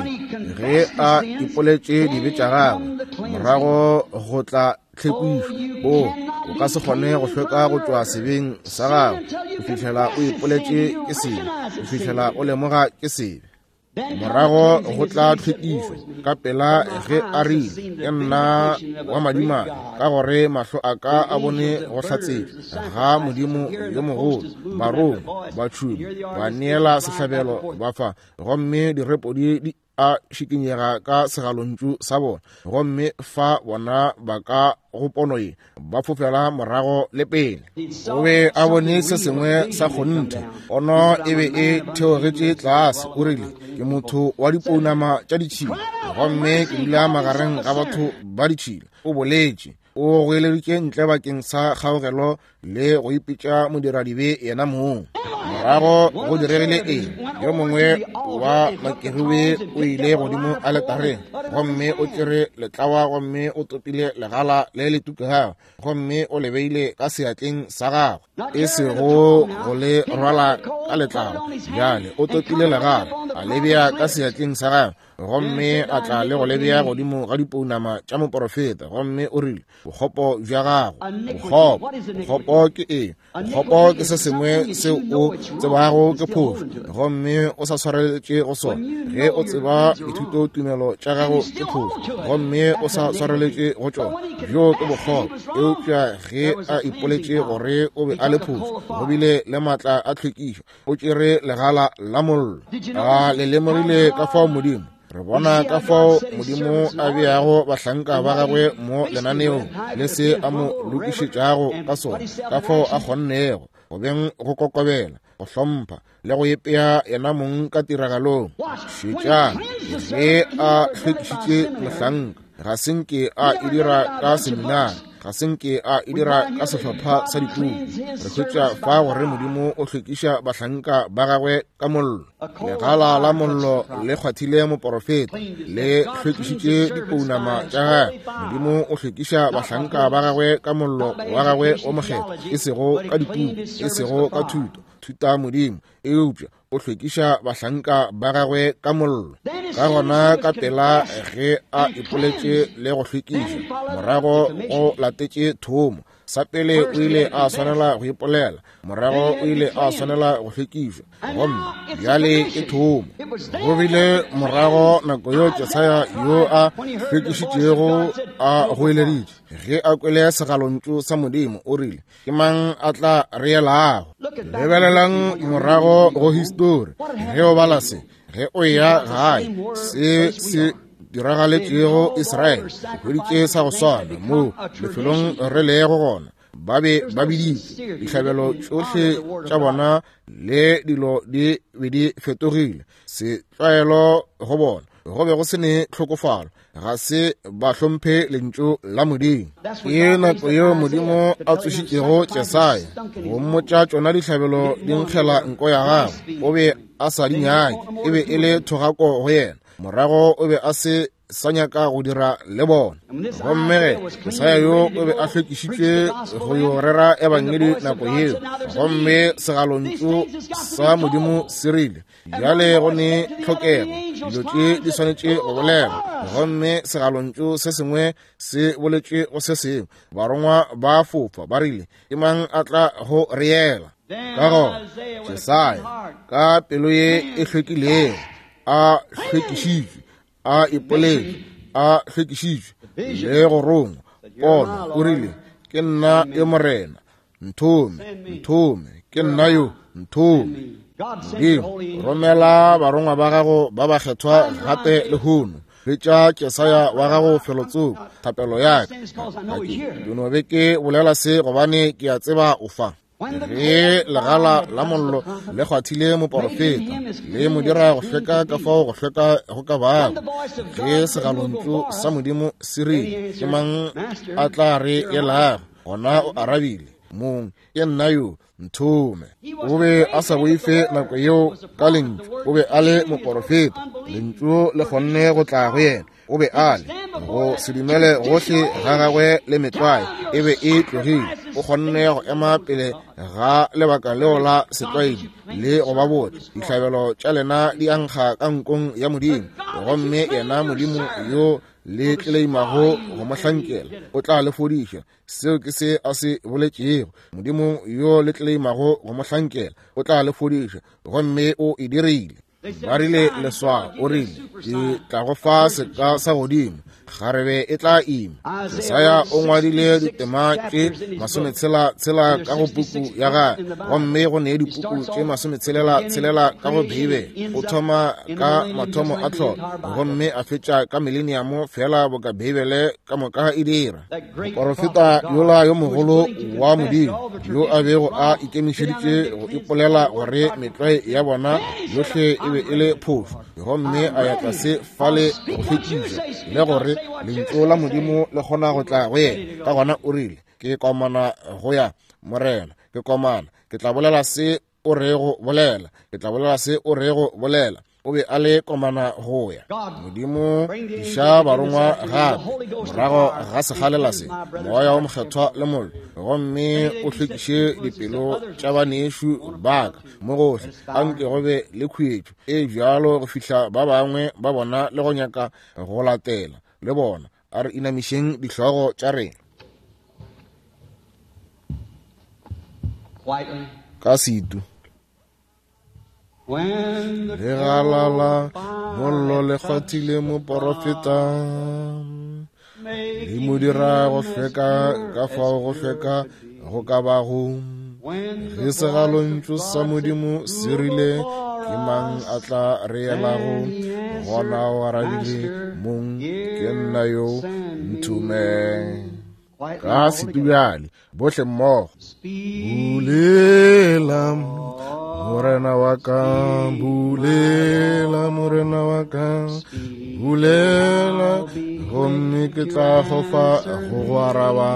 ge a ipoletše dibe tša gagwe, morago go tla tlhwekišo. O o ka se kgone go hlweka go tšwa sebeng sa gago go fihlela o ipoletše ke sebe, go fihlela o lemoga ke sebe. Morago go tla tlhwekišo ka pela ge a rile, ke nna wa madimabe, ka gore mahlo a ka a bone go hlatsetšwa ga Modimo yo mogolo. Barongwa ba tšhuma ba neela sehlabelo ba fa, gomme direpodi di a šikinyega ka segalontšu sa bona, gomme fa bona ba ka go pono ye ba fofela morago le pele. O be a bone se sengwe sa kgonthe. Pono e be e theogetše tlase. O rile, ke motho wa dipounama tša ditšhila, gomme ke dula magareng ga batho ba ditšhila. O boletše, o goeleditše ntle bakeng sa kgaogelo le go ipitša modiradibe yena mong. Morago go diregile eng? Yo mongwe wa makerube o ile godimo aletareng, gomme o tšere letlawa gomme o topile legala le le tukegago, gomme o le beile ka seatleng sa gagwe, e sego go le rwala ka letlalo. Bjale o topile legala, a le bea ka seatleng sa gagwe, gomme a tla le go le bea godimo ga dipounama tša moporofeta, gomme o rile, bokgopo bja gago, bokgopo. Bokgopo ke eng? Bokgopo ke se sengwe seo o tsebago ke phošo, gomme o sa swareletše go sona. Ge o tseba dithutotumelo tša gago ke phošo, gomme o sa swareletše go tšona, bjo ke bokgopo. Eupša ge a ipoletše gore o be a le phošo, go bile le maatla a tlhwekišo, o tšere legala la mollo. A le lemogile ka fao Modimo Re bona ka fao Modimo a beago bahlanka ba gagwe mo lenaneong le se a mo lokišetšago ka sona, ka fao a kgonnego go beng go kokobela, go hlompha le go ipea yena mong ka tiragalong. Šetšang, ge a hlwekišitše mohlanka, ga se nke a e dira ka seminari. Ga se nke a e dira ka sehlopha sa dipuku. Re hwetša fa gore Modimo o hlwekiša bahlanka ba gagwe ka mollo. Legala la mollo le kgwathile moporofeta, le hlwekišitše dipounama tša gagwe. Modimo o hlwekiša bahlanka ba gagwe ka mollo wa gagwe o mokgethwa, e sego ka dipuku, e sego ka thuto, thuta Modimo, eupša o hlwekiša bahlanka ba gagwe ka mollo. Ka gona ka pela ge a ipoletše le go hlwekiša, morago go latetše thomo. Sa pele o ile a swanela go ipolela, morago o ile a swanela go hlwekišwa, gomme bjale ke thomo. Go bile morago nako yo Jesaya yo a hlwekišitšego a goeleditše, ge a kwele segalontšu sa Modimo, o rile, ke mang a tla re elago? Lebelelang morago go histori, ge o bala se, ge o ya gae, se se diragaletšego Israele, hweditše sa go swana moo lefelong re lego gona. Ba be ba biditše dihlabelo tšohle tša bona le dilo di be di fetogile setlwaelo go bona. Go be go se ne tlhokofalo, ga se ba hlomphe lentšu la Modimo. Ke nako yeo Modimo a tsošitšego Jesaya go mmotša tšona dihlabelo di nkgela nko ya gagwe. O be a sa di nyake, e be e le thogako go yena. Morago o be a se sa nyaka go dira le bona. Gomme ge Jesaya yo o be a hlwekišitšwe go yo rera ebangedi nako yeo, gomme segalontšu sa Modimo se rile, bjale go ne tlhokego, dilo tše di swanetše go bolelwa. Gomme segalontšu se sengwe se boletše go se sengwe, barongwa ba fofa ba rile, ke mang a tla go reela? Ka gona Jesaya ka pelo ye e hlwekilego, a hlwekišitšwe, a ipoletše, a hlwekišitšwe le go rongwa pono, o rile, ke nna yo Morena, nthome, nthome, ke nna yo, nthome. Modimo, romela barongwa ba gago ba bakgethwa gape lehono. Hwetša Jesaya wa gago felotsoko, thapelo ya ka. Ke no be ke bolela se gobane ke a tseba o fa. Ge legala la mollo le kgwathile moporofeta, le mo dira go hlweka ka fao go hlweka go ka bago, ge segalontšu sa Modimo se rile, ke mang a tla re elago? Gona o arabile, Mong, ke nna yo, nthome. O be a sa boife nako yeo ka lentšu, o be a le moporofeta, lentšu le kgonne go tla go yena. O be a le go se dumele gohle ga gagwe le metlwae e be e tlogile. O kgonne go ema pele ga lebaka leo la setlwaedi le go ba botša, dihlabelo tša lena di ankga ka nkong ya Modimo, gomme yena Modimo yo le tleleimago go mo hlankela o tla le fodiša. Seo ke se a se boletšego. Modimo yo le tleleimago go mo hlankela o tla le fodiša, gomme o e dirile. Ba rile leswao, o rile, ke tla go fa seka sa godimo, kgarebe e tla ima. Jesaya o ngwadile ditema tše 66 ka go puku ya gagwe, gomme go ne dipuku tše 66 ka go Beibele. O thoma ka mathomo a tlholo gomme a fetša ka mileniamo, fela boka Beibele ka moka e dira. Moporofeta yola yo mogolo wa Modimo yo a bego a ikemišeditše go ipolela gore metlwae ya bona yohle e be e le phošo, gomme a ya tlase fale go hlwekiša le gore lentšu la Modimo le kgona go tla go yena. Ka gona o rile, ke komana go ya, Morena, ke komana, ke tla bolela se o rego bolela, ke tla bolela se o rego bolela. O be a le komana go ya. Modimo iša barongwa gape morago ga segalela se, moya wo mokgethwa le mollo, gomme o hlwekiše dipelo tša banešu ba ka mo gohle. Anke go be le khuetšo e bjalo go fihla ba bangwe ba bona le go nyaka go latela le bona. A re inamišeng dihlogo tša rena ka setu. Legalala mollo le kgwathile moporofeta, le mo dira go hlweka ka fao go hlweka go ka bago. Ge segalontšu sa Modimo se rile, ke mang a tla re elago? Gona o arabile, Mong, ke nna yo, nthume. Ka setubjale bohle mmogo. Bulela. Morena wa ka, bulela, Morena wa ka, bulela, gomme ke tla fofa go go araba.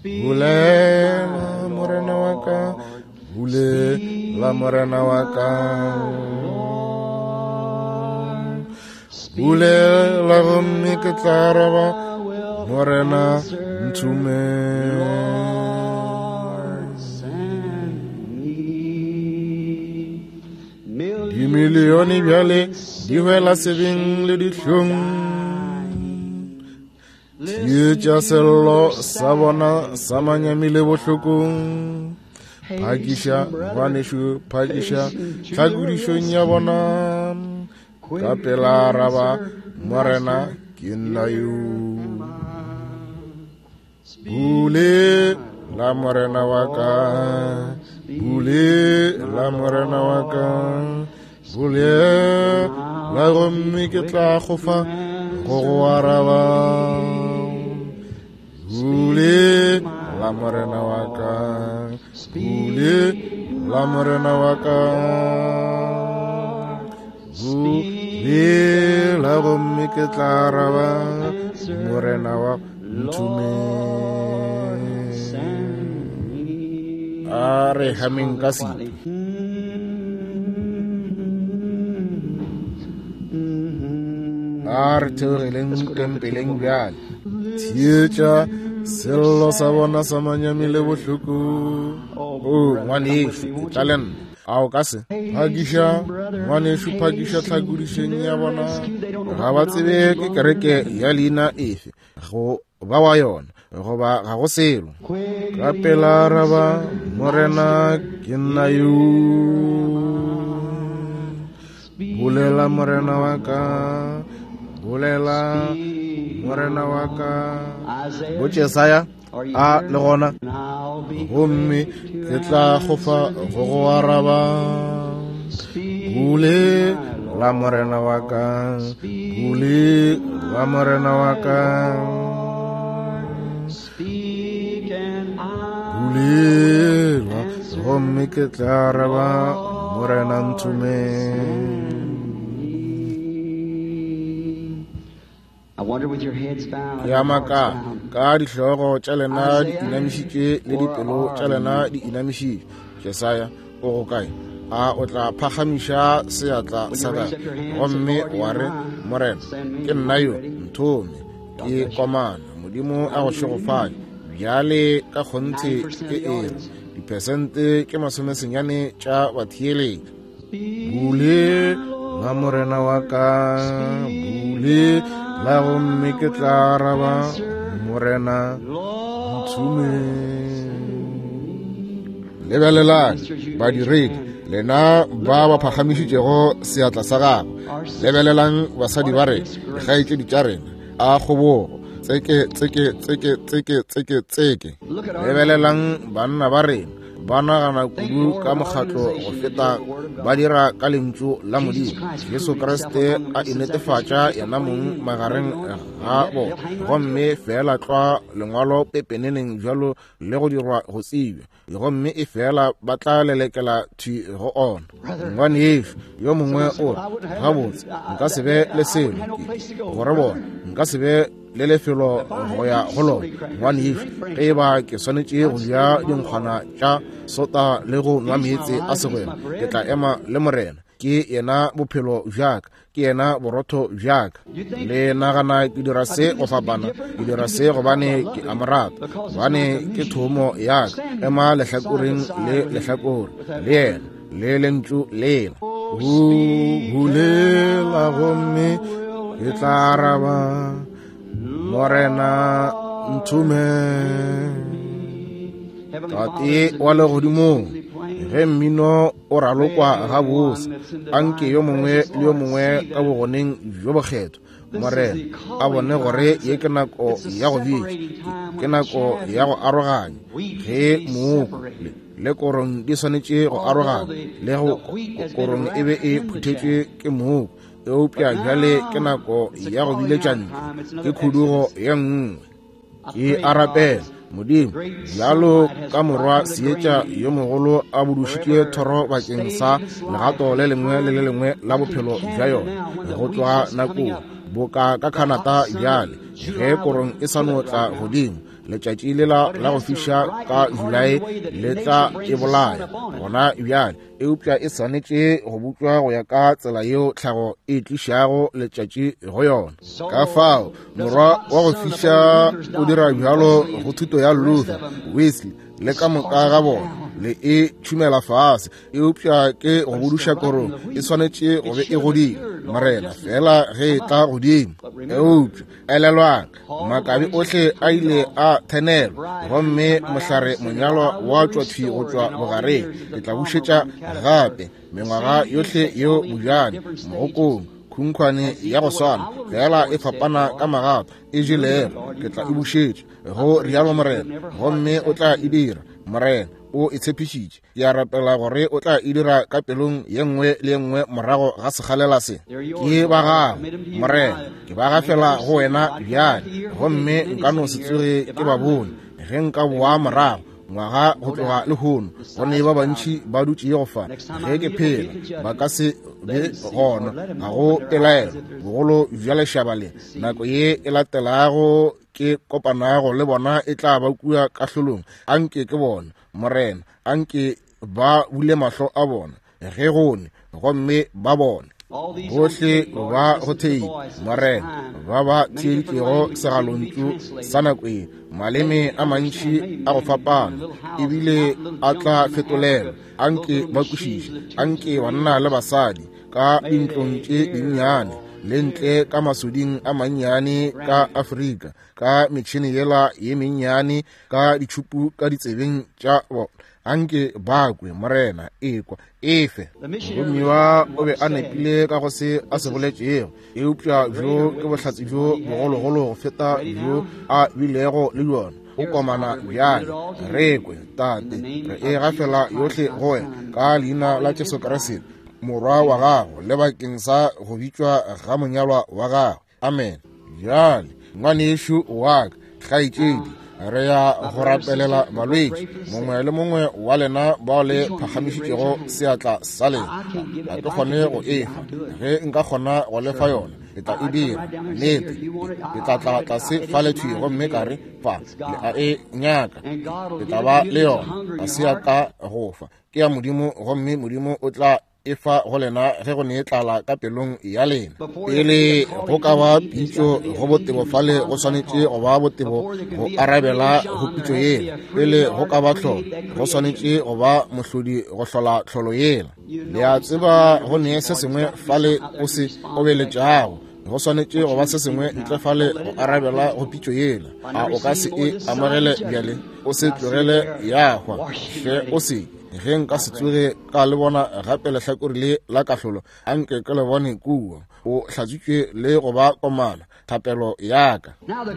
Bulela, Morena wa ka, bulela, Morena wa ka. Bulela gomme ke tla araba, Morena nthume. Dimilione bjale di hwela sebeng le dihlong, theetša sello sa bona sa manyami le bohlokong. Phakiša ngwanešu, phakiša tlhakodišong ya bona. Ka pela araba, Morena, ke nna yo. Bule la Morena wa ka, bule la Morena wa ka, bule la gomme ke tla gofa go go araba. Bule la Morena wa ka, bule la Morena wa ka, bule la gomme ke tla araba, Morena wa nthume. A re hameng ka setu. A re theogeleng tempeleng bjale. Theetša sello sa bona sa manyami le bohloko. O ngwanešu, tla le nna. A o ka se phakiša ngwanešu, phakiša tlhakodišeng ya bona. Ga ba tsebe ke kereke ya leina efe go ba wa yona, goba ga go selo. Ka pela araba, Morena, ke nna yo. Bolela, Morena wa ka, bolela, Morena wa ka. Botšesaya a le gona, gomme ke tla gofa go go araba. Bule la Morena wa ka, bule la Morena wa ka, bulela gomme ke tla araba, Morena nthume. Ya maka ka dihlogo tša lena di inamišitše le dipelo tša lena di inamišitše. Jesaya o go kae? A o tla phagamiša seatla sa gago gomme wa re, Morena, ke nna yo, nthome, ke komana. Modimo a go šegofatše. Bjale ka kgonthe ke ere diphesente ke 90 tša batheeletši. Bule la Morena wa ka, bule la gomme ke tla araba, Morena nthume. Lebelelang badiredi, lena ba ba phagamišitšego seatla sa gago. Lebelelang basadi ba rena, dikgaetšedi tša rena, a kgobogo, tseke tseke tseke tseke tseke tseke. Lebelelang banna ba rena, ba nagana kudu ka mokgatlo go feta ba dira ka lentšu la Modimo. Jesu Kriste a inetefatša yena mong magareng ga bona, gomme fela tlwa lengwalo pepeneneng bjalo le go dirwa go tsebja, gomme e fela ba tla lelekela thwi go ona. Ngwanešu yo mongwe o re, gabotse nka se be le selo gore bona, nka se be le lefelo go ya go lona. Ngwanešu, ge e ba ke swanetše go ja dinkgwana tša sota le go nwa meetse a segwena, ke tla ema le Morena. Ke yena bophelo bjaka, ke yena borotho bjaka. Le nagana ke dira se go fapana? Ke dira se gobane ke a mo rata, gobane ke thomo yaka. Ema lehlakoreng le lehlakore le yena le lentšu lela. Bulela gomme ke tla araba, Morena nthume. Tate wa legodimong, ge mmino o ralokwa gabotse, anke yo mongwe le yo mongwe ka bogoneng bjo bokgethwa, Morena, a bone gore ye ke nako ya go bitša, ke nako ya go aroganya, ge mooko le korong di swanetše go arogana, le go korong e be e phuthetšwe ke mooko, eupša bjale ke nako ya go biletša ntlo, ke khudugo ye nngwe. Ke a rapela, Modimo, bjalo ka morwa seetša yo mogolo a budušitše thoro bakeng sa legato le lengwe le le lengwe la bophelo bja yona, go tloga nakong boka ka Canada bjale, ge korong e sa no tla godimo, letšatši lela la go fiša ka Julae le tla e bolaya gona bjale, eupša e swanetše go butšwa go ya ka tsela yeo tlhago e tlišago letšatši go yona. Ka fao morwa wa go fiša o dira bjalo go thuto ya Luther, Wesley le ka moka ga bona, le e tšhumela fase, eupša ke go buduša korong, e swanetše go be e godile, Morena, fela ge e tla godimo. Eupša elelwang, makabe ohle a ile a thenelwa, gomme mohlare monyalwa wa tšwa thwi go tšwa bogareng. Ke tla bušetša gape mengwaga yohle yeo bojane, mogokong, khunkhwane ya go swana, fela e fapana ka magato, e jelego. Ke tla e bušetša, go rialo Morena, gomme o tla e dira. Morena o e tshepišitše. Ke a rapela gore o tla e dira ka pelong ye nngwe le ye nngwe morago ga sekgalela se. Ke ba gago, Morena, ke ba gafela go wena bjale, gomme nka no se tsoge ke ba bone ge nka boa morago ngwaga go tloga lehono. Go ne ba bantši ba dutšego fa, ge ke phela ba ka se be gona, ga go pelaelo. Bogolo bja lešaba le, nako ye e latelago ke kopanago le bona e tla ba kua kahlolong. Anke ke bona, Morena, anke ba bule mahlo a bona ge gone, gomme ba bone. Bohle ba go thei, Morena, ba ba theeditšego segalontšu sa nako ye, maleme a mantši a go fapana ebile a tla fetolelwa. Anke ba kwešiše, anke banna le basadi ka dintlong tše dinnyane le ntle ka masoding a mannyane ka Afrika, ka metšhene yela ye mennyane, ka ditšhupu ka ditsebeng tša bona, anke ba kwe, Morena, ekwa, efe. Moromiwa o be a nepile ka go se a se boletšego, eupša bjo ke bohlatse bjo bogologolo go feta bjo a bilego le bjona. O komana bjale, re kwe, Tate, re e gafela yohle go wena ka leina la Jesu Kriste, Morwa wa gago, le bakeng sa go bitšwa ga monyalwa wa gagwe. Amen. Bjale, ngwanešu wa ka, kgaetšedi, re ya go rapelela balwetši. Mongwe le mongwe wa lena bao le phagamišitšego seatla sa lena, ga ke kgone go e fa. Ge nka kgona go le fa yona, ke tla e dira. Nnete, ke tla tla tlase fale thwi gomme ka re, fa, le a e nyaka, ke tla ba le yona. Ga se ya ka go fa, ke ya Modimo, gomme Modimo o tla e fa go lena ge go ne tlala ka pelong ya lena. Pele go ka ba pitšo go botebo fale, go swanetše go ba botebo go arabela go pitšo yela. Pele go ka ba tlholo, go swanetše go ba mohlodi go hlola tlholo yela. Le a tseba go ne se sengwe fale o se obeletšago, go swanetše go ba se sengwe ntle fale go arabela go pitšo yela. A o ka se e amogele bjale? O se tlogele ya hwa, hle o se. Ge nka se tsoge ka le bona gape lehlakore le la kahlolo, anke ke le bone kua. O hlatswitšwe le go ba komana, thapelo ya ka.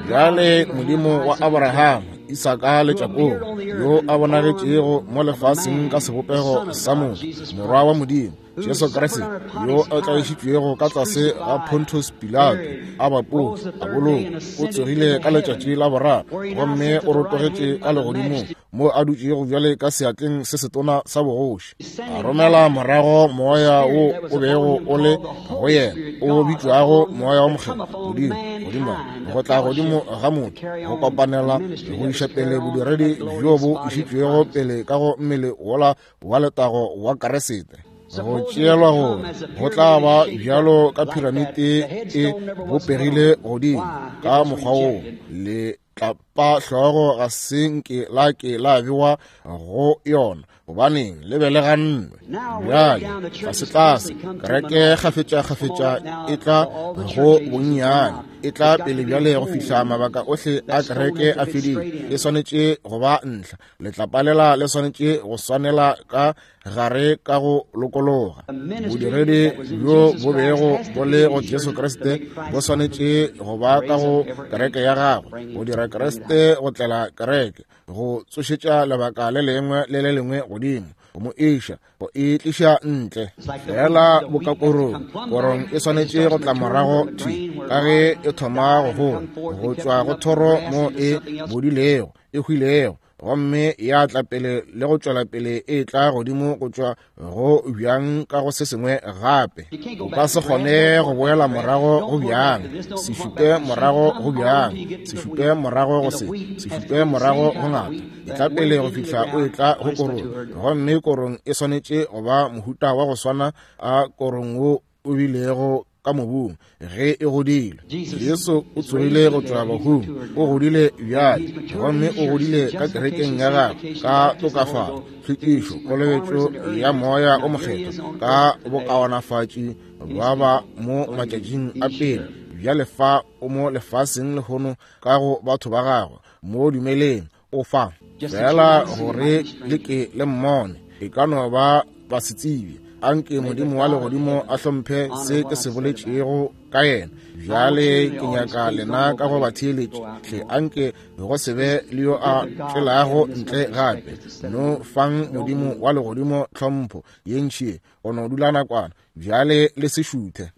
Bjale Modimo wa Abrahama, Isaka le Jakobo, yo a bonagetšego mo lefaseng ka sebopego sa motho, Morwa wa Modimo, Jesu Kriste, yo a tlaišitšwego ka tlase ga Pontus Pilato, a bapotse, a bolokwa, o tsogile ka letšatši la boraro, gomme o rotogetše ka legodimong, mo a dutšego bjale ka seatleng se setona sa bogoši. A romela morago moya wo o bego o le go yena, o bitšwago Moya wa Mokgethwa, Modimo, godimo go tla godimo ga motho, go kopanela go iša pele bodiredi bjo bo išitšwego pele ka go mmele wola wa letago wa Kriste. Go tšeelwa gore go tla ba bjalo ka piramite e bopegile godimo ka mokgwa wo, le tlapa hlogo ga se nke la ke la bewa go yona, gobaneng le be le gannwe. Bjale tlase-tlase kereke kgafetša-kgafetša e tla go bonnyane, e tla pele bjale go fihla mabaka ohle a kereke a fedile. E swanetše go ba ntlha, letlapalela le swanetše go swanela ka gare ka go lokologa. Bodiredi bjo bo bego bo le go Jesu Kriste bo swanetše go ba ka go kereke ya gagwe, go dira Kriste go tlela kereke, go tsošetša lebaka le lengwe le le lengwe godimo, go mo iša, go e tliša ntle. Fela boka korong, korong e swanetše go tla morago thwi ka ge e thoma go gola, go tšwa go thoro mo e bodilego. e hwilego, gomme ya tla pele le go tšwela pele e tla godimo go tšwa go bjang ka go se sengwe gape. O ka se kgone go boela morago go bjang, se šupe morago go bjang, se šupe morago go se, se šupe morago go ngata. E tla pele go fihla o e tla go korong, gomme korong e swanetše go ba mohuta wa go swana a korong wo o bilego ka mobung ge e godile. Jesu o tsogile go tšwa bahung, o godile bjale, gomme o godile ka kerekeng ya gagwe ka tokafalo, tlhwekišo, kolobetšo ya Moya o Mokgethwa, ka bokaonafatši ba ba mo matšatšing a pele. Bjale fa o mo lefaseng lehono ka go batho ba gagwe, mo dumeleng o fa fela gore le ke le mmone. E ka no ba ba se tsebe. Anke Modimo wa legodimo a hlomphe se ke se boletšego ka yena. Bjale ke nyaka lena ka go ba theeletše hle, anke go se be le yo a tšwelago ntle gape. No fang Modimo wa legodimo tlhompho ye ntši go no dula nakwana. Bjale le se šuthe.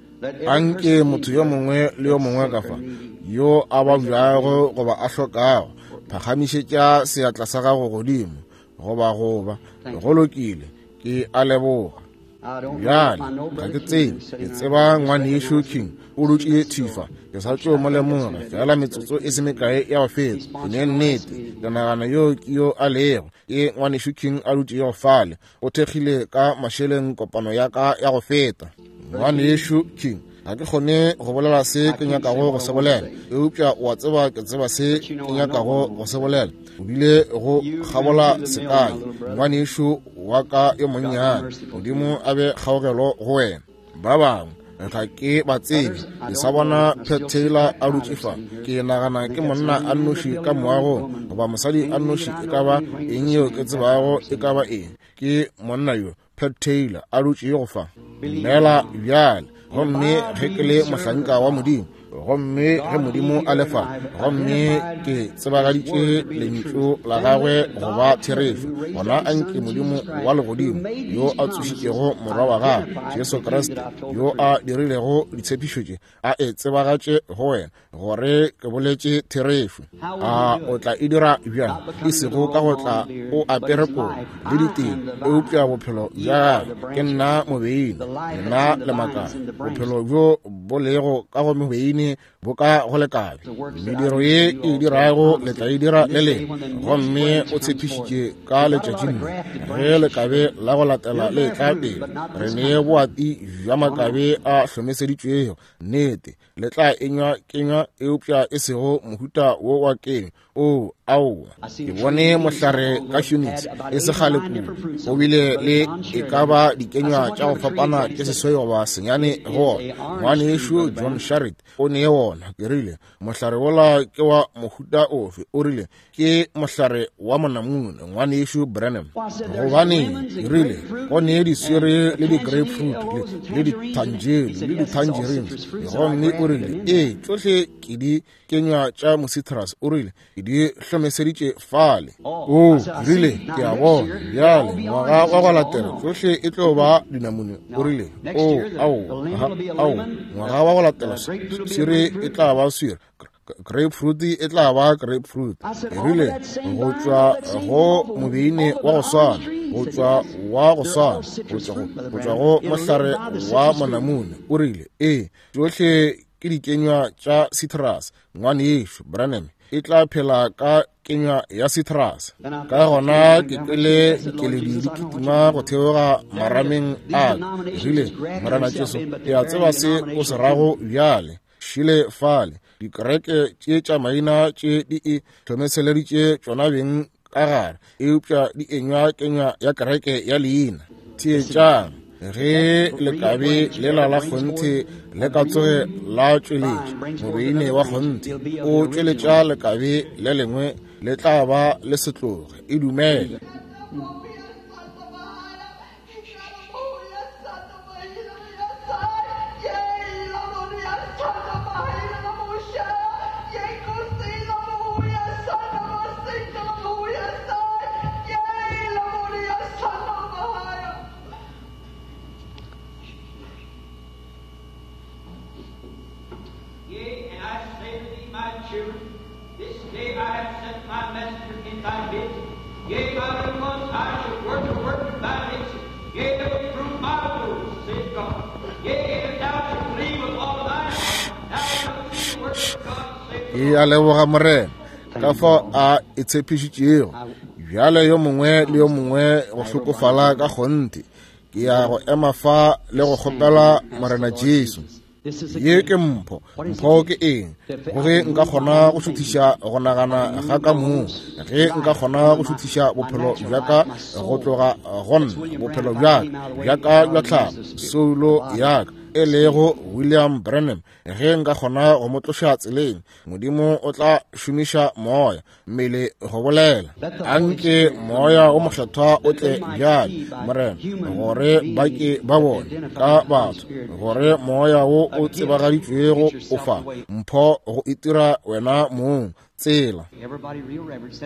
Anke motho yo mongwe le yo mongwe ka fa yo a babjago goba a hlokago, phagamišetša seatla sa gago godimo, goba goba go lokile, ke a leboga. Bjale ga ke tsebe, ke tseba ngwanešu King o dutše thifa, ke sa tšo mo lemoga fela metsotso e se mekae ya go feta. Ke ne nnete, ke nagana yo ke yo a lego, ke ngwanešu King a dutšego fale, o thekgile ka mašeleng kopano ya ka ya go feta. Ngwanešu King, ga ke kgone go bolela se ke nyakago go se bolela, eupša o a tseba ke tseba se ke nyakago go se bolela. O bile go kgabola sekai, ngwanešu wa ka yo monnyane. Modimo a be kgaogelo go wena. Ba bangwe ga ke ba tsebe, ke sa bona Pat Taylor a dutše fa. Ke nagana ke monna a nnoši ka moagong, goba mosadi a nnoši, e ka ba eng yeo ke tsebago e ka ba eng, ke monna yo Pat Taylor a dutšego fa. Dumela bjale. Gomme ge ke le mohlanka wa Modimo, gomme ge Modimo a le fa, gomme ke tsebagaditše lentšu la gagwe go ba therešo, gona anke Modimo wa legodimo yo a tsošitšego Morwa wa gagwe Jesu Kriste, yo a dirilego ditshepišo tše, a e tsebagatše go wena gore ke boletše therešo. A o tla e dira bjang? E sego ka go tla o apere kobo le diteng, eupša bophelo bja gagwe. Ke nna mobeine, nna le makala. Bophelo bjo bo lego ka go mobeine bo ka go lekabe. Mediro ye e dirago le tla e dira le lena. Gomme o tshepišitše ka letšatšing le, ge lekabe la go latela le tla pele, re ne boati bja makabe a hlomeseditšwego. Nnete, le tla enywa kenywa, eupša e sego mohuta wo wa kenywa. O, aowa. Ke bone mohlare ka Phoenix e se kgale kudu, o bile le e ka ba dikenywa tša go fapana tše seswai goba senyane go ona. Ngwanešu John Sharrit o ne wona. Ke rile, mohlare wola ke wa mohuta ofe? O rile, ke mohlare wa monamune, ngwanešu Branham. Gobane, ke rile, go ne diswere le di-grapefruit le di-tangerine le di-tangerines. Gomme o rile, ee, tšohle ke di kenywa tša mocitrus. O rile, ke di hlomeseditše fale. O rile, ke a bona bjale ngwaga wa go latela tšohle e tlo ba dinamune. O rile, o, aowa, aowa, ngwaga wa go latela swere e tla ba swere, grapefruit e tla ba grapefruit. E rile, go tšwa go mobeine wa go swana, go tšwa wa go swana, go tšwa go mohlare wa monamune. O rile, ee, tšohle ke dikenywa tša citrus. Ngwanešu Branham, e tla phela ka kenywa ya citrus. Ka gona ke kwele dikeledi di kitima go theoga marameng a ka. Rile, Morena Jesu, ke a tseba se o se rago bjale. Šile fale, dikereke tše tša maina tše di e hlomeseleditše tšona beng ka gare, eupša di enywa kenywa ya kereke ya leina. Theetšang, ge lekabe lela la kgonthe le ka tsoge la tšweletša mobeine wa kgonthe, o tšweletša lekabe le lengwe, le tla ba le setloge. E dumele. Yea, and I say to thee, my children, this day I have sent my messenger. Ke a leboga Morena ka fao a e tshepišitšego. Bjale yo mongwe le yo mongwe go hlokofala ka kgonthe. Ke ya go ema fa le go kgopela Morena Jesu. Ye ke mpho. Mpho ke eng? Go ge nka kgona go šuthiša go nagana ga ka mong, ge nka kgona go šuthiša bophelo bja ka go tloga go nna, bophelo bja ka, bja ka bja tlhago, soulo ya ka, e lego William Branham, ge nka kgona go mo tloša tseleng, Modimo o tla šomiša moya, mmele go bolela. Anke moya o mokgethwa o tle bjale, Morena, gore ba ke ba bone ka batho gore moya wo o tsebagaditšwego o fa mpho go itira wena mong tsela.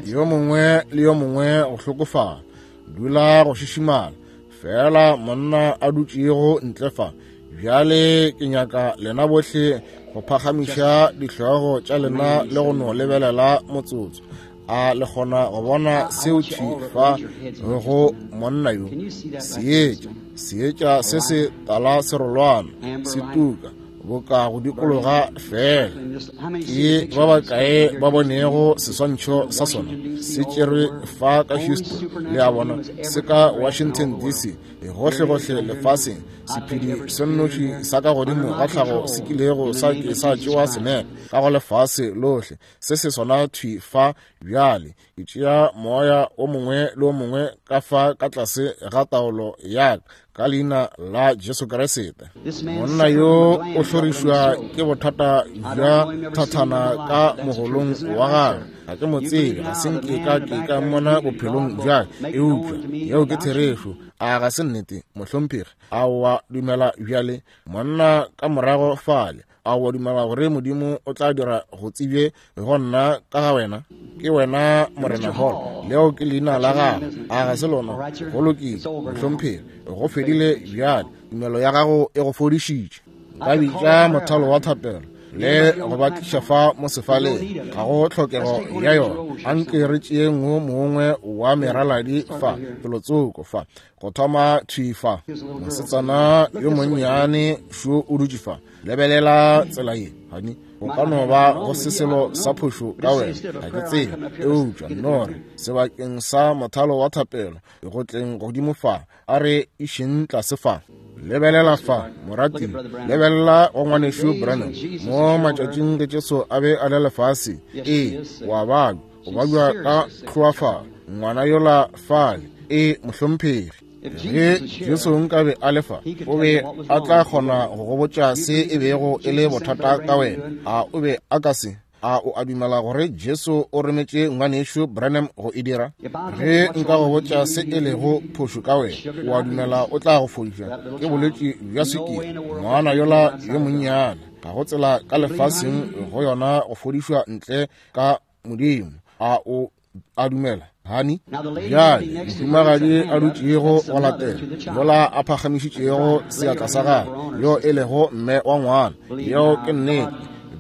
Yo mongwe le yo mongwe go hlokofala, dula go šišimala fela monna a dutšego ntle fa. Bjale ke nyaka lena bohle go phagamiša dihlogo tša lena le go no lebelela motsotso. A le kgona go bona seo thwi fa go monna yo? Seetša, seetša se se tala serolwana se tuka boka go dikologa fela. Ke ba bakae ba bonego seswantšho sa sona se tšerwe fa ka Houston, le a bona, se ka Washington DC, gohlegohle lefaseng. Sephedi se nnoši sa ka godimo ga tlhago se kilego sa ke sa tšewa senepe ka go lefase lohle, se se sona thwi fa bjale. Ke tšea moya o mongwe le o mongwe ka fa ka tlase ga taolo ya ka, ka leina la Jesu Kriste. Monna yo o hlorišwa ke bothata bja thathana ka mogolong wa gagwe. Ga ke mo tsebe, ga se nke ka ke ka mmona bophelong bja ka, eupša yeo ke therešo. A ga se nnete, mohlomphegi? A wa dumela bjale? Monna ka morago fale, a wa dumela gore Modimo o tla dira go tsebje go nna ka ga wena? Ke wena Morena Hall, leo ke leina la gago, a ga se lona? Go lokile, mohlomphegi, go fedile bjale. Tumelo ya gago e go fodišitše. Nka bitša mothalo wa thapelo le go ba tliša fa mo sefaleng, ga go tlhokego ya yona. Anke re tšeeng wo mongwe wa meraladi fa, felotsoko fa, go thoma thwi fa. Mosetsana yo monnyane šo o dutše fa. Lebelela tsela ye, honey. Go ka no ba go se selo sa phošo ka wena, ga ke tsebe, eupša nno re sebakeng sa mothalo wa thapelo go tleng godimo fa, a re išeng tlase fa. Lebelela fa, morati, lebelela go ngwanešu Branham mo matšatšing ge Jesu a be a le lefase. Ee, wa babja, o babja ka tlhoafalo, ngwana yola fale. Ee, mohlomphegi. Ge Jesu nkabe a le fa, o be a tla kgona go go botša se e bego e le bothata ka wena. A o be a ka se? A o a dumela gore Jesu o rometše ngwanešu Branham go e dira? Ge nka go botša se e lego phošo ka wena, o a dumela o tla go fodiša? Ke bolwetši bja swikiri, ngwana yola yo monnyane. Ga go tsela ka lefaseng go yona go fodišwa ntle ka Modimo. A o a dumela, hani? Bjale mohumagadi a dutšego go latela yola a phagamišitšego seatla sa gagwe, yo e lego mme wa ngwana, yeo ke nnete.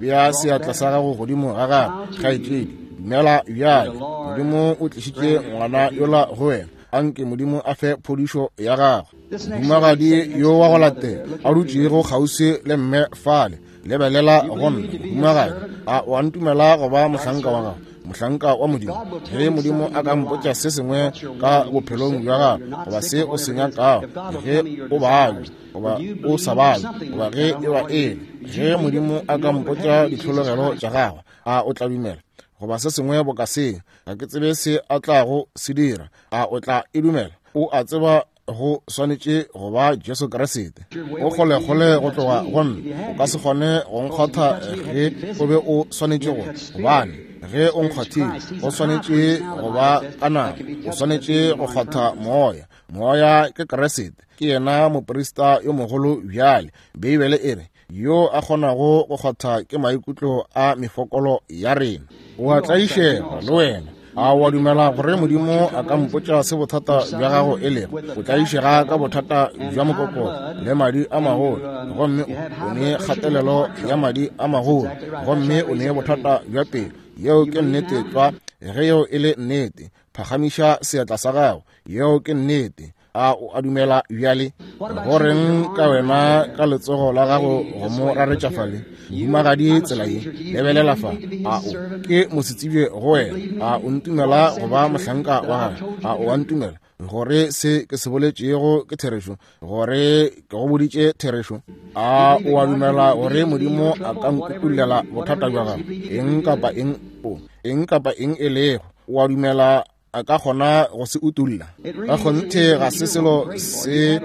Bea seatla sa gago godimo ga gagwe, kgaetšedi. Dumela bjale. Modimo o tlišitše ngwana yola go wena. Anke Modimo a fe phodišo ya gagwe. Mohumagadi yo wa go latela a dutšego kgauswi le mme fale, lebelela go nna, mohumagadi. A wa ntumela go ba mohlanka wa gago, mohlanka wa Modimo? Ge Modimo a ka mpotša se sengwe ka bophelong bja gago, goba se o se nyakago, ge o babja goba o sa babje, goba ge e ba eng, ge Modimo a ka mpotša ditlhologelo tša gagwe, a o tla dumela? Goba se sengwe boka seo, ga ke tsebe se a tlago se dira. A o tla e dumela? O a tseba go swanetše go ba Jesu Kriste. O kgolekgole go tloga go nna, o ka se kgone go nkgwatha ge o be o swanetše go, gobane ge o nkgwathile go swanetše go ba ka nama, o swanetše go kgwatha Moya. Moya ke Kriste, ke yena moprista yo mogolo bjale. Beibele e re, yo a kgonago go kgwatha ke maikutlo a mefokolo ya rena. O a tlaišega le wena. A wa dumela gore Modimo a ka mpotša se bothata bja gago e lego? O tlaišega ka bothata bja mokokotlo le madi a magolo, gomme o ne kgatelelo ya madi a magolo, gomme o ne bothata bja pelo. Yeo ke nnete tlwa. Ge yeo e le nnete, phagamiša seatla sa gago. Yeo ke nnete. A o a dumela bjale? Go reng ka wena ka letsogo la gago go mo raretša fale? Mohumagadi tsela ye, lebelela fa. A o ke mosetsebje go wena? A o ntumela go ba mohlanka wa gagwe? A o a ntumela gore se ke se boletšego ke therešo, gore ke go boditše therešo? A o a dumela gore Modimo a ka nkukullela bothata bja gago? Eng kapa eng o eng kapa eng e lego, o a dumela a ka kgona go se utulla? Ka kgonthe ga se selo se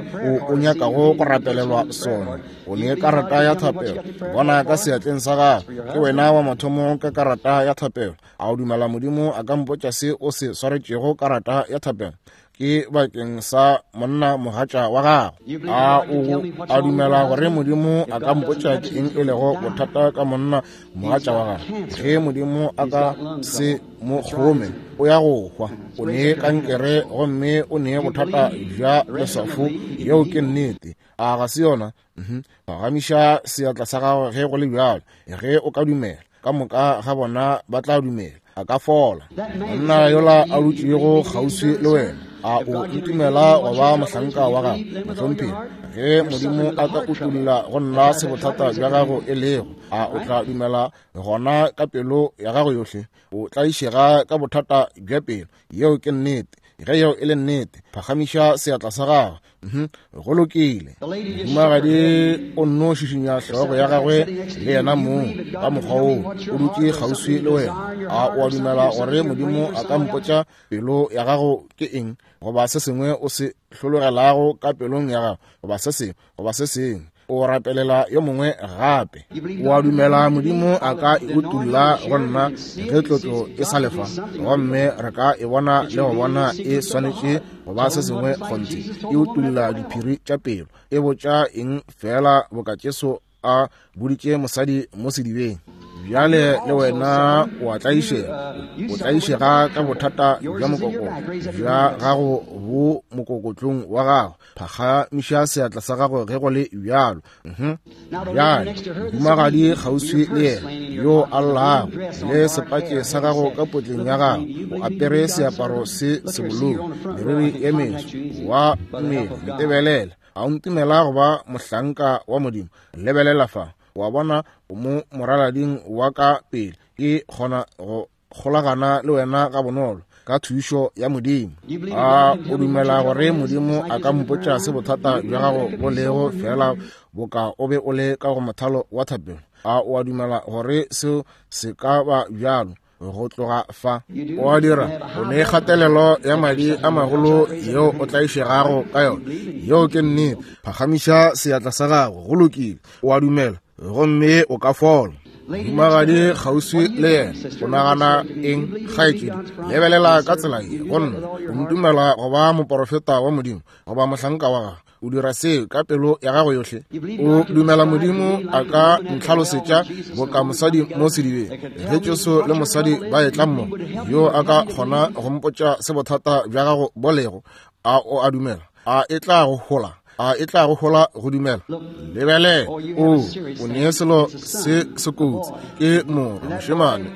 o nyakago go rapelelwa sona. O ne karata ya thapelo, bona ka seatleng sa gago. Ke wena wa mathomo ka karata ya thapelo. A o dumela Modimo a ka mpotša se o se swaretšego karata ya thapelo? Ke bakeng sa monna mogatša wa gago. A o a dumela gore Modimo a ka mpotša ke eng e lego bothata ka monna mogatša wa gago? Ge Modimo a ka se mo kgome, o ya go hwa. O ne kankere gomme o ne bothata bja leswafo. Yeo ke nnete. A ga se yona? Phagamiša seatla sa gago ge go le bjalo. Ge o ka dumela, ka moka ga bona ba tla dumela. A ka fola. Monna yola a dutšego kgauswi le wena, a o ntumela go ba mohlanka wa gago? Mohlomphegi, ge Modimo a ka utulla go nna se bothata bja gago e lego, a o tla dumela gona ka pelo ya gago yohle? O tlaišega ka bothata bja pelo. Yeo ke nnete. Ge yeo e le nnete, phagamiša seatla sa gago. Go lokile. Mohumagadi o nno šišinya hlogo ya gagwe le yena mong ka mokgwa woo. O dutše kgauswi le wena. A o a dumela gore Modimo a ka mpotša pelo ya gago ke eng, goba se sengwe o se hlologelago ka pelong ya gago, goba se sengwe, goba se sengwe? O rapelela yo mongwe gape. O a dumela Modimo a ka e utulla go nna ge tlotlo e sa lefa, gomme re ka e bona le go bona e swanetše go ba se sengwe kgonthe. E utulla diphiri tša pelo. E botša eng fela boka Jesu a boditše mosadi mo sedibeng. Bjale le wena o a tlaišega. O tlaišega ka bothata bja mokokotlo bja gago bo mokokotlong wa gago. Phagamiša seatla sa gago ge go le bjalo. Bjale mohumagadi kgauswi le yena yo a llago, le sepatše sa gago ka potleng ya gago, o apere seaparo se sebolou, meriri ye meso wa mmele. Ntebelela. A o ntumela go ba mohlanka wa Modimo? Lebelela fa. Wa bona, o mo moralading wa ka pele. Ke kgona go kgolagana le wena ga bonolo ka thušo ya Modimo. A o dumela gore Modimo a ka mpotša se bothata bja gago bo lego fela boka o be o le ka go mothalo wa thapelo? A o a dumela gore seo se ka ba bjalo? Go tloga fa o a dira, o ne kgatelelo ya madi a magolo yeo o tlaišegago ka yona. Yeo ke nnete. Phagamiša seatla sa gago. Go lokile. O a dumela gomme o ka fola. Mohumagadi kgauswi le yena, o nagana eng, kgaetšedi? Lebelela ka tsela ye go nna. O ntumela go ba moporofeta wa Modimo, goba mohlanka wa gagwe? O dira seo ka pelo ya gago yohle? O dumela Modimo a ka ntlhalosetša boka mosadi mo sedibeng, ge Jesu le mosadi ba etla mmogo, yo a ka kgona go mpotša se bothata bja gago bo lego? A o a dumela? A e tla go hola? A e tla go hola go dumela? Lebele, o o ne selo se se kotsi, ke morwa mošemane.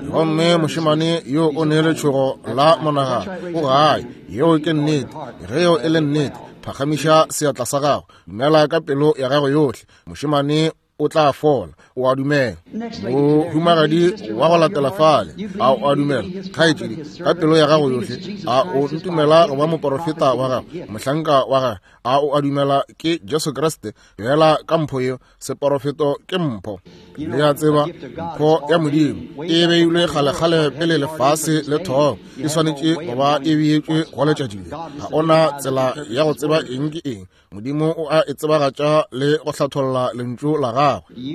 Gomme mošemane yo o ne letšhogo la monagano. O gae. Yeo ke nnete. Ge yeo e le nnete, phagamiša seatla sa gago. Dumela ka pelo ya gago yohle. Mošemane o tla fola. O a dumela. Mohumagadi wa go latela fale, a o a dumela, kgaetšedi, ka pelo ya gago yohle? A o ntumela go ba moporofeta wa gago, mohlanka wa gagwe? A o a dumela ke Jesu Kriste? Fela ka mpho yeo, seporofeto ke mpho. Le a tseba, mpho ya Modimo e beilwe kgalekgale pele lefase le thoma. E swanetše go ba e beetšwe go letšatši le. Ga ona tsela ya go tseba eng ke eng. Modimo o a e tsebagatša le go hlatholla lentšu la gagwe.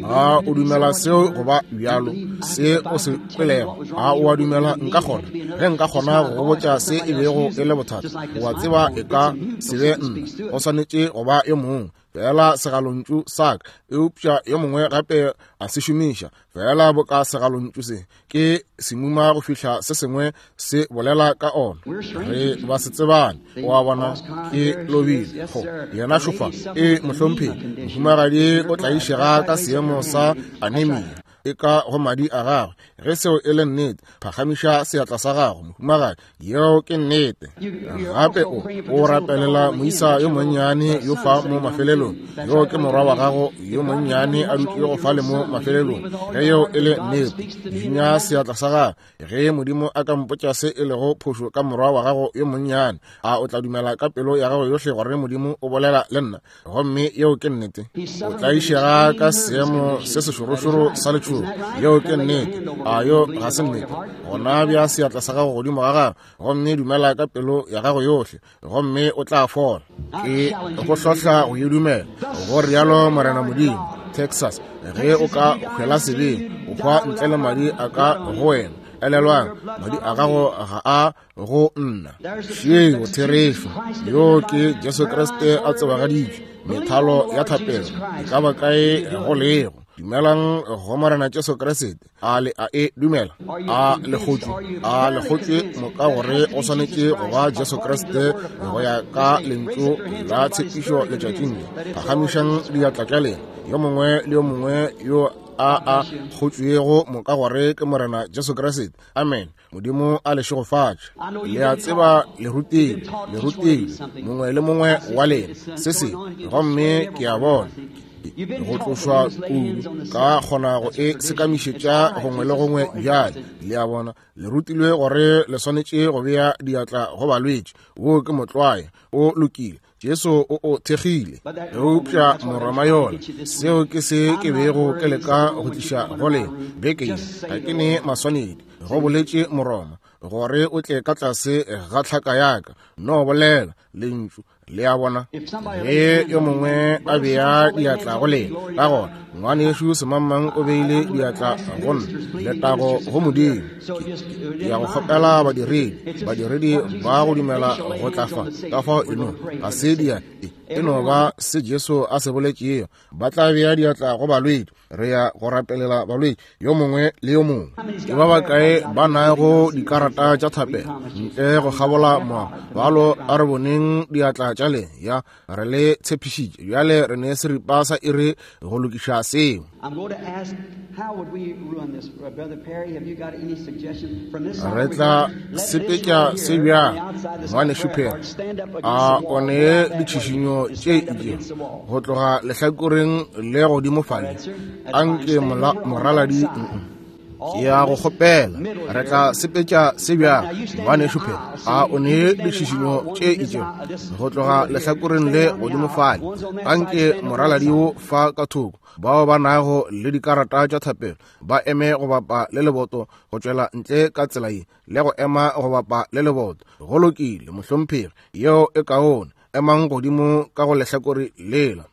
A o dumela seo go ba bjalo, se o se kwelego? A o a dumela nka kgona? Ge nka kgona go go botša se e bego e le bothata, o a tseba e ka se be nna. Go swanetše go ba yo mongwe. Fela segalontšu sa ka, eupša yo mongwe gape a se šomiša. Fela boka segalontšu se, ke semuma go fihla se sengwe se bolela ka ona. Re ba se tsebane. O a bona, ke lobile. Go yena šofa e mohlomphegi. Mohumagadi o tlaišega ka seemo sa anemia. e ka go madi a gagwe. Ge seo e le nnete, phagamiša seatla sa gago, mohumagadi. Yeo ke nnete. Gape o rapelela moisa yo monnyane yo fa mo mafelelong. Yo ke morwa wa gago yo monnyane a dutšego fale mo mafelelong. Ge yeo e le nnete, šišinya seatla sa gago. Ge Modimo a ka mpotša se e lego phošo ka morwa wa gago yo monnyane, a o tla dumela ka pelo ya gago yohle gore Modimo o bolela le nna? Gomme yeo ke nnete. O tlaišega ka seemo se sešorošoro sa letšhogo. Yeo ke nnete. A yo ga se nnete? Gona bja seatla sa gago godimo ga gago, gomme dumela ka pelo ya gago yohle, gomme o tla fola. Ke go hlohla go e dumela, go rialo Morena Modimo. Texas, ge o ka hwela sebeng, o hwa ntle le madi a ka go wena. Elelwang, madi a gago ga a go nna. Šeo therešo. Yo ke Jesu Kriste a tsebagaditšwe. Methalo ya thapelo e ka ba kae go lego. Dumelang go Morena Jesu Kriste. A le a e dumela? A le kgotšwe? A le kgotšwe moka gore o swanetše go ba Jesu Kriste go ya ka lentšu la tshepišo letšatšing le? Phagamišang diatla tša lena, yo mongwe le yo mongwe yo a kgotšwego moka gore ke Morena Jesu Kriste. Amen. Modimo a le šegofatše. Le a tseba le rutilwe, le rutilwe, mongwe le mongwe wa lena, se sengwe. Gomme ke a bona go tlošwa kudu, ka kgona go e sekamišetša gongwe le gongwe bjale. Le a bona, le rutilwe gore le swanetše go bea diatla go balwetši. Wo ke motlwae, o lokile. Jesu o o thekgile. Eupša Moroma yola, seo ke se ke bego ke leka go tliša go lena beke ye. Ga ke ne maswanedi, go boletše Moroma, gore o tle ka tlase ga tlhaka ya ka. No bolela lentšu. Le a bona? Ge yo mongwe a bea diatla go lena, ka gona ngwanešu semangmang o beile diatla go nna. Letago go Modimo. Ke ya go kgopela badiredi, badiredi ba go dumela go tla fa. Ka fao eno ga se dia, e no ba se Jesu a se boletšego. Ba tla bea diatla go balwetši. Re ya go rapelela balwetši, yo mongwe le yo mongwe. Ke ba bakae ba nago dikarata tša thapelo ntle go kgabola moago? Balo, a re boneng diatla tša lena. Ya, re le tshepišitše. Bjale re ne seripa sa iri go lokiša seo. Re tla sepetša se bjang, Ngwanešu Perry? A o ne ditšhišinyo tše itšego go tloga lehlakoreng le godimo fale? Anke moraladi ke ya go kgopela. Re tla sepetša se bjang, Ngwanešu Perry? A o ne ditšhišinyo tše itšego go tloga lehlakoreng le godimo fale? Anke moraladi wo fa ka thoko, bao ba nago le dikarata tša thapelo ba eme go bapa le leboto go tšwela ntle ka tsela ye, le go ema go bapa le leboto. Go lokile, mohlomphegi, yeo e kaone. Emang godimo ka go lehlakore lela,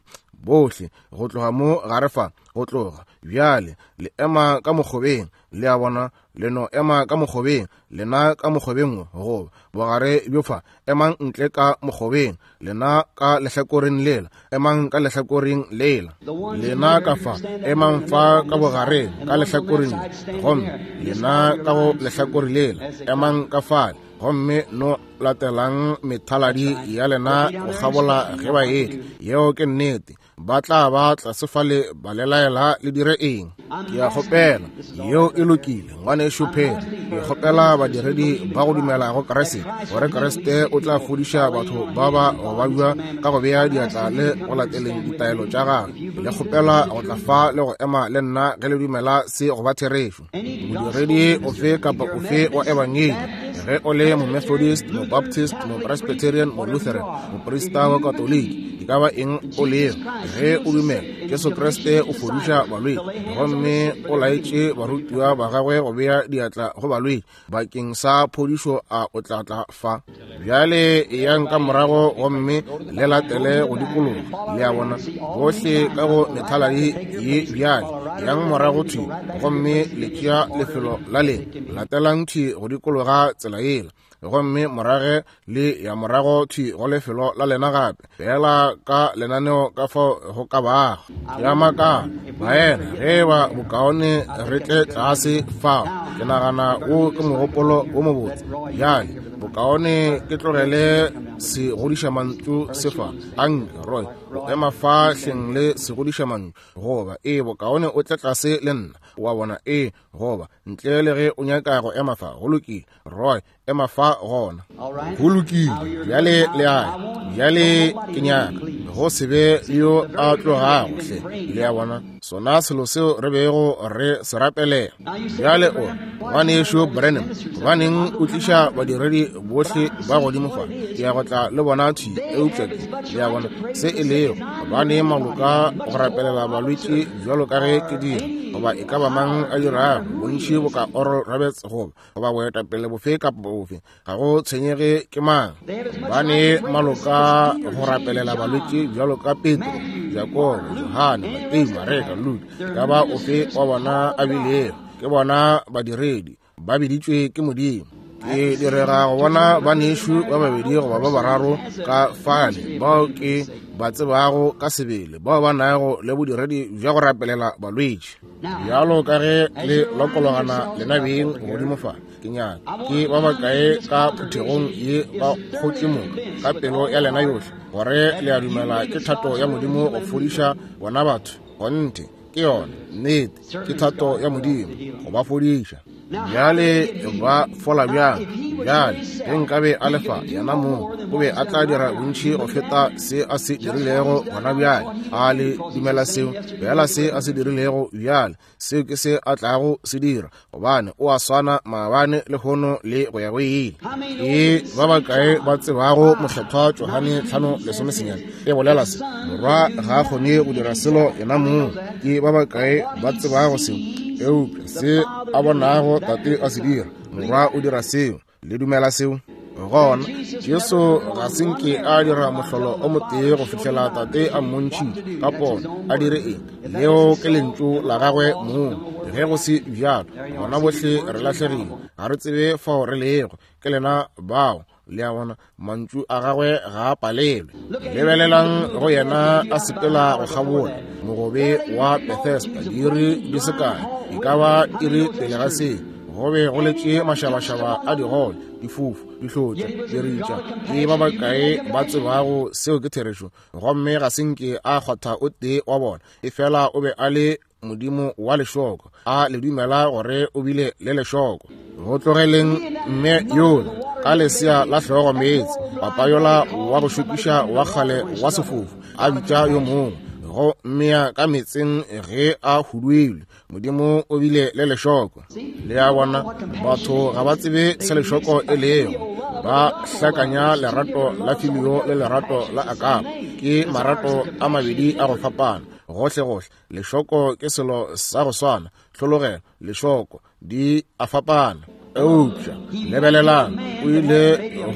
bohle go tloga mo gare fa, go tloga bjale le ema ka mokgobeng. Le a bona, le no ema ka mokgobeng, lena ka mokgobeng wo, goba bogare bjo fa, emang ntle ka mokgobeng, lena ka lehlakoreng lela, emang ka lehlakoreng lela, lena ka fa, emang fa ka bogareng ka lehlakoreng le, gomme lena ka go lehlakore lela, emang ka fale, gomme no latelang methaladi ya lena go kgabola ge ba etla. Yeo ke nnete. Ba tla ba tlase fale ba le laela le dire eng. Ke a kgopela, yeo e lokile, Ngwanešu Perry. Ke kgopela badiredi ba go dumela go Kriste, gore Kriste o tla fodiša batho ba ba go babja ka go bea diatla le go lateleng ditaelo tša gagwe. Le kgopela go tla fa le go ema le nna ge le dumela se go ba therešo. Modiredi ofe kapa ofe wa ebangedi, ge o le Momethodist, Mobaptist, Mopresbyterian, Molutheran, moprista wa Katoliki, e ka ba eng o lego, ge o dumela Jesu Kriste o fodiša balwetši, gomme o laetše barutiwa ba gagwe go bea diatla go balwetši bakeng sa phodišo, a o tla tla fa? Bjale eyang ka morago gomme le latele go dikologa. Le a bona, bohle ka go methaladi ye bjale, yang morago thwi gomme le tšea lefelo la lena. Latelang thwi go dikologa tsela yela, gomme morage le ya morago thwi go lefelo la lena gape, feela ka lenaneo ka fao go ka bago. Ke a makala, baena, ge eba bokaone re tle tlase fao. Ke nagana wo ke mogopolo wo mobotse. Bjale, Bokaone ke tlogele segodišamantšu se fa. Anke, Roy, o ema fa hleng le segodišamantšu. Goba, ee, bokaone o tle tlase le nna. Wa bona, ee, goba, ntle le ge o nyaka go ema fa. Go lokile, Roy, ema fa gona. Go lokile, bjale le a ya. Bjale ke nyaka go se be le yo a tlogago hle. Le a bona, sona selo seo re bego re se rapelela. Bjale o re, Ngwanešu Branham, gobaneng o tliša badiredi bohle ba godimo fa? Ke ya go tla le bona thwi, eupša ke, le a bona, se e lego, gobane maloka go rapelela balwetši bjalo ka ge ke dira, goba e ka ba mang a dirago, bontši boka Oral Roberts goba goba boetapele bofe kapa bofe, ga go tshwenyege ke mang, ba ne maloka go rapelela balwetši bjalo ka Petro, Jakobo, Johane, Mateo, Mareka, Luka, ka ba ofe wa bona a bilego, ke bona badiredi ba biditšwe ke Modimo. Ke direga go bona banešu ba babedi goba ba bararo ka fale bao ke ba tsebago ka sebele, bao ba nago le bodiredi bja go rapelela balwetši. Bjalo ka ge le lokologana lena beng godimo fa, ke nyaka ke ba bakae ka phuthegong ye ba kgotše moka ka pelo ya lena yohle gore le a dumela ke thato ya Modimo go fodiša bona batho. Kgonthe ke yona nnete, ke thato ya Modimo go ba fodiša. Bjale ba fola bjang? Bjale ge nkabe a lefa yena mong, o be a tla dira bontši go feta se a se dirilego gona bjale. A le dumela seo? Bjala se a se dirilego bjale, seo ke se a tlago se dira, gobane o a swana maabane, lehono le go ya go ile. Ke ba bakae ba tsebago Mokgethwa Johane 5:19 e bolela se? Morwa ga a kgone go dira selo yena mong. Ke ba bakae ba tsebago seo? Eupša se a bonago Tate a se dira, Morwa o dira seo. Le dumela seo? Gona Jesu ga se nke a dira mohlolo o motee go fihlela Tate a mmontšhitše ka pono a dire eng. Leo ke lentšu la gagwe mong. Ge go se bjalo, gona bohle re lahlegile, ga re tsebe fao re lego. Ke lena bao. Le a bona, mantšu a gagwe ga a palelwe. Lebelelang go yena a sepela go kgabola mogobe wa Bethesda diiri di se kae, e ka ba iri pele ga se, go be go letše mašabašaba a digole, difofu, dihlotša, diritša. Ke ba bakae ba tsebago seo ke therešo? Gomme ga se nke a kgwatha o tee wa bona, efela o be a le Modimo wa lešoko. A le dumela gore o bile le lešoko? Go tlogeleng mme yola ka lesea la hlogo meetse, papa yola wa go šokiša wa kgale wa sefofu a bitša yo mongwe go mmea ka meetseng ge a huduilwe. Modimo o bile le lešoko. Le a bona, batho ga ba tsebe se lešoko e lego. Ba hlakanya lerato la filio le lerato la akapo. Ke marato a mabedi a go fapana gohle-gohle. Lešoko ke selo sa go swana, hlologelo, lešoko, di a fapana. Eupša lebelelang, o ile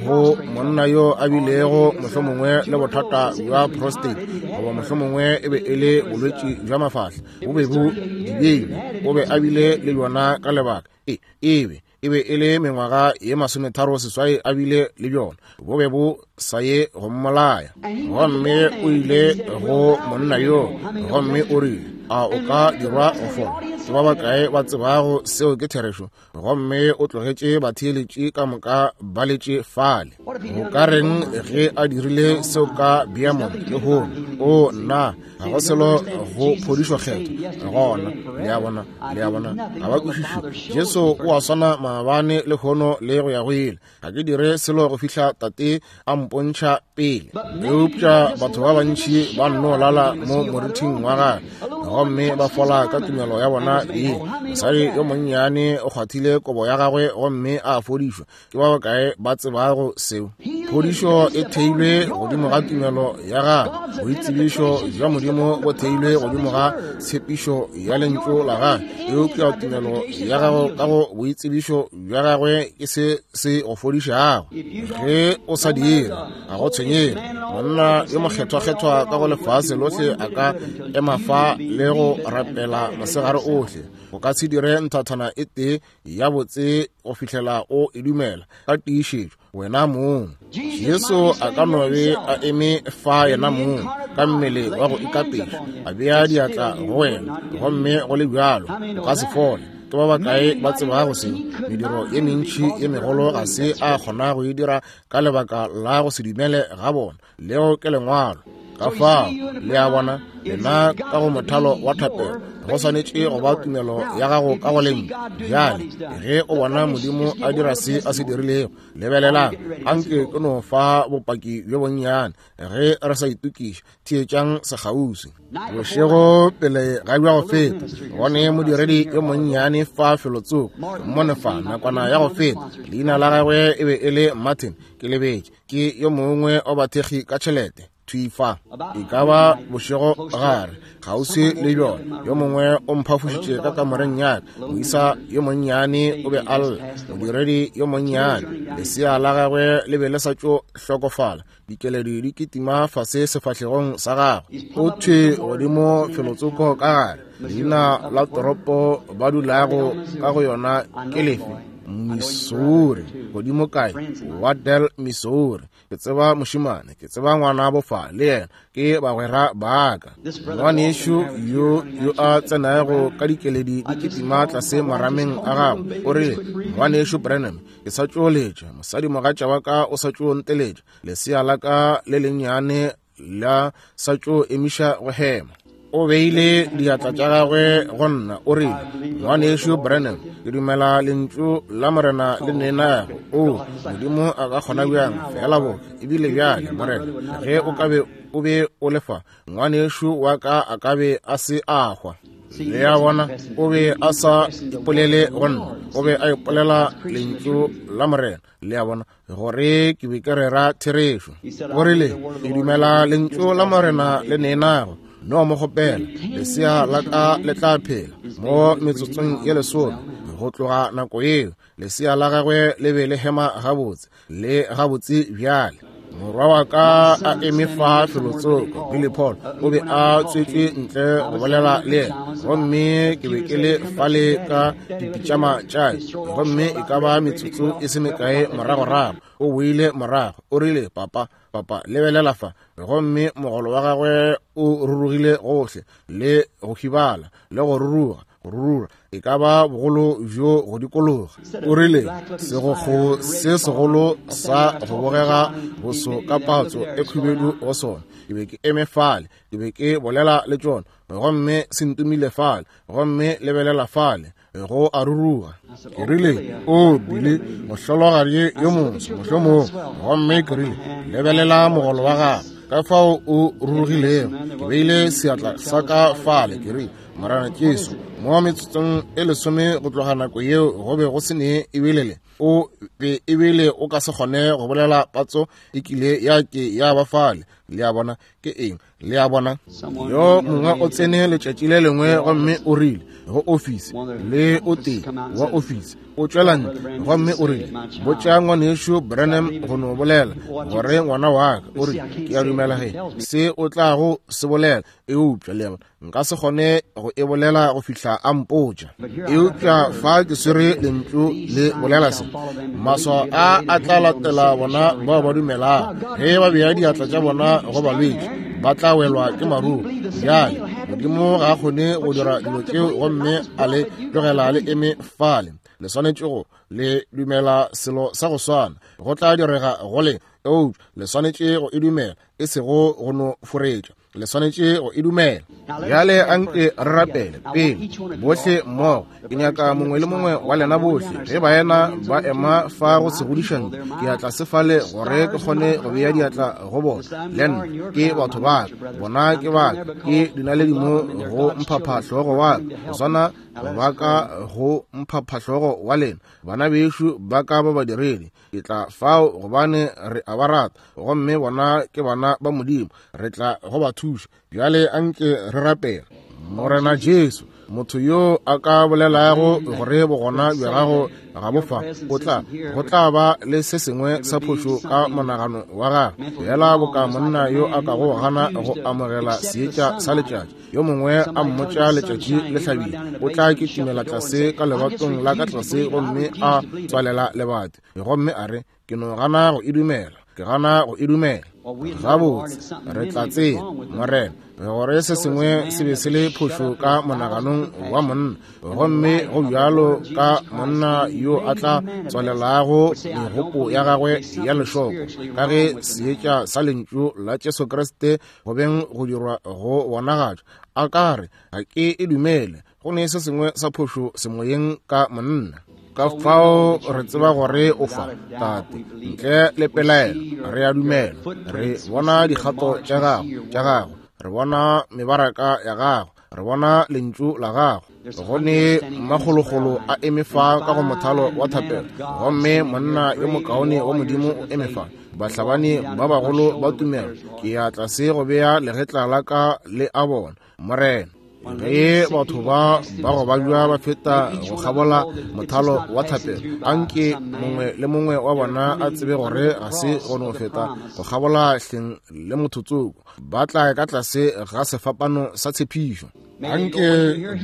go monna yo a bilego mohlomongwe le bothata bja prostate, goba mohlomongwe e be e le bolwetši bja mafahla, bo be bo dibeile, o be a bile le bjona ka lebaka e ebe e be e le mengwaga ye 38 a bile le bjona, bo be bo sa ye go mmolaya. Gomme o ile go monna yo, gomme o rile, a o ka dirwa go fola? Ke ba bakae ba tsebago seo ke therešo? Gomme o tlogetše batheeletši ka moka ba letše fale. Go ka reng ge a dirile seo ka Beaumont lehono? O nna, ga go selo go phodišo kgetho gona. Le a bona, le a bona, ga ba kwešiše. Jesu o a swana maabane, lehono le go ya go ile. Ga ke dire selo go fihla Tate a mpontšha pele. Eupša batho ba bantši ba nno lala mo morithing wa gagwe gomme ba fola ka tumelo ya bona ye. Mosadi yo monnyane o kgwathile kobo ya gagwe gomme a fodišwa. Ke ba bakae ba tsebago seo? Phodišo e theilwe godimo ga tumelo ya gago. Boitsebišo bja Modimo bo theilwe godimo ga tshepišo ya lentšu la gagwe. Eupša tumelo ya gago ka go boitsebišo bja gagwe ke se se go fodišago. Ge o sa dire, ga go tshwenyege. Monna yo mokgethwakgethwa ka go lefase lohle a ka ema fa le go rapela mosegare ohle, o ka se dire nthathana e tee ya botse go fihlela o e dumela ka tiišetšo wena mong. Jesu a ka no be a eme fa yena mong ka mmele wa go ikapeša, a bea diatla go wena, gomme go le bjalo o ka se fole. Ke ba bakae ba tsebago seo? Mediro ye mentši ye megolo ga se a kgona go e dira ka lebaka la go se dumele ga bona. Leo ke Lengwalo. Ka fao, le a bona, lena ka go mothalo wa thapelo, go swanetše go ba tumelo ya gago ka go Lentšu. Bjale, ge o bona Modimo a dira se a se dirilego, lebelelang, anke ke no fa bopaki bjo bonnyane ge re sa itokiša. Theetšang sekgauswi. Bošego pele ga bja go feta, gone modiredi yo monnyane fa felotsoko, mmone fa nakwana ya go feta, leina la gagwe e be e le Martin, ke lebetše. Ke yo mongwe wa bathekgi ka tšhelete thwi fa, e ka ba bošego gare kgauswi le bjona. Yo mongwe o mphafošitše ka kamoreng ya ka. Moisa yo monnyane o be a lla, modiredi yo monnyane, lesea la gagwe le be le sa tšo hlokofala, dikeledi di kitima fase sefahlegong sa gagwe. O thwi godimo felotsoko ka gare. Leina la toropo ba dulago ka go yona ke lefe? Missouri. Godimo kae? Waddell, Missouri. Ke tseba mošemane, ke tseba ngwanabo fa le yena, ke bagwera ba ka. Ngwanešu yo yo a tsenago ka dikeledi di kitima tlase marameng a gagwe, o rile, Ngwanešu Branham, ke sa tšo letša, mosadimogatša wa ka o sa tšo nteletša, lesea la ka le lennyane la sa tšo emiša go hema. O beile diatla tša gagwe go nna, o rile, Ngwanešu Branham, ke dumela lentšu la Morena le nenago. O, Modimo a ka kgona bjang feela boka ebile bjale, Morena, ge o ka be o be o le fa, ngwanešu wa ka a ka be a se a hwa. Le a bona, o be a sa ipolele go nna, o be a ipolela lentšu la Morena. Le a bona, gore ke be ke rera therešo. O rile, ke dumela lentšu la Morena le nenago. No mo kgopela, lesea la ka le tla phela mo metsotsong ye lesome. Go tloga nako yeo, lesea la gagwe le be le hema gabotse le gabotse bjale. Morwa wa ka a eme fa felotsoko, Billy Paul, o be a tswetšwe ntle go bolela le yena, gomme ke be ke le fale ka dipitšama tša ka, gomme e ka ba metsotso e se mekae moragorago o boile morago, o rile, Papa, papa, lebelela fa. Gomme mogolo wa gagwe o rurugile gohle, le go hibala, le go ruruga, go rura, e ka ba bogolo bjo go dikologa. O rile, Segokgo se segolo sa go bogega boso ka patso e khubedu go sona. Ke be ke eme fale, ke be ke bolela le tšona, gomme se ntumile fale, gomme lebelela fale, go a ruruga. Ke rile, O bile mohlologadi yo moso, mohlomong. Gomme ke rile, Lebelela mogolo wa gago, ka fao o rurugilego. Ke beile seatla sa ka fale, ke rile, Morena Jesu, mo metsotsong e lesome go tloga nako yeo go be go se ne ebile le o be ebile o ka se kgone go bolela patso e kile ya ke ya ba fale. Le a bona ke eng? Le a bona, yo mongwe o tsene letšatši le lengwe gomme o rile go ofisi, le o tee wa ofisi o tšwela ntle gomme o rile, Botša ngwanešu Branham go no bolela gore ngwana wa ka, o rile, ke a dumela ge se o tlago se bolela, eupša le a bona nka se kgone go e bolela go fihla a mpotša. Eupša fa ke swere lentšu le bolela se, maswao a a tla latela bona bao ba dumelago, ge ba bea diatla tša bona go balwetši ba tla welwa ke maruru. Bjale Modimo ga a kgone go dira dilo tšeo gomme a le tlogela le eme fale. Le swanetše go le dumela selo sa go swana, go tla direga go le, eupša le swanetše go e dumela, e sego go no foretša. Le swanetše go e dumela. Bjale anke re rapele pele bohle mmogo. Ke nyaka mongwe le mongwe wa lena bohle, ge baena ba ema fa go se godišane, ke ya tlase fale gore ke kgone go bea diatla go bona. Le nna ke batho ba ka, bona ke ba ka, ke dinaledi mo go mphaphahlogo wa ka, go swana ba ka go mphaphahlogo wa lena, bana bešo ba ka ba badiredi. Ke tla fao gobane re a ba rata, gomme bona ke bana ba Modimo, re tla go ba thuša. Bjale anke re rapele. Morena Jesu, motho yo a ka bolelago gore bogona bja gago ga bo fa, o tla, go tla ba le se sengwe sa phošo ka monagano wa gagwe, fela boka monna yo a kago gana go amogela seetša sa letšatši. Yo mongwe a mmotša letšatši le hlabile, o tla kitimela tlase ka lebatong la ka tlase gomme a tswalela lebati, gomme a re, Ke no gana go e dumela. Ke gana go e dumela. Gabotse, re tla tseba, Morena, gore se sengwe se be se le phošo ka monaganong wa monna, gomme go bjalo ka monna yo a tla tswalelago megopo ya gagwe ya lešoko, ka ge seetša sa Lentšu la Jesu Kriste go beng go dirwa go bonagatšwa, a ka re, Ga ke e dumele. Go ne se sengwe sa phošo semoyeng ka monna. Ka fao re tseba gore o fa, Tate, ntle le pelaelo, re a dumela. Re bona dikgato tša gago, tša gago. Re bona mebaraka ya gago. Re bona lentšu la gago. Go ne makgolokgolo a eme fa ka go mothalo wa thapelo, gomme monna yo mokaone wa Modimo o eme fa, bahlabani ba bagolo ba tumelo. Ke ya tlase go bea legetla la ka le a bona, Morena. Ge batho ba ba go babja ba feta go kgabola mothalo wa thapelo, anke mongwe le mongwe wa bona a tsebe gore ga se go no feta go kgabola hleng le motho tsoko, ba tla ka tlase ga sefapano sa tshepišo. Anke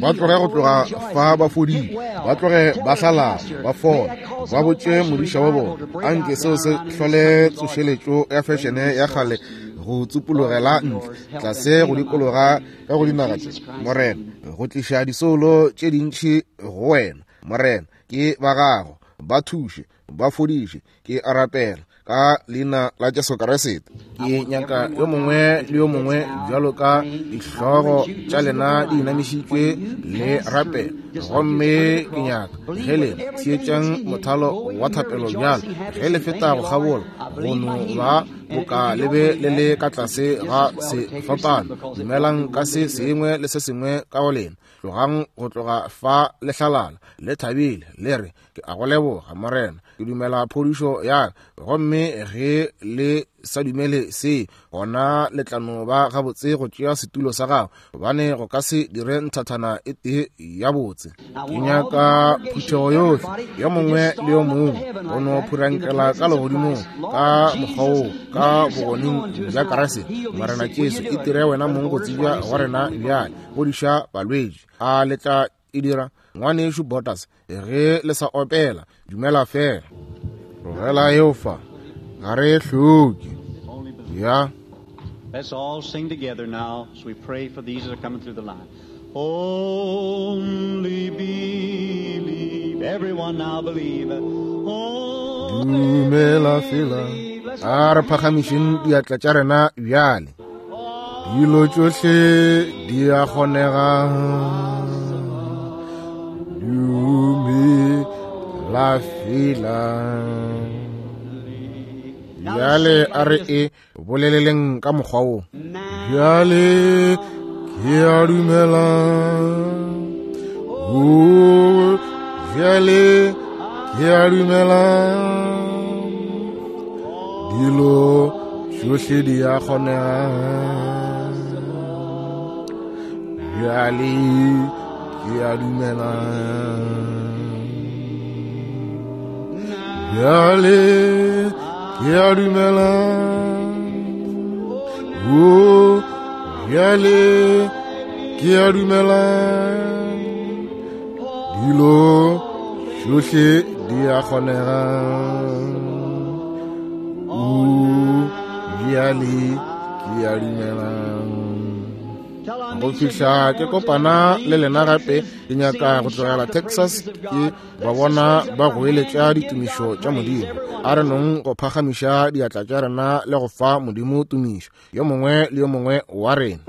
ba tloge go tloga fa ba fodile, ba tloge ba hlalala, ba fola, ba botše modiša wa bona. Anke seo se hlole tsošeletšo ya fešene ya kgale go tsupologela ntle tlase go dikologa ka go dinaga tše, Morena, go tliša disoulo tše dintši go wena. Morena, ke ba gago, ba thuše, ba fodiše, ke a rapela ka leina la Jesu Kriste. Ke nyaka yo mongwe le yo mongwe bjalo ka dihlogo tša lena di inamišitšwe le rapela. Gomme ke nyaka ge le theetšang mothalo wa thapelo bjalo, ge le feta go kgabola, go no ba boka le be le le ka tlase ga sefapano. Dumelang ka se sengwe le se sengwe ka go lena. Tlogang go tloga fa le hlalala, le thabile, le re, Ke a go leboga, Morena, ke dumela phodišo ya ka. Gomme ge le sa dumele se, gona le tla no ba gabotse go tšea setulo sa gago, gobane go ka se dire nthathana e tee ya botse. Ke nyaka phuthego yohle, yo mongwe le yo mongwe, go no phurankela ka legodimong ka mokgwa woo, ka bogoneng bja Kriste. Morena Jesu, itire wena mong go tsebja go rena bjale. Fodiša balwetši. A le tla e dira? Ngwanešu Borders, ge le sa opela, dumela fela. Tlogela eo fa, ga re e hloke. Ya. Let's all sing together now as we pray for these that are coming through the line. Only believe. Everyone now believe. Dumela fela. A re phagamišeng diatla tša rena bjale. Dilo tšohle di a kgonega. Dumela fela. Bjale a re e boleleleng ka mokgwa wo. Bjale ke a dumela. O, bjale ke a dumela. Dilo tšohle di a kgonega. Bjale ke a dumela. Bjale ke a dumela. O, bjale ke a dumela. Dilo tšohle di a kgonega. O, bjale ke a dumela. Go fihla ke kopana le lena gape, ke nyaka go tlogela Texas ke ba bona ba goeletša ditumišo tša Modimo. A re nong go phagamiša diatla tša rena le go fa Modimo tumišo, yo mongwe le yo mongwe wa rena.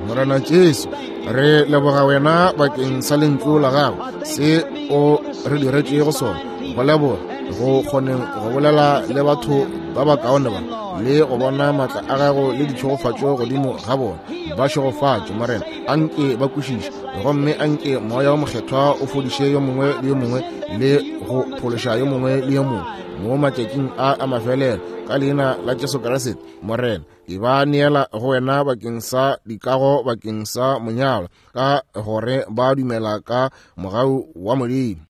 Morena Jesu, re leboga wena bakeng sa lentšu la gago, se o re diretšego sona. Go leboga go kgoneng go bolela le batho ba bakaone ba, le go bona maatla a gago le ditšhegofatšo godimo ga bona. Ba šegofatše, Morena, anke ba kwešiše, gomme anke Moya wo Mokgethwa o fodiše yo mongwe le yo mongwe le go phološa yo mongwe le yo mongwe mo matšatšing a a mafelelo, ka leina la Jesu Kriste, Morena. Ke ba neela go wena bakeng sa dikago bakeng sa monyalwa, ka gore ba dumela ka mogau wa Modimo.